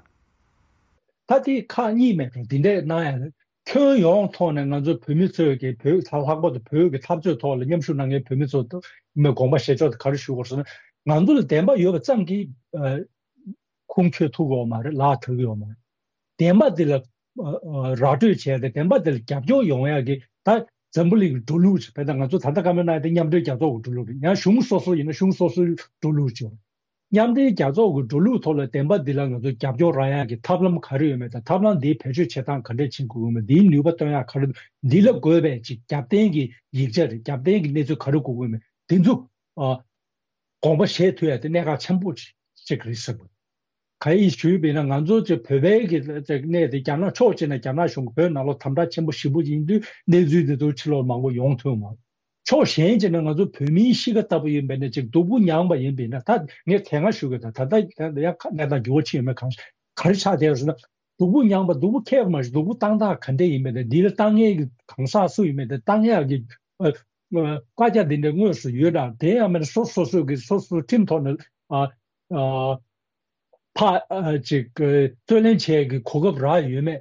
ད་དེ་ཁག་གཉིས་མེད་དོ་འདི་འདྲས་གནང་ཡ་རེད། ཁྱོན་ཡོངས་ཐོག་ནས་ང་ཚོ་བོད་མི་ཚོས་ཀྱི་བོད་ད་ལྷག་པར་དུ་བོད་ཀྱི་འཐབ་རྩོད་ཐོག་ལ་མཉམ་ཞུགས་གནང་མཁན་བོད་མི་ཚོ་མི་དགོངས་པ་བཞེས་ཕྱོགས་དེ་ག་རེ་ཞུ་དགོས་ཟེར་ན། ང་ཚོ་ལ་བདེན་པ་ཡོད་པ་ཙམ་གྱིས་ཨ་ཁུངས་འཁྱོལ་ཐུབ་ཀྱི་ཡོད་མ་རེད། ལག་ཐོབ་ཀྱི་ཡོད་མ་རེད། བདེན་པ་འདི་ལ་ཨ་ཨ་ར་སྤྲོད་བྱས་ཏེ་བདེན་པ་འདི་ལ་རྒྱབ་སྐྱོར་ཡོང་ཡག་གི་ད་འཛམ་བུ་གླིང་གི་འགྲོ་ལུགས་ཅིག་བས། ད་ང་ཚོ་ད་ལྟ་བཀའ་མོལ་གནང་ཡག་དེ་མཉམ་འབྲེལ་རྒྱལ་ཚོགས་ཀྱི་འགྲོ་ལུགས་རེད། ཡང་གཞུང་སོ་སོ་ཡིན་ན་གཞུང་སོ་སོའི་འགྲོ་ལུགས་ཅིག་ཡོད་རེད། མཉམ་འབྲེལ་རྒྱལ་ཚོགས་ཀྱི་འགྲོ་ལུགས་ཐོག་ལ་བདེན་པ་འདི་ལ་ང་ཚོ་རྒྱབ་སྐྱོར་རག་ཡག་གི་ཐབས་ལམ་ག་རེ་ཡོད་མེད་དང་། ཐབས་ལམ་འདིའི་བེད་སྤྱོད་བྱེད་སྟངས་ག་འདྲས་བྱེད་དགོས་ཀྱི་ཡོད་མེད། འདིའི་ནུས་པ་བཏོན་ཡག་ག་རེ། འདི་ལ་དགོས་པའི་ཅིག་རྒྱབ་རྟེན་གྱི་ཡིག་ཆ་རེད། རྒྱབ་རྟེན་གྱི་གནས་ཚུལ་ག་རེ་དགོས་ཀྱི་ཡོད་མེད། འདི་ཚོ་ཨ་དགོངས་པ་བཞེས་ཐུབ་ཡག་དེ་གནད་འགག་ཆེན་པོ་ཅིག་རེད་ཟེར་བ། ག་ཡིས་ཞུས་པ་ཡིན་ན། ང་ཚོ་ཅིག་བོད་པའི་གི་ཅིག་གནས་དེ་རྒྱ་ནག་ཕྱོགས་གཅིག་ནས་རྒྱ་ནག་གཞུང་གིས་བོད་ནང་ལོགས་དམ་དྲག་ཆེན་པོ་ཞེ་པོ་ཡིན་དུས་གནས་ཚུལ་དེ་ཚོ་ཕྱི་ལོགས་མང་པོ་ཡོང་ཐུབ་མ་རེད། ཕྱོགས་གཞན་གཅིག་ནས་ང་ཚོ་བོད་མིའི་གཤིས་ཀ་ལྟ་བུ་ཡིན་པ་ཡིན་ན་ཅིག་སྡུག་པོ་མྱངས་པ་ཡིན་པ་ཡིན་ན། ད་ངས་དེ་སྔ་ཞུས་པ་དང་ད་ལྟ་ཡང་གནས་སྟངས་འགྱུར་བ་ཕྱིན་ཡོད་མེད་གང་ག་རེ་ཆགས་བསྡད་ཡོད་ཟེར་ན། སྡུག་པོ་མྱངས་པ་སྡུག་པོ་ཁྱད་པར་མ་ཞིག་སྡུག་པོ་བཏང་སྟངས་ག་འདྲས་ཡིན་མིན་དང་། འདི་ལ་བཏང་མཁན་གྱི་གང་ཟག་སུ་ཡིན་མིན་དང་། བཏང་ཡག་གི་ཨ་ཨ་བཀའ་རྒྱ་འདི་འདྲ་དངོས་སུ་ཡོད་དང་། དེ་ཡང་མིན་ན་སོ་སོ་སོ་གི་སོ་སོའི་ཁྲིམས་ཐོག་ནས་ཨ་ཨ་ཕ་ཨ་ཅིག་ཨ་རྩོད་ལེན་བྱེད་ཀྱི་གོ་སྐབས་རག་ཡོད་མེད།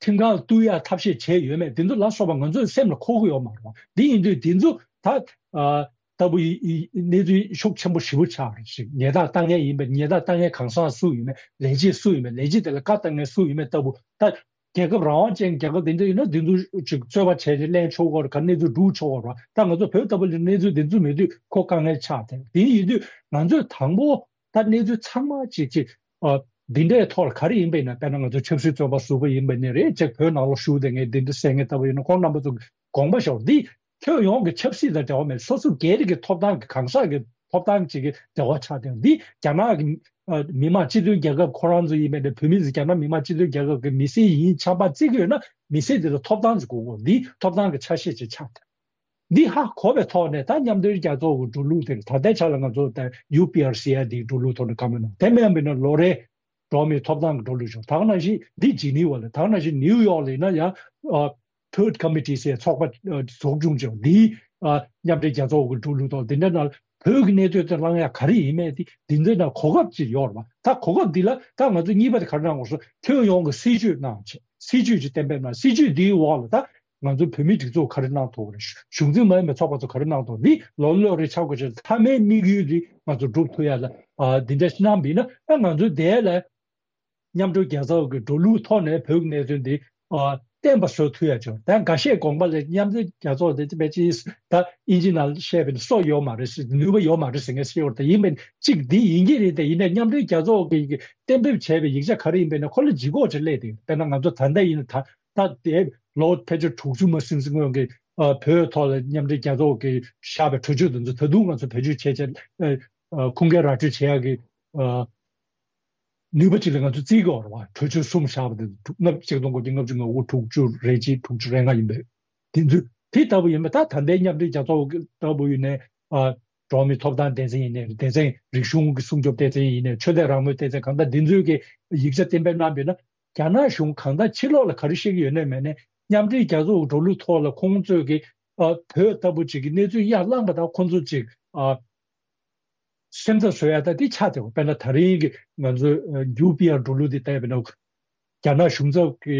ཁྲིམས་ཁང་ལ་གཏུག་ཡག་ཐབས་ཤེས་བྱས་ཡོད་མེད། འདི་ཚོ་ལ་སོགས་པ་ང་ཚོའི་སེམས་ལ་འཁོར་གྱི་ཡོད་མ་རེད་བ། འདི་ཡིན་དུས་འདི་ཚོ་ད་ཨ་ལྟ་བུ་ཡི་ཡི་གནས་ཚུལ་ཤུགས་ཆེན་པོ་ཞེ་པོ་ཆགས་རེད་ཞིག་ཉེས་རྡུང་བཏང་མཁན་ཡིན་པ། ཉེས་རྡུང་བཏང་མཁན་གང་ཟག་སུ་ཡིན་མིན། ལས་བྱེད་སུ་ཡིན་མིན། ལས་བྱེད་དེ་ལ་བཀའ་བཏང་མཁན་སུ་ཡིན་མིན་ལྟ་བུ། ད་རྒྱལ་ཁབ་རང་དབང་ཅན་རྒྱལ་ཁབ་དེ་འདྲ་ཡིན་ན་འདི་ཚོ་ཅིག་རྩོད་པ་བྱས་ཏེ་ལེན་ཆོག་གི་རེད། ག་གནས་ཚུལ་སྒྲུག་ཆོག་གི་རེད། ད་ང་ཚོ་བོད་ལྟ་བུ་ལ་གནས་ཚུལ་འདི་ཚོ་མེད་དུས་ཁོ་དཀའ་ངལ་ཆགས་ཏེ། དེ་ཡིན་དུས་ང་ཚོས་དང་པོ་ད་གནས་ཚུལ་ཚང་མ་ཅིག་ཅིག་ཨ་འདི་འདྲའི་ཐོག་ལ་ག་རེ་ཡིན་པ་ཡིན་ན། དཔེར་ན་ང་ཚོ་ཆབ་སྲིད་བཙོན་པ་ཟུར་པ་ཡིན་པ་ནི་རེད། ཅིག་བོད་ནང་ལ་བཞུགས་བསྡད་མཁན་འདི་འདྲ་ཟེར་མཁན་ལྟ་བུ་ཡིན་ན་ཁོང་རྣམ་པ་ཚོ་དགོངས་པ་བཞེས་རོགས། འདི་ཁྱོན་ཡོངས་ཀྱི་ཆབ་སྲིད་དང་འབྲེལ་བ་མེད། སོ་སོ་སྒེར་གྱི་ཐོབ་ཐང་གི་གང་ཟག་གི་ཐོབ་ཐང་ཅིག་གི་འབྲེལ་བ་ཆགས་ཏེ། འདི་རྒྱ་ནག་གི་ཨ་མི་དམངས་སྤྱི་མཐུན་རྒྱལ་ཁབ་ཁོ་རང་ཚོ་ཡིན་པ་འདྲ། བོད་མི་ཚོ་རྒྱ་ནག་མི་དམངས་སྤྱི་མཐུན་རྒྱལ་ཁབ་ཀྱི་མི་སེར་ཡིན་ཆགས་པ་བརྩི་གི་ཡོད་ན་མི་སེར་དེ་ལ་ཐོབ་ཐང་ཅིག་དགོས་གོ། འདི་ཐོབ་ཐང་གི་ཆ་ཤས་ཅིག་ཆགས་ཏེ། འདི་ཧ་གོ་བའི་ཐོག་ནས་ད་མཉམ་འབྲེལ་རྒྱལ་ཚོགས་ཀྱི་འགྲོ་ལུགས་དེ་ད་ལྟའི་ཆ་ལ་ང་ཚོ་ད་ཡུ་པི་ཨར་སི་ཨ་འདིའི་འགྲོ་ལུགས་ཐོག་ནས་བཀའ་མོལ་གནང་། དེ་མིན་པ་ཡིན་ན་ལོ་རེ་འགྲོ་བ་མིའི་ཐོབ་ཐང་གི་འགྲོ་ལུགས་བྱུང་། ད་ག་ནང་བཞིན་འདི་ཇི་ནི་ཝ་ལ། ད་ག་ནང་བཞིན་ནིའུ་ཡོག་ལ་ཡིན་ན་ཡང་ཨ་Third Committee ཟེར་ཚོགས་པ་ཨ་འཛུགས་སྐྱོང་བྱུང་། འདིའི་ཨ་མཉམ་འབྲེལ་རྒྱལ་ཚོགས་ཀྱི་འགྲོ་ལུགས་ཐོག་འདི་འདྲ་ནང་བོད་ཀྱི་གནས་སྟངས་དེ་བླང་ཡག་ག་རེ་ཡིན་མིན་དེ་འདི་འདྲ་ནང་གོ་སྐབས་ཅིག་ཡོད་རེད་པ། ད་གོ་སྐབས་འདི་ལ་ད་ང་ཚོ་གཉིས་པ་དེ་ག་རེ་གནང་དགོས་སོ། ཁྱོན་ཡོངས་ཀྱི་སྲིད་ཇུས་གནང་བྱས། སྲིད་ཇུས་ཅིག་གཏན་འབེབས་གནང་། སྲིད་ཇུས་འདིའི་འོག་ལ་ད་ང་ཚོ་བོད་མིའི་སྒྲིག་འཛུགས་ག་རེ་གནང་ཐུབ་ཀྱི་རེད། གཞུང་འཛིན་མ་ཡིན་པའི་ཚོགས་པ་ཚོ་ག་རེ་གནང་ཐུབ། འདི་ལོ་ལོ་རེ་ཆགས་དགོས་ཆེད་མཐའ་མའི་དམིགས་ཡུལ་འདི་ང་ཚོ་སྒྲུབ་ཐུབ་ཡ་ལ་ཨ་འདི་འདྲ་ཞིག་གནང་བ་ཡིན་ན། ཨ་ང་ཚོ་དེ་ལ་མཉམ་འབྲེལ་རྒྱལ་ཚོགས་ཀྱི་འགྲོ་ལུགས་ཐོག་ནས་བོད་ཀྱི་གནད་དོན་འདི་ཨ་བརྟན་པ་བཟོ་ཐུབ་ཡ་ཆོག་ད་འགའ་ཤས་དགོངས་པ་ལ་མཉམ་འབྲེལ་རྒྱལ་ཚོགས་དེ་དཔེ་ཅིག་ད་ཨིན་ཇི་ནང་བཤད་པའི་སྲོལ་ཡོད་མ་རེད་ཟེར། ནུས་པ་ཡོད་མ་རེད་ཟེར་མཁན་ཞིག་ཡོད་རེད། ད་ཡིན་པས་གཅིག་འདི་ཡིན་གྱི་རེད། དེ་ཡིན་ནའི་མཉམ་འབྲེལ་རྒྱལ་ཚོགས་ཀྱིས་གཏན་འབེབས་བྱས་པའི་ཡིག་ཆ་ག་རེ་ཡིན་པས་ན་ཁོ་ལ་ལྗིད་ཁོག་ཅིག་སླེབས་བསྡད་ཡོད། དཔེར་ན་ང་ཚོ་ད་ལྟ་ཡིན་ན་ད་ད་དེ་ལོ་ཕལ་ཆེར་དྲུག་ཅུ་མ་ཟིན་ཟིན་སྔོན་གྱི་ཨ་བོད་ཐོག་ལ་མཉམ་འབྲེལ་རྒྱལ་ཚོགས་ཀྱིས་བཞག་པའི་གྲོས་ཆོད་དེ་ཚོ་ད་དུང་ང་ཚོ་བེད་སྤྱོད་བྱས་བྱས་ཨ་ཨ་ཁུངས་སྐྱེལ་ར་སྤྲོད་བྱེད་ཡག་གི་ཨ་ནུས་པ་ཅིག་ལ་ང་ཚོ་བརྩི་གི་ཡོད་རེད་བ། གྲོས་ཆོད་གསུམ་བཞག་པ་དེ་ལྔ་ཆིག་སྟོང་དགུ་བརྒྱ་ལྔ་བཅུ་ང་དགུ་དྲུག་ཅུ་རེ་གཅིག་དྲུག་ཅུ་རེ་ལྔ་ཡིན་པས། དེ་ཚོ་དེ་ལྟ་བུ་ཡིན་པས། ད་ད་ལྟའི་མཉམ་འབྲེལ་རྒྱལ་ཚོགས་ལྟ་བུ་ཡིན་ནའི་ཨ་འགྲོ་བ་མིའི་ཐོབ་ཐང་སྡེ་ཚན་ཡིན་ནའི་སྡེ་ཚན། རིག་གཞུང་གི་སྲུང་སྐྱོབ་སྡེ་ཚན་ཡིན་ནའི་ཆོས་དད་རང་མོས་སྡེ་ཚན། གང་ལྟར་འདི་ཚོས་ཀྱི་ཡིག་ཆ་གཏན་འབེབས་གནང་བ་ཡིན་ན། རྒྱ་ནག་གཞུང་གང་ལྟར་ཕྱི་ལོགས་ལ་ག་རེ་བཤད་ཀྱི་ཡོད་ནའི་མེད་ནའི་མཉམ་འབྲེལ་རྒྱལ་ཚོགས་ཀྱི་འགྲོ་ལུགས་ཐོག་ལ་ཁོང་ཚོས་ཀྱི་ཨ་བོད་ལྟ་བུ་ཅིག་གི་གནས་ཚུལ་ཡར་བསླངས་པ་དང་ཁོང་ཚོ་ཅིག་ཨ་སེམས་འཚབ་བཟོ་ཡ་ད་འདི་ཆགས་བསྡད་པ། དཔེར་ན་ད་རིང་གི་ང་ཚོའི་ཡུ་པི་ཨར་འགྲོ་ལུགས་འདི་བལྟས་པ་ཡིན་ན། རྒྱ་ནག་གཞུང་ཚབ་ཀྱི་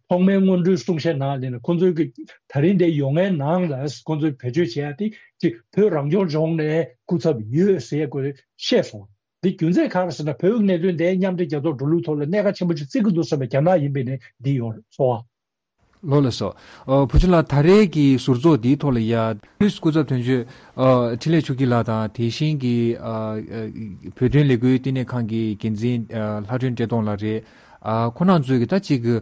ཐོག་མའི་སྔོན་འགྲོའི་གསུང་བཤད་ནང་ལ་ཡིན་ན་ཁོང་ཚོའི་གི་ད་རིང་འདིར་ཡོང་མཁན་ནང་ལ་ཁོང་ཚོས་བེད་སྤྱོད་བྱེད་ཡ་དེ་ཅིག་བོད་རང་སྐྱོང་ལྗོངས་ནས་སྐུ་ཚབ་ཡོད་ཟེར་ཡ་ཁོ་བཤད་སོང་། འདི་རྒྱུ་མཚན་ག་རེ་ཟེར་ན། བོད་ཀྱི་གནད་དོན་དེ་མཉམ་འབྲེལ་རྒྱལ་ཚོགས་འགྲོ་ལུགས་ཐོག་ལ་གནད་འགག་ཆེན་པོ་ཅིག་བརྩི་གི་འདུག་བསམ་པའི་རྒྱ་ནག་ཡིན་པའི་ནི་འདི་ཡོད་རེད། ཚོར་བ། ལགས་སོ། ཨ་བུ་ཆུང་ལགས། ད་རེས་ཀྱི་ཟུར་ཚོགས་འདིའི་ཐོག་ལ་ཡ་ལུས་སྐུ་ཚབ་དོན་གཅོད་ཨ་འཕྲིན་ལས་ཆོས་སྐྱིད་ལགས་དང་། དེ་བཞིན་གྱི་ཨ་ཨ་བོད་དོན་ལས་འགུལ་བསྟི་གནས་ཁང་གི་འགན་འཛིན་ཨ་ལྷ་སྒྲོན་བཀྲས་མཐོང་ལགས་རེད། ཨ་ཁོང་རྣམ་ཚོས་ཀྱི་ད་ཅིག་གི་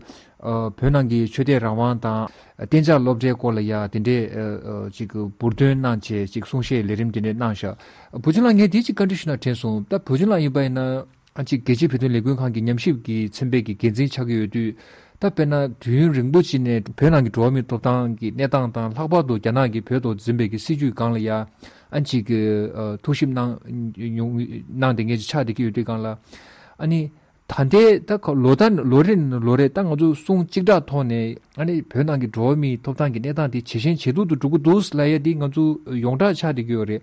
ཨ་བོད་ནང་གི་ཆོས་དད་རང་དབང་དང་གཏན་འཇགས་སློབ་གྲྭའི་སྐོར་ལ་ཡ་དེ་འདྲས་ཨ་ཨ་ཅིག་གི་འབུར་འདོན་གནང་བྱས་ཅིག་གསུང་བཤད་ལས་རིམ་དེ་འདྲས་གནང་ཤག་བུ་ཆུང་ལགས། ངས་དེ་ཅིག་བཀའ་འདྲི་ཞུ་ན་དྲན་སོང་། ད་བུ་ཆུང་ལགས་ཡིན་པ་ཡིན་ན། ཨ་ཅིག་རྒྱལ་སྤྱིའི་བོད་དོན་ལས་འགུལ་ཁང་གི་ཉམས་ཞིབ་ཀྱི་ཚན་པའི་གི་འགན་འཛིན་ཆགས་ཀྱི་ཡོད་དུས། ད་དཔེར་ན་དུས་ཡུན་རིང་པོ་ཅིག་ནས་བོད་ནང་གི་འགྲོ་བ་མིའི་ཐོབ་ཐང་གི་གནས་སྟངས་དང་། ལྷག་པར་དུ་རྒྱ་ནག་གིས་བོད་ཐོག་འཛིན་པའི་གི་སྲིད་བྱུས་སྒང་ལ་ཡ་ཨ་ཅིག་གི་ཨ་ཐུགས་ཞིབ་གནང་མྱོང་གནང་བསྡད་མཁན་ཅིག་ཆགས་བསྡད་ཀྱི་ཡོད་དུས་སྒང་ལ། ཨ་ནི་ད་ལྟའི་ད་ཁ་ལོ་ད་ལོ་རེ་ནས་ལོ་རེ་ད་ང་ཚོ་གསུང་གཅིག་གྲགས་ཐོག་ནས་ཨ་ནི་བོད་ནང་གི་འགྲོ་བ་མིའི་ཐོབ་ཐང་གི་གནས་སྟངས་དེ་ཇེ་ཞན་ཇེ་སྡུག་ཏུ་འགྲོ་གི་འདུག་ལབ་ཡ་དེ་ང་ཚོ་ཡོངས་གྲགས་ཆགས་བསྡད་ཀྱི་ཡོད་རེད།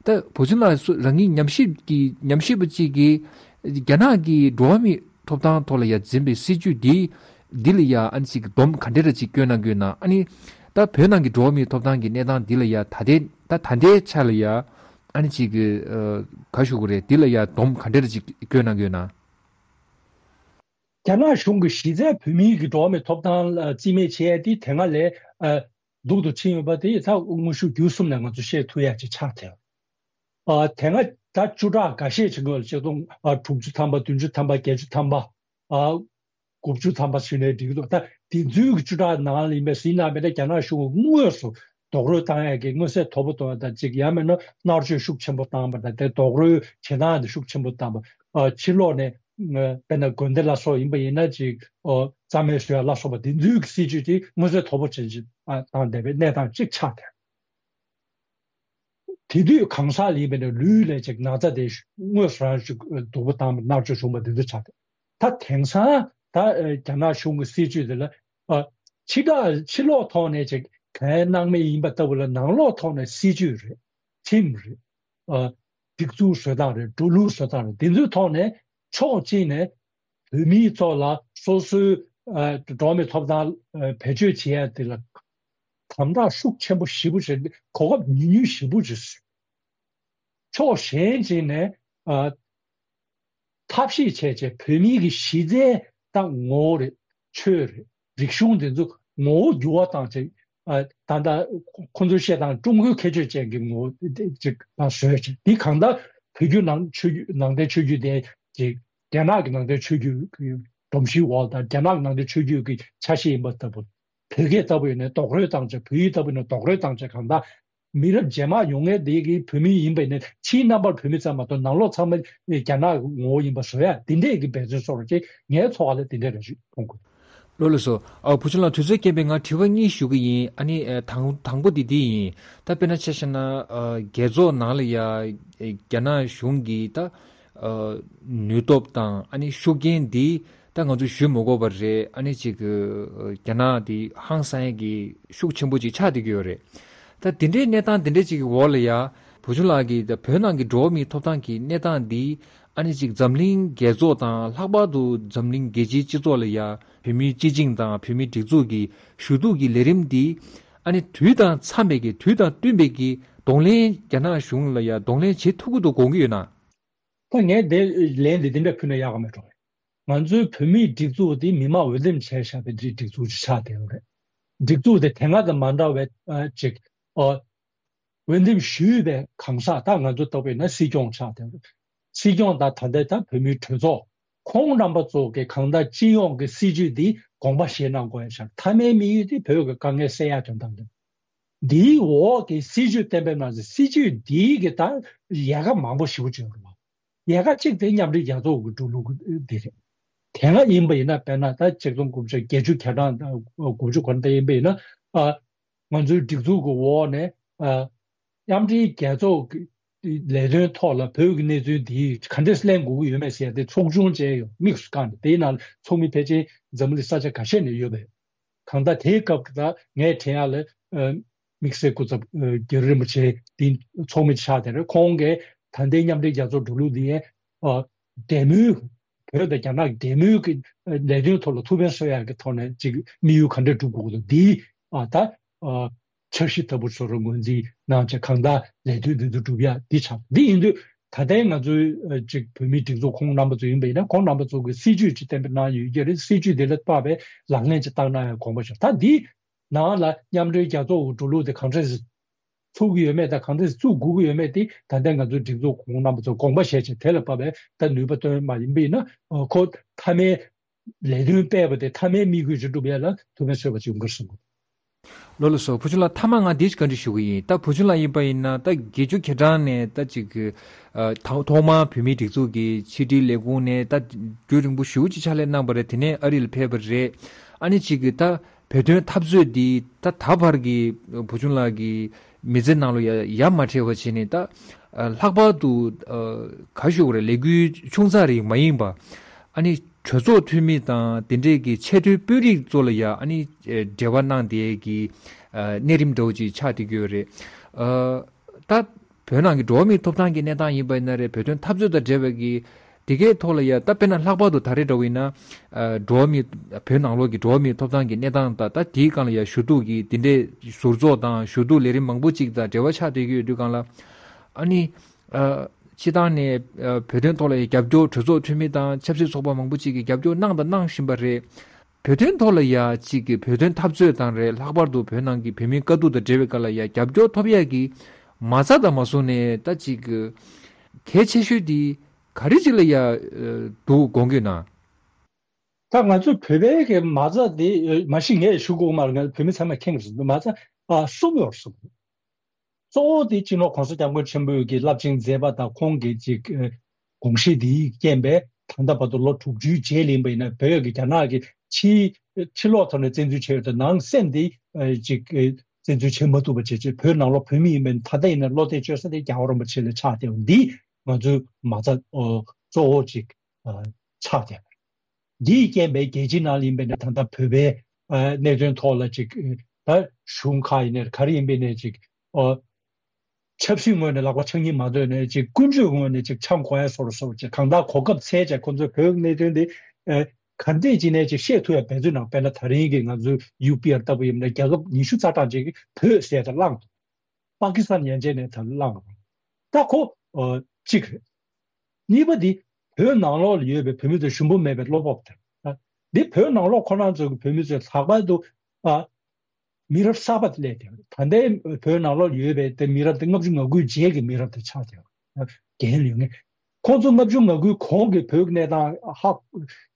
ད་བུ་ཆུང་ལགས་སུ་རང་ཉིད་ཉམས་ཞིབ་ཀྱི་ཉམས་ཞིབ་པ་གཅིག་གིས་རྒྱ་ནག་གི་འགྲོ་བ་མིའི་ཐོབ་ཐང་ཐོག་ལ་ཡ་འཛིན་པའི་སྲིད་བྱུས་འདི་ འདི་ལ་ཡ་ཨ་ནི་ཅིག་སྡོམ་ག་འདྲ་ར་ཅིག་སྐྱོན་གནང་གི་ཡོད་ན། ཨ་ནི་ད་བོད་ནང་གི་འགྲོ་བ་མིའི་ཐོབ་ཐང་གི་གནས་སྟངས་འདི་ལ་ཡ་ད་ལྟའི་ད་ད་ལྟའི་ཆ་ལ་ཡ་ཨ་ནི་ཅིག་ག་ཞུ་དགོས་རེད། འདི་ལ་ཡ་སྡོམ་ག་འདྲ་ར་ཅིག་སྐྱོན་གནང་གི་ཡོད་ན། རྒྱ་ནག་གཞུང་གི་གཞི་རྩའི་བོད་མིའི་གི་འགྲོ་བ་མིའི་ཐོབ་ཐང་ལ་རྩིས་མེད་བྱས་ཏེ་དེ་སྔ་ལས་ཨ་སྡུག་ཏུ་ཕྱིན་ཡོད་པ་དེ་ད་དངོས་ཤུགས་བརྒྱུད་གསུམ་ནས་ང་ཚོ་བཤད་ཐུབ་ཡ་ཅིག་ཆགས་ཐལ། ཨ་དེ་སྔ་ད་བཅུ་ཕྲག་འགའ་ཤས་ཅིག་སྔོན་ལ་ཆིག་སྟོང་ཨ་དྲུག་ཅུ་ཐམ་པ། བདུན་ཅུ་ཐམ་པ། བརྒྱད་ཅུ་ཐམ་པ། ཨ་དགུ་བཅུ་ཐམ་པ་ཟེར་ནའི་འགྲིག་གི་འདུག་ད་དེ་ཚོའི་གི་བཅུ་ཕྲག་ནང་ལ་ཡིན་པས་ཟིན་ན་མེད་ན་རྒྱ་ནག་གཞུང་གིས་དངོས་སུ་རྡོག་རོལ་བཏང་ཡ་གི་མངོན་གསལ་དོད་པོ་གཏོང་ཡ་དང་གཅིག་ཡང་མིན་ན་མནར་གཅོད་ཤུགས་ཆེན་པོ་བཏང་བ་དང་དེ་རྡོག་རོལ་བྱེད་སྟངས་དེ་ཤུགས་ཆེན་པོ་བཏང་བ། ཨ་ཕྱི་ལོགས་ནས་དཔེར་ན་དགོན་སྡེ་ལ་སོགས་ཡིན་པ་ཡིན་ན་ཅིག་ཨོ་རྩ་མེད་བཟོ་ཡ་ལ་སོགས་པ་དེ་ཚོའི་གི་སྲིད་ཇུས་དེ་མངོན་གསལ་དོད་པོ་ཅན་ཅིག་ཨ་བཏང་བསྡད་པའི་གནས་སྟངས་གཅིག་ཆགས་བསྡད། དེ་དུས་གང་ཟག་ལ་ཡིན་པ་ཡིན་ན་ལུས་ལ་ཅིག་ན་ཚ་དེ་དངོས་སུ་རང་ཅིག་སྡུག་པོ་བཏང་བ། མནར་གཅོད་བྱུང་བ་དེ་ཚོ་ཆགས་ཏེ། ད་དེང་སང་ད་ཨ་རྒྱ་ནག་གཞུང་གི་སྲིད་ཇུས་དེ་ལ་ཨ་ཕྱི་དག་ཕྱི་ལོགས་ཐོག་ནས་ཅིག་གང་གནང་མེད་ཡིན་པ་ལྟ་བུ་ལ་ནང་ལོགས་ཐོག་ནས་སྲིད་ཇུས་རེད། ཁྲིམས་རེད། ཨ་སྒྲིག་འཛུགས་བཟོ་སྟངས་རེད། འགྲོ་ལུགས་བཟོ་སྟངས་རེད། དེ་ཚོའི་ཐོག་ནས་ཕྱོགས་གཅིག་ནས་བོད་མིའི་ཐོག་ལ་སོ་སོའི་ཨ་འགྲོ་བ་མིའི་ཐོབ་ཐང་ཨ་བེད་སྤྱོད་བྱེད་ཡ་དེ་ལ་དམ་དྲག་ཤུགས་ཆེན་པོ་ཞེ་པོ་ཅིག་གོ་སྐབས་ཉུང་ཉུང་ཞེ་པོ་ཅིག་བཟོས། ཕྱོགས་གཞན་གཅིག་ནས་ཨ་ཐབས་ཤེས་བྱས་བྱས་བོད་མིའི་གི་གཞི་རྩའི་ད་ངོ་བོ་རེད། ཆོས་རེད། རིག་གཞུང་དེ་ཚོ་ངོ་བོ་འགྱུར་བ་བཏང་བྱས་ཨ་ད་ལྟ་ཁོ་ཚོས་བཤད་སྟངས་ཀྲུང་གོའི་ཁྱད་ཆོས་ཅན་གྱི་ངོ་བོ་ཅིག་ལ་བཟོས་བྱས། འདི་གང་ལྟར་བོད་བརྒྱུད་ནང་ཆོས་བརྒྱུད་ནང་བསྟན་ཆོས་བརྒྱུད་དེ་ཅིག་རྒྱ་ནག་གི་ནང་བསྟན་ཆོས་བརྒྱུད་ཀྱི་སྒྲོམ་གཞིའི་འོག་དང་རྒྱ་ནག་གི་ནང་བསྟན་ཆོས་བརྒྱུད་ཀྱི་ཆ་ཤས་ཡིན་པ་ལྟ་བུ། བོད་སྐད་ལྟ་བུ་ཡིན་ན་རྡོག་རོལ་བཏང་བྱས། བོད་ཡིག་ལྟ་བུ་ཡིན་ན་རྡོག་རོལ་བཏང་བྱས། གང་ལྟར་མི་རབས་རྗེས་མ་ཡོང་མཁན་དེ་གི་བོད་མི་ཡིན་པ་ཡིན་ན་ཕྱིའི་རྣམ་པར་བོད་མི་ཙམ་མ་གཏོགས་ནང་ལོགས་ཚང་མ་རྒྱ་ནག་གི་ངོ་བོ་ཡིན་པ་བཟོ་ཡ་དེ་འདྲས་ཀྱི་འབད་བརྩོན་སོགས་རེད་ཅེས་ངའི་ཚོར་བ་ལ་དེ་འདྲས་རེ་ཞིག་མཐོང་གི། ལགས་ལགས་སོ། ཨ་བུ་ཆུང་ལགས་དུས་ཚོད་རྐྱེན་པས་ང་དྲི་བ་གཉིས་ཞུ་གི་ཡིན། ཨ་ནི་ཨ་དང་དང་པོ་དེ་འདི་ཡིན། ད་དཔེར་ན་ཆ་བཞག་ན་ཨ་རྒྱལ་ཚོགས་ནང་ལ་ཡ་ཨ་རྒྱ་ནག་གཞུང་གིས་ད་ཨ་ནུས་སྟོབས་དང་ཨ་ནི་ཤུགས་རྐྱེན་འདི་ད་ང་ཚོས་ཞུ་མི་དགོས་པ་རེད། ཨ་ནི་ཅིག་གི་རྒྱ་ནག་འདི་ཧང་སང་ཡས་ཀྱི་ཤུགས་ཆེན་པོ་ཅིག་ཆགས་བསྡད་ཀྱི་ཡོད་རེད། ད་དེ་འདྲའི་གནས་སྟངས་དེ་འདྲ་ཅིག་གི་འོག་ལ་ཡ་བུ་ཆུང་ལགས་ཀྱིས་ད་བོད་ནང་གི་འགྲོ་བ་མིའི་ཐོབ་ཐང་གི་གནས་སྟངས་འདི་ཨ་ནི་ཅིག་འཛམ་གླིང་རྒྱལ་ཚོགས་དང་ལྷག་པར་དུ་འཛམ་གླིང་རྒྱལ་སྤྱིའི་སྤྱི་ཚོགས་ལ་ཡ་བོད་མིའི་སྤྱི་བྱིངས་དང་བོད་མིའི་སྒྲིག་འཛུགས་ཀྱི་ཞུ་གཏུག་གི་ལས་རིམ་འདི་ཨ་ནི་དུས་དང་འཚམས་པའི་གི་དུས་དང་བསྟུན་པའི་གི་གདོང་ལེན་རྒྱ་ནག་གཞུང་ལ་ཡ་གདོང་ལེན་བྱེད་ཐུབ་ཀྱི་འདུག་དགོངས་ཀྱི་ཡོད་ན། ད་ངས་དེ་ལན་དེ་འདི་འདྲ་ཕུལ་ན་ཡག་ག་མེད་འགྲོ། ང་ཚོའི་བོད་མིའི་སྒྲིག་འཛུགས་དེ་མི་མང་འོས་འདེམས་བྱས་བཞག་པའི་སྒྲིག་འཛུགས་ཅིག་ཆགས་བསྡད་ཡོད་རེད། སྒྲིག་འཛུགས་དེ་དེ་སྔ་དང་མ་འདྲ་བའི་ཨ་ཅིག་ཨོ་འོས་འདེམས་ཞུས་པའི་གང་ཟག་ད་ང་ཚོ་ལྟ་བུ་ཡིན་ན་སྲིད་སྐྱོང་ཆགས་བསྡད་ཡོད་རེད། སྲིད་སྐྱོང་དང་ད་ལྟའི་ད་བོད་མིའི་གྲོས་ཚོགས་ཁོང་རྣམ་པ་ཚོ་གི་གང་ལྟར་སྤྱི་ཡོངས་ཀྱི་སྲིད་ཇུས་འདི་དགོངས་པ་བཞེས་གནང་དགོས་ཡ་ཆགས། མཐའ་མའི་དམིགས་ཡུལ་དེ་བོད་ཀྱི་དཀའ་ངལ་སེལ་ཡ་དོན་དག་རེད། འདིའི་འོག་གི་སྲིད་ཇུས་གཏན་འབེབས་གནང་ཚེ་སྲིད་ཇུས་འདིའི་གི་ད་ཡལ་ག་མང་པོ་ཞེ་པོ་ཅིག་ཡོད་རེད་བ། ཡལ་ག་གཅིག་དེ་མཉམ་འབྲེལ་རྒྱལ་ཚོགས་ཀྱི་འགྲོ་ལུགས་འདི་རེད། དེ་སྔ་ཡིན་པ་ཡིན་ན་དཔེར་ན་ད་ཆིག་སྟོང་དགུ་བརྒྱ་བརྒྱད་ཅུ་གྱ་གྲངས་དང་དགུ་བཅུ་གོ་གྲངས་དེ་ཡིན་པ་ཡིན་ན་ཨ་ང་ཚོའི་སྒྲིག་འཛུགས་ཀྱི་འོག་ནས་ཨ་མཉམ་འབྲེལ་རྒྱལ་ཚོགས་ཀྱི་ལས་དོན་ཐོག་ལ་བོད་ཀྱི་གནས་ཚུལ་འདི་ག་འདྲས་གླེང་དགོས་ཀྱི་ཡོད་མེད་ཟེར་ཡ་དེ་ཚོགས་ཆུང་བཅས་ཡོད། དམིགས་སུ་བཀར་ནས་དེའི་ནང་ཚོགས་མི་ཕལ་ཆེར་འཛམ་བུ་གླིང་ས་ཆ་ཁ་ཤས་ནས་ཡོད་པས། གང་ལྟར་དེའི་སྐབས་ཀྱི་ད་ངས་དྲན་ཡག་ལ་ཨ་དམིགས་བསལ་སྐུ་ཚབ་ཨ་རྒྱ་རི་རིན་པོ་ཆེ་འདི་ཚོགས་མི་ཆགས་དེ་རེད། ཁོང་གིས་ད་ལྟའི་མཉམ་འབྲེལ་རྒྱལ་ཚོགས་འགྲོ་ལུགས་འདི་ཨ་འབྲེལ་མོལ་བོད་དང་རྒྱ་ནག་གི་འབྲེལ་མོལ་གྱི་ཨ་ལས་དོན་ཐོག་ལ་ཐུགས་ཕན་གསོས་ཡག་གི་ཐོག་ནས་ཅིག་དམིགས་ཡུལ་ག་འདྲ་སྒྲུབ་དགོས་ཀྱི་འདུག་འདི་ཨ་ད་ཨ་འཆར་གཞི་ལྟ་བུ་བཟོ་རོགས་ངོས་འཛིན་གནང་བྱས་གང་ལྟར་ལས་དོན་འདི་ཚོ་སྒྲུབ་ཡག་འདི་ཆགས། འདི་ཡིན་དུས་ད་ལྟའི་ང་ཚོའི་ཨ་ཅིག་བོད་མིའི་སྒྲིག་འཛུགས་ཁོང་རྣམ་པ་ཚོ་ཡིན་པ་ཡིན་ན་ཁོང་རྣམ་པ་ཚོ་གི་སྲིད་ཇུས་ཅིག་གཏན་འབེབས་གནང་ཡོད་ཀྱི་རེད། སྲིད་ཇུས་དེ་ལ་དཔག་པའི་ལག་ལེན་ཅིག་བསྟར་གནང་ཡག་དགོངས་པ་ཞུ། ད་འདི་ནང་ལ་མཉམ་འབྲེལ་རྒྱལ་ཚོགས་ཀྱི་འགྲོ་ལུགས་དེ་གང་འདྲས་ཚུགས་ཀྱི་ཡོད་མེད་དང་གང་འདྲས་བཙུགས་དགོས་ཀྱི་ཡོད་མེད་དེ་ད་ལྟའི་ང་ཚོའི་སྒྲིག་འཛུགས་ཁོང་རྣམ་པ་ཚོ་དགོངས་པ་བཞེས་བྱས་དེ་ལ་དཔག་པའི་ད་ནུས་པ་བཏོན་མ་ཡིན་པ་ཡིན་ན་ཁོ་མཐའ་མའི་ལས་དོན་སྤེལ་བ་དེ་མཐའ་མའི་དམིགས་ཡུལ་ཅིག་སྒྲུབ་ཡ་ལ་ཐུགས་ཕན་གསོས་པ་ཅིག་ཡོང་གི་རེད་བསམ་གི། ལགས་ལགས་སོ། བུ་ཆུང་ལགས་མཐའ་མ་ང་འདི་ཅིག་བཀའ་འདྲི་ཞུ་གི་ཡིན། ད་བུ་ཆུང་ལགས་ཡིན་པ་ཡིན་ན་ད་བརྒྱད་ཅུ་གྱ་གྲངས་ནས་ད་ཅིག་གི་ཨ་ཐོག་ཐོག་མར་བོད་མིའི་སྒྲིག་འཛུགས་ཀྱི་ཕྱི་དྲིལ་ལས་ཁུངས་ནས་ད་རྒྱུན་རིང་པོ་ཞེ་པོ་ཅིག་ཕྱག་ལས་གནང་བ་རེད། དེ་ནས་ཨ་རི་ལ་ཕེབས་པ་རེད། ཨ་ནི་ཅིག་གི་ད་བོད་དོན་འཐབ་རྩོད་འདི་ད་ད་བར་གྱི་བུ་ཆུང་ལགས་ཀྱི་མི་ཚེ་ནང་ལ་ཡ་ཡ་མ་བྲལ་བ་བྱས་ནས་ད་ཨ་ལྷག་པར་དུ་ཨ་ག་ཞུ་དགོས་རེད། ལས་འགུལ་ཆུང་ཙག་རིགས་མ་ཡིན་པ་ཨ་ནི་གྲོས་ཚོགས་འཐུས་མི་དང་དེ་འདྲས་ཀྱི་ཆེས་མཐོའི་དཔོན་རིགས་ཚོ་ལ་ཡ་ཨ་ནི་ཨ་འབྲེལ་བ་གནང་བསྡད་ཀྱི་ཨ་གནས་རིམ་འདྲ་བོ་ཅིག་ཆགས་བསྡད་ཀྱི་ཡོད་རེད། ཨ་ད་བོད་ནང་གི་འགྲོ་བ་མིའི་ཐོབ་ཐང་གི་གནས་སྟངས་ཡིན་པ་ཡིན་ན་རེད། བོད་དོན་འཐབ་རྩོད་དང་འབྲེལ་བའི་གི་ དེ་གའི་ཐོག་ལ་ཡ་ད་དཔེར་ན་ལྷག་པར་དུ་ད་རེས་འདྲ་བོ་ཡིན་ན། ཨ། འགྲོ་བ་མིའི་བོད་ནང་ལོགས་ཀྱི་འགྲོ་བ་མིའི་ཐོབ་ཐང་གི་གནས་སྟངས་དང་ད་དེའི་སྒང་ལ་ཡ་ཞུ་གཏུག་གི་དེ་འདྲའི་ཟུར་ཚོགས་དང་ཞུ་གཏུག་ལས་རིམ་མང་པོ་ཅིག་དང་འབྲེལ་བ་ཆགས་བསྡད་ཀྱི་ཡོད་དུས་སྒང་ལ། ཨ་ནི། ཨ། སྤྱི་བཏང་ནས་ཨ། བོད་དོན་ཐོག་ལ་ཡ་རྒྱབ་སྐྱོར་གྲོས་ཚོགས་འཐུས་མི་དང་ཆབ་སྲིད་ཚོགས་པ་མང་པོ་ཅིག་གིས་རྒྱབ་སྐྱོར་གནང་དང་གནང་བཞིན་པ་རེད། བོད་དོན་ཐོག་ལ་ཡ་གཅིག་གི་བོད་དོན་འཐབ་རྩོད་དང་རེད། ལྷག་པར་དུ་བོད་ནང་གི་བོད་མིའི་དཀའ་སྡུག་དང་འབྲེལ་བའི་སྐོར་ལ་ཡ་རྒྱབ་སྐྱོར་ཐོབ་ཡ་གི་མ་རྩ་དང་མ་སོང་ནས་ད་གཅིག་གི་གལ་ཆེ་ཤོས་དེ་ག་རེ་ཅིག་ལ་ཡ་འདུག་དགོངས་ཀྱི་ན། ད་ང་ཚོ་བོད་པའི་གི་མ་རྩ་དེ་མ་གཞི་ངས་ཞུ་དགོས་མ་རེད། ང་བོད་མི་ཚང་མས་མཁྱེན་གྱི་རེད། མ་རྩ་ཨ་གསུམ་ཡོད་རེད་གསུམ། གཙོ་བོ་དེ་སྤྱི་ནོར་༸གོང་ས་༸སྐྱབས་མགོན་ཆེན་པོས་ཀྱི་རླབས་ཆེན་མཛད་པ་དང་ཁོང་གི་ཅིག་ཨ་དགོངས་གཞི་དེའི་རྐྱེན་པས་ད་ལྟ་བར་དུ་ལོ་དྲུག་ཅུའི་རྗེས་ལ་ཡིན་པ་ཡིན་ན་བོད་ཀྱི་རྒྱ་ནག་གི་ཕྱི་ཕྱི་ལོགས་ཐོག་ནས་བཙན་འཛུལ་བྱས་ཡོད་དེ་ནང་སེམས་དེ་ཨ་ཅིག་ཨ་བཙན་འཛུལ་བྱེད་མ་ཐུབ་པ་བྱས་བྱས་བོད་ནང་ལོགས་བོད་མི་ཡིན་པ་ཡིན་ན་ད་ལྟ་ཡིན་ན་བློ་གཏད་བཅོལ་ས་དེ་རྒྱལ་བ་རིན་པོ་ཆེ་ལ་ཆགས་བསྡད་ཡོད། འདི་ང་ཚོའི་མ་རྩ་ཨ་གཙོ་བོ་ཅིག་ཨ་ཆགས་བསྡད་ཡོད། འདིའི་རྐྱེན་པས་རྒྱལ་སྤྱིའི་ནང་ལ་ཡིན་པའི་ནས་ད་ལྟ་བོད་པའི་ཨ་གནད་དོན་ཐོག་ལ་ཅིག་ད་གཞུང་ཁག་ཡིན་ནའི་ག་རེ་ཡིན་པའི་ནས་ཅིག་ཨ་ཆབ་སྲིད་ངོས་ནས་ལག་པ་འཆང་གི་མ་འདོད་ནས་ཅིག་ཀུན་སྤྱོད་ངོས་ནས་ཅིག་འཆང་དགོས་ཡ་སོ་སོ་ཅིག་གང་ལྟར་གོ་སྐབས་འཚོལ་བྱས་ཁོང་ཚོས་བོད་གནད་དོན་འདི་ཨ་ག་འདྲས་ཅིག་ནས་ཅིག་བཤད་ཐུབ་ཡ་འབད་བརྩོན་གནང་། དཔེར་ན་ད་རིང་གི་ང་ཚོའི་ཡུ་པི་ཨར་ལྟ་བུ་ཡིན་ན་རྒྱལ་ཁབ་ཉི་ཤུ་རྩ་གྲངས་ཅིག་གིས་བོད་ཟེར་ཡ་དེ་བླངས་འདུག་པ་ཀི་སི་ཐན་ཡན་ཆད་ནས་ད་བླངས་པ། ད་ཁོ་ཨ་གཅིག་རེད། གཉིས་པ་འདི་བོད་ནང་ལོགས་ལ་ཡོད་པའི་བོད་མི་ཚོའི་ཞུམ་པ་མེད་པའི་བློ་སྤོབས་དེ་རེད། འདི་བོད་ནང་ལོགས་ཁོ་རང་ཚོ་གི་བོད་མི་ཚོས་ལྷག་པར་དུ་ཨ་མི་རབས་གསར་པ་དེ་སླེབས་བསྡད་པ་རེད། ད་ལྟའི་བོད་ནང་ལོགས་ལ་ཡོད་པའི་དེ་མི་རབས་དེ་ལྔ་བཅུ་ང་དགུའི་རྗེས་ཀྱི་མི་རབས་དེ་ཆགས་བསྡད་པ་རེད། རྒན་ཡོད་ངེས། ཁོང་ཚོ་ལྔ་བཅུ་ང་དགུའི་གོང་གི་བོད་ཀྱི་གནས་སྟངས་ཧ་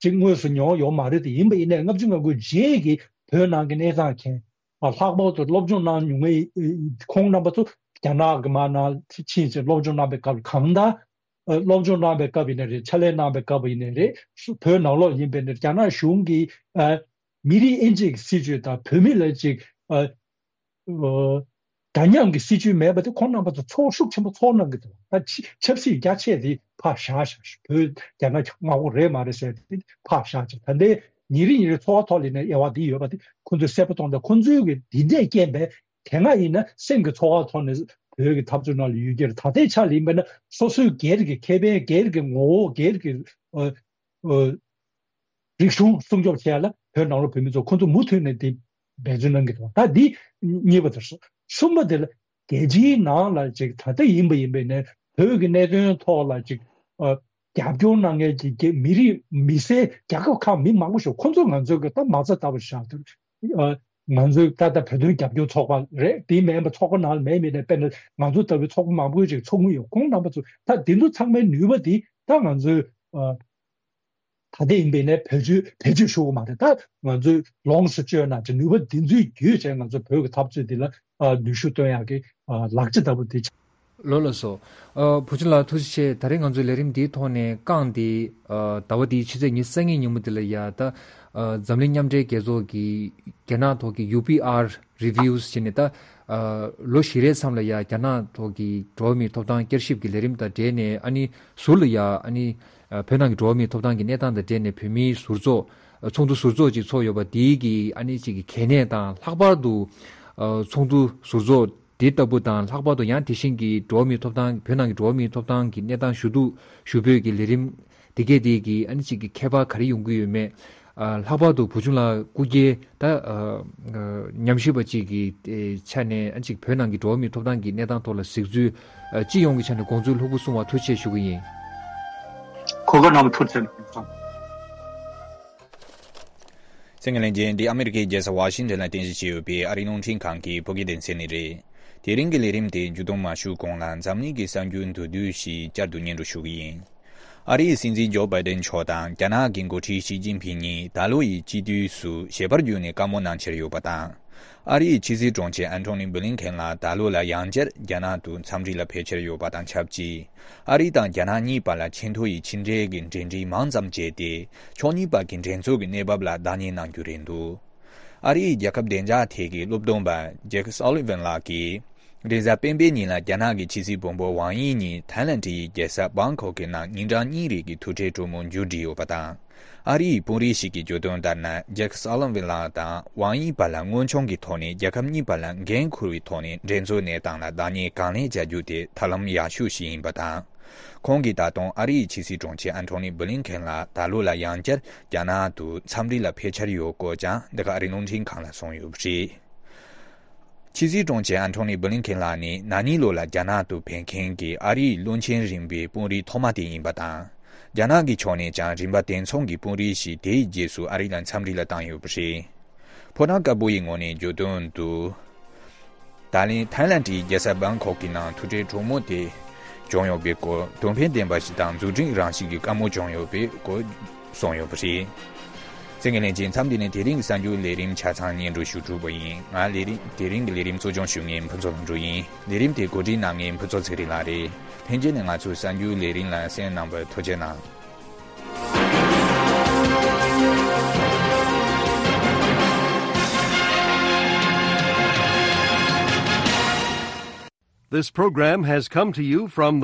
ཅིག་དངོས་སུ་མྱོང་ཡོད་མ་རེད་དེ། ཡིན་པ་ཡིན་ནའི་ལྔ་བཅུ་ང་དགུའི་རྗེས་ཀྱི་བོད་ནང་གི་གནས་སྟངས་མཁྱེན། ལྷག་པར་དུ་སློབ་སྦྱོང་གནང་མྱོང་མཁན་ཁོང་རྣམ་པ་ཚོ་རྒྱ་ནག་གི་མར་ནང་ཕྱིན་ཚེ་སློབ་སྦྱོང་གནང་པའི་སྐབས་གང་ལྟར་སློབ་སྦྱོང་གནང་པའི་སྐབས་ཡིན་ནའི་རེད། ཕྱག་ལས་གནང་པའི་སྐབས་ཡིན་ནའི་རེད། བོད་ནང་ལོགས་ཡིན་པའི་ནི་རྒྱ་ནག་གཞུང་གིས་མི་རིགས་དབྱེ་འབྱེད་ཀྱི་སྲིད་བྱུས་དང་བོད་མི་ལ་ཅིག་འདྲ་མཉམ་གྱི་སྲིད་བྱུས་མེད་པ་དེ་ཁོང་རྣམ་པ་ཚོ་ཚོར་ཤུགས་ཆེན་པོ་ཚོར་གནང་གི་འདུག་ད་ཆབ་སྲིད་རྒྱ་ཆེ་དེ་ཕར་བཞག་བཞག་བོད་རྒྱ་ནག་མངའ་ཁོངས་རེད་མ་རེད་ཟེར་དེ་ཕར་བཞག་ཅིག་ད་ལྟའི་ཉིན་རེ་ཉིན་རེ་འཚོ་བ་ཐོག་ལ་ནས་དབྱེ་བ་འདི་ཡོད་པ་དེ་ཁོང་ཚོས་གསལ་པོ་མཐོང་དང་། ཁོང་ཚོའི་གི་འདི་འདྲས་རྐྱེན་པས་དེ་སྔ་ཡིན་ན་སེམས་ཀྱི་ཚོར་བ་ཐོག་ནས་བོད་ཀྱི་འཐབ་རྩོད་ནང་ལ་ཡོད་ཀྱི་རེད། ད་ལྟའི་ཆ་ལ་ཡིན་པ་ན་སོ་སོའི་སྒེར་གྱི་ཁེ་ཕན་སྒེར་གྱི་ངོ་བོ་སྒེར་གྱི་ཨ་ཨ་རིག་གཞུང་སྲུང་སྐྱོབ་བྱེད་ཡ་ལ་བོད་ནང་ལོགས་བོད་མི་ཚོ་ཁོང་ཚོ་མུ་མཐུད་ནས་དེ་འབད་བརྩོན་གནང་གི་འདུག་ད་འདི་གཉིས་པ་དེ་རེད། གསུམ་པ་དེ་ལ་རྒྱལ་སྤྱིའི་ནང་ལ་ཅིག་ད་ལྟ་ཡིན་པ་ཡིན་པའི་ནས་བོད་ཀྱི་གནད་དོན་ཐོག་ལ་ཅིག་ཨ་རྒྱབ་སྐྱོར་གནང་མཁན་གྱི་རྒྱ་མི་རིགས་མི་སེར་རྒྱལ་ཁབ་ཁག་མི་མང་པོ་ཞིག་ཁོང་ཚོ་ང་ཚོའི་གི་ད་མ་རྩ་ལྟ་བུ་བཞག་དུས་ཨ་ང་ཚོའི་ད་ལྟ་བོད་དོན་རྒྱབ་སྐྱོར་ཚོགས་པ་རེད། དེ་མིན་པ་ཚོགས་པ་ནང་ལ་མེད་མིན་ནས་དཔེར་ན་ང་ཚོ་ལྟ་བུའི་ཚོགས་པ་མང་པོ་ཅིག་ཚོགས་མུས་ཡོད། ཁོང་རྣམ་པ་ཚོ་ད་དེ་ཚོ་ཚང་མའི་ནུས་པ་དེ་ད་ང་ཚོའི་ཨ། ད་ལྟ་ཡིན་པའི་ནས་བེད་སྤྱོད་བེད་སྤྱོད་ཞུ་གི་མ་རེད། ད་ང་ཚོས་ལོངས་སུ་སྤྱོད་ན་ཅིག་ནུས་པ་འདི་ཚོའི་བརྒྱུད་བྱས་ང་ཚོ་བོད་ཀྱི་འཐབ་རྩོད་འདི་ལ་ཨ་ནུས་ཤུགས་བཏོན་ཡག་གི་ཨ་ལག་ཆ་ལྟ་བུ་འདི་ཆགས། ལགས་ལགས་སོ། ཨ་བུ་ཆུང་ལགས་ཐུགས་རྗེ་ཆེ། ད་རེས་ང་ཚོའི་ལས་རིམ་འདིའི་ཐོག་ནས་རྐང་འདི་ཨ་ཟླ་བ་འདིའི་ཕྱི་ཚེས་ཉི་ཤུ་རྩ་གཉིས་ཉིན་མོ་འདི་ལ་ཡ་ད་ཨ་འཛམ་གླིང་མཉམ་འབྲེལ་རྒྱལ་ཚོགས་ཀྱི་རྒྱ་ནག་ཐོག་གི་ཡུ་པི་ཨར་རི་བིའུ་ཟེར་ནས་ད་ཨ་ལོ་བཞི་རེའི་མཚམས་ལ་ཡ་རྒྱ་ནག་ཐོག་གི་འགྲོ་བ་མིའི་ཐོབ་ཐང་བསྐྱར་ཞིབ་ཀྱི་ལས་རིམ་དང་འབྲེལ་ནས་ཨ་ནི་ཟུར་ལ་ཡ་ཨ་ནི་ཨ་བོད་ནང་གི་འགྲོ་བ་མིའི་ཐོབ་ཐང་གི་གནས་སྟངས་དང་འབྲེལ་ནས་བོད་མིའི་ཟུར་ཚོགས་ཨ་ཚོགས་འདུ་ཟུར་ཚོགས་ཅིག་ཚོགས་ཡོད་པ་དེའི་གི་ཨ་ནི་ཅིག་གི་གལ་གནད་དང་། ལྷག་པར་དུ་ཨ་ཚོགས་འདུ་ཟུར་ཚོགས་དེ་ལྟ་བུ་དང་། ལྷག་པར་དུ་ཡང་དེ་བཞིན་གྱི་འགྲོ་བ་མིའི་ཐོབ་ཐང་བོད་ནང་གི་འགྲོ་བ་མིའི་ཐོབ་ཐང་གི་གནས་སྟངས་ཞུ་གཏུག་ཞུ་འབོད་ཀྱི་ལས་རིམ་དེ་གས་དེ་གི་ཨ་ནི་ཅིག་གི་ཁྱད་པར་ག་རེ་ཡོང་གི་ཡོད་མེད། ཨ་ལྷག་པར་དུ་བུ་ཆུང་ལགས་སྐུ་སྒེར་ད་ཨ་ཨ་ཉམས་ཞིབ་པ་ཅིག་གི་ཨེ་ཆ་ནས་ཨ་ཅིག་བོད་ནང་གི་འགྲོ་བ་མིའི་ཐོབ་ཐང་གི་གནས་སྟངས་ཐོག་ལ་གཟིགས་ཚུལ་ཨ་སྤྱི་ཡོངས་ཀྱི་ཆ་ནས་དགོངས་ཚུལ་ལྷུག་པོ་གསུང་བར་ཐུགས་རྗེ་ཆེ་ཞུ་གི་ཡིན། གོ་སྐབས་གནང་བར་ཐུགས་རྗེ་ཆེ། གསན་མཁན་ལྷན་རྒྱས། འདི་ཨ་མི་རི་ཀའི་རྒྱལ་ས་ཝ་ཤིང་ཊོན་ལ་རྟེན་གཞི་བྱས་ཡོད་པའི་ཨ་རིའི་རླུང་འཕྲིན་ཁང་གི་བོད་སྐད་སྡེ་ཚན་ནས་རེད། དེ་རིང་གི་ལས་རིམ་དེ་མཇུག་སྡོམ་མ་ཞུས་གོང་ལ་འཛམ་གླིང་གི་གསར་འགྱུར་མདོར་བསྡུས་ཤིག་བསྐྱར་དུ་སྙན་སྒྲོན་ཞུ་གི་ཡིན། ཨ་རིའི་སྲིད་འཛིན་ཇོ་བྷའི་ཌེན་མཆོག་དང་རྒྱ་ནག་གི་འགོ་ཁྲིད་ཞི་ཅིན་ཕིང་གཉིས་ད་ལོ་ཡི་དཔྱིད་དུས་སུ་ཞལ་པར་བརྒྱུད་ནས་བཀའ་མོལ་གནང་འཆར་ཡོད་པ་དང་། ཨ་རིའི་ཕྱི་སྲིད་དྲུང་ཆེ་ཨན་ཐོ་ནི་བྷི་ལིན་ཁེན་ལགས་ད་ལོ་ལ་ཡང་བསྐྱར་རྒྱ་ནག་ཏུ་འཚམས་འདྲི་ལ་ཕེབས་འཆར་ཡོད་པ་དང་ཆབས་ཅིག་ཨ་རི་དང་རྒྱ་ནག་གཉིས་བར་ལ་ཆེས་མཐོ་ཡི་ཕྱི་འབྲེལ་གྱི་འབྲེལ་འདྲིས་མང་ཙམ་བྱས་ཏེ། ཕྱོགས་གཉིས་བར་གྱི་འགྲན་རྩོད་ཀྱི་གནས་བབ་ལ་བདག་གཉེར་གནང་རྒྱུ་རེད་འདུག་ཨ་རིའི་རྒྱལ་ཁབ་བདེ་འཇགས་ཐད་ཀྱི་སློབ་སྟོན་པ་ཇེག་སོ་ལི་ཝན་ལགས་ཀྱིས། རེས་གཟའ་སྤེན་པའི་ཉིན་ལ་རྒྱ་ནག་གི་ཕྱི་སྲིད་བུ་མོ་ཝང་དབྱི་གཉིས་ཐའི་ལན་ཌི་ཡི་རྒྱལ་ས་བྷང་ཀོག་གི་ནང་ཉིན་གྲངས་གཉིས་རིང་གི་ཐུག་འཕྲད་གྲོས་མོལ་མཇུག་བསྒྲིལ་ཡོད་པ་དང་། ཨ་རིའི་དཔོན་རིགས་ཤིག་གིས་བརྗོད་དོན་ལྟར་ན། ཇེག་སོ་ལི་ཝན་ལགས་དང་ཝང་དབྱི་བར་ལ་དངོས་བྱུང་གི་ཐོག་ནས་རྒྱལ་ཁབ་གཉིས་བར་ལ་འགན་འཁུར་བའི་ཐོག་ནས་འགྲན་རྩོད་གནས་སྟངས་ལ་བདག་གཉེར་གང་ལེགས་བྱ་རྒྱུ་དེ་ཐབས་ལམ་ཡག་ཤོས་ཤིག་ཡིན་པ་དང་། ཁོང་གིས་ད་དུང་ཨ་རིའི་ཕྱི་སྲིད་དྲུང་ཆེ་ཨན་ཐོ་ནི་བྷི་ལིན་ཁེན་ལ་ད་ལོ་ལ་ཡང་བསྐྱར་རྒྱ་ནག་ཏུ་འཚམས་འདྲི་ལ་ཕེབས་འཆར་ཡོད་སྐོར་ཀྱང་འདི་ག་ཨ་རིའི་རླུང་འཕྲིན་ཁང་ལ་གསུངས་ཡོད་པ་རེད། ཕྱི་སྲིད་དྲུང་ཆེ་ཨན་ཐོ་ནི་བྷི་ལིན་ཁེན་ལགས་ནི་ན་ནིང་ལོ་ལ་རྒྱ་ནག་ཏུ་ཕེབས་མཁན་གྱི་ཨ་རིའི་བློན་ཆེན་རིམ་པའི་དཔོན་རིགས་ཐོག་མ་དེ་ཡིན་པ་དང་། རྒྱ་ནག་གི་ཕྱོགས་ནས་ཀྱང་རིམ་པ་དེ་མཚུངས་ཀྱི་དཔོན་རིགས་ཤིག་དེའི་རྗེས་སུ་ཨ་རི་ལ་འཚམས་འདྲི་ལ་བཏང་ཡོད་པ་རེད། ཕོ་བྲང་དཀར་པོ་ཡི་ངོས་ནས་བརྗོད་དོན་དུ། ད་ལན་ཐའི་ལན་གྱི་རྒྱལ་ས་བྷང་ཁོག་གི་ནང་ཐུག་འཕྲད་གྲོས་མོལ་དེ་བྱུང་ཡོད་པའི་སྐོར། དོན་ཕན་ལྡན་པ་ཞིག་དང་མཛུབ་ཁྲིད་རང་བཞིན་གྱི་བཀའ་མོལ་བྱུང་ཡོད་པའི་སྐོར་གསུངས་ཡོད་པ་རེད། གསན་མཁན་ལྷན་རྒྱས། མཚམས་འདི་ནས་དེ་རིང་གི་གསར་འགྱུར་ལས་རིམ་ཆ་ཚང་སྙན་སྒྲོན་ཞུ་གྲུབ་པ་ཡིན། ང་ལས་རིམ་དེ་རིང་གི་ལས་རིམ་གཙོ་སྐྱོང་ཞུ་མཁན་ཕུན་ཚོགས་ལྷུན་གྲུབ་ཡིན། ལས་རིམ་དེ་གོ་སྒྲིག་གནང་མཁན་ཕུན་ཚོགས་ཚེ་རིང་ལགས་རེད། ལྷན་རྒྱས་ནས་ང་ཚོའི་གསར་འགྱུར་ལས་རིམ་ལ་གསན་གནང་བར་ཐུགས་རྗེ་གནང་། This program has come to you from the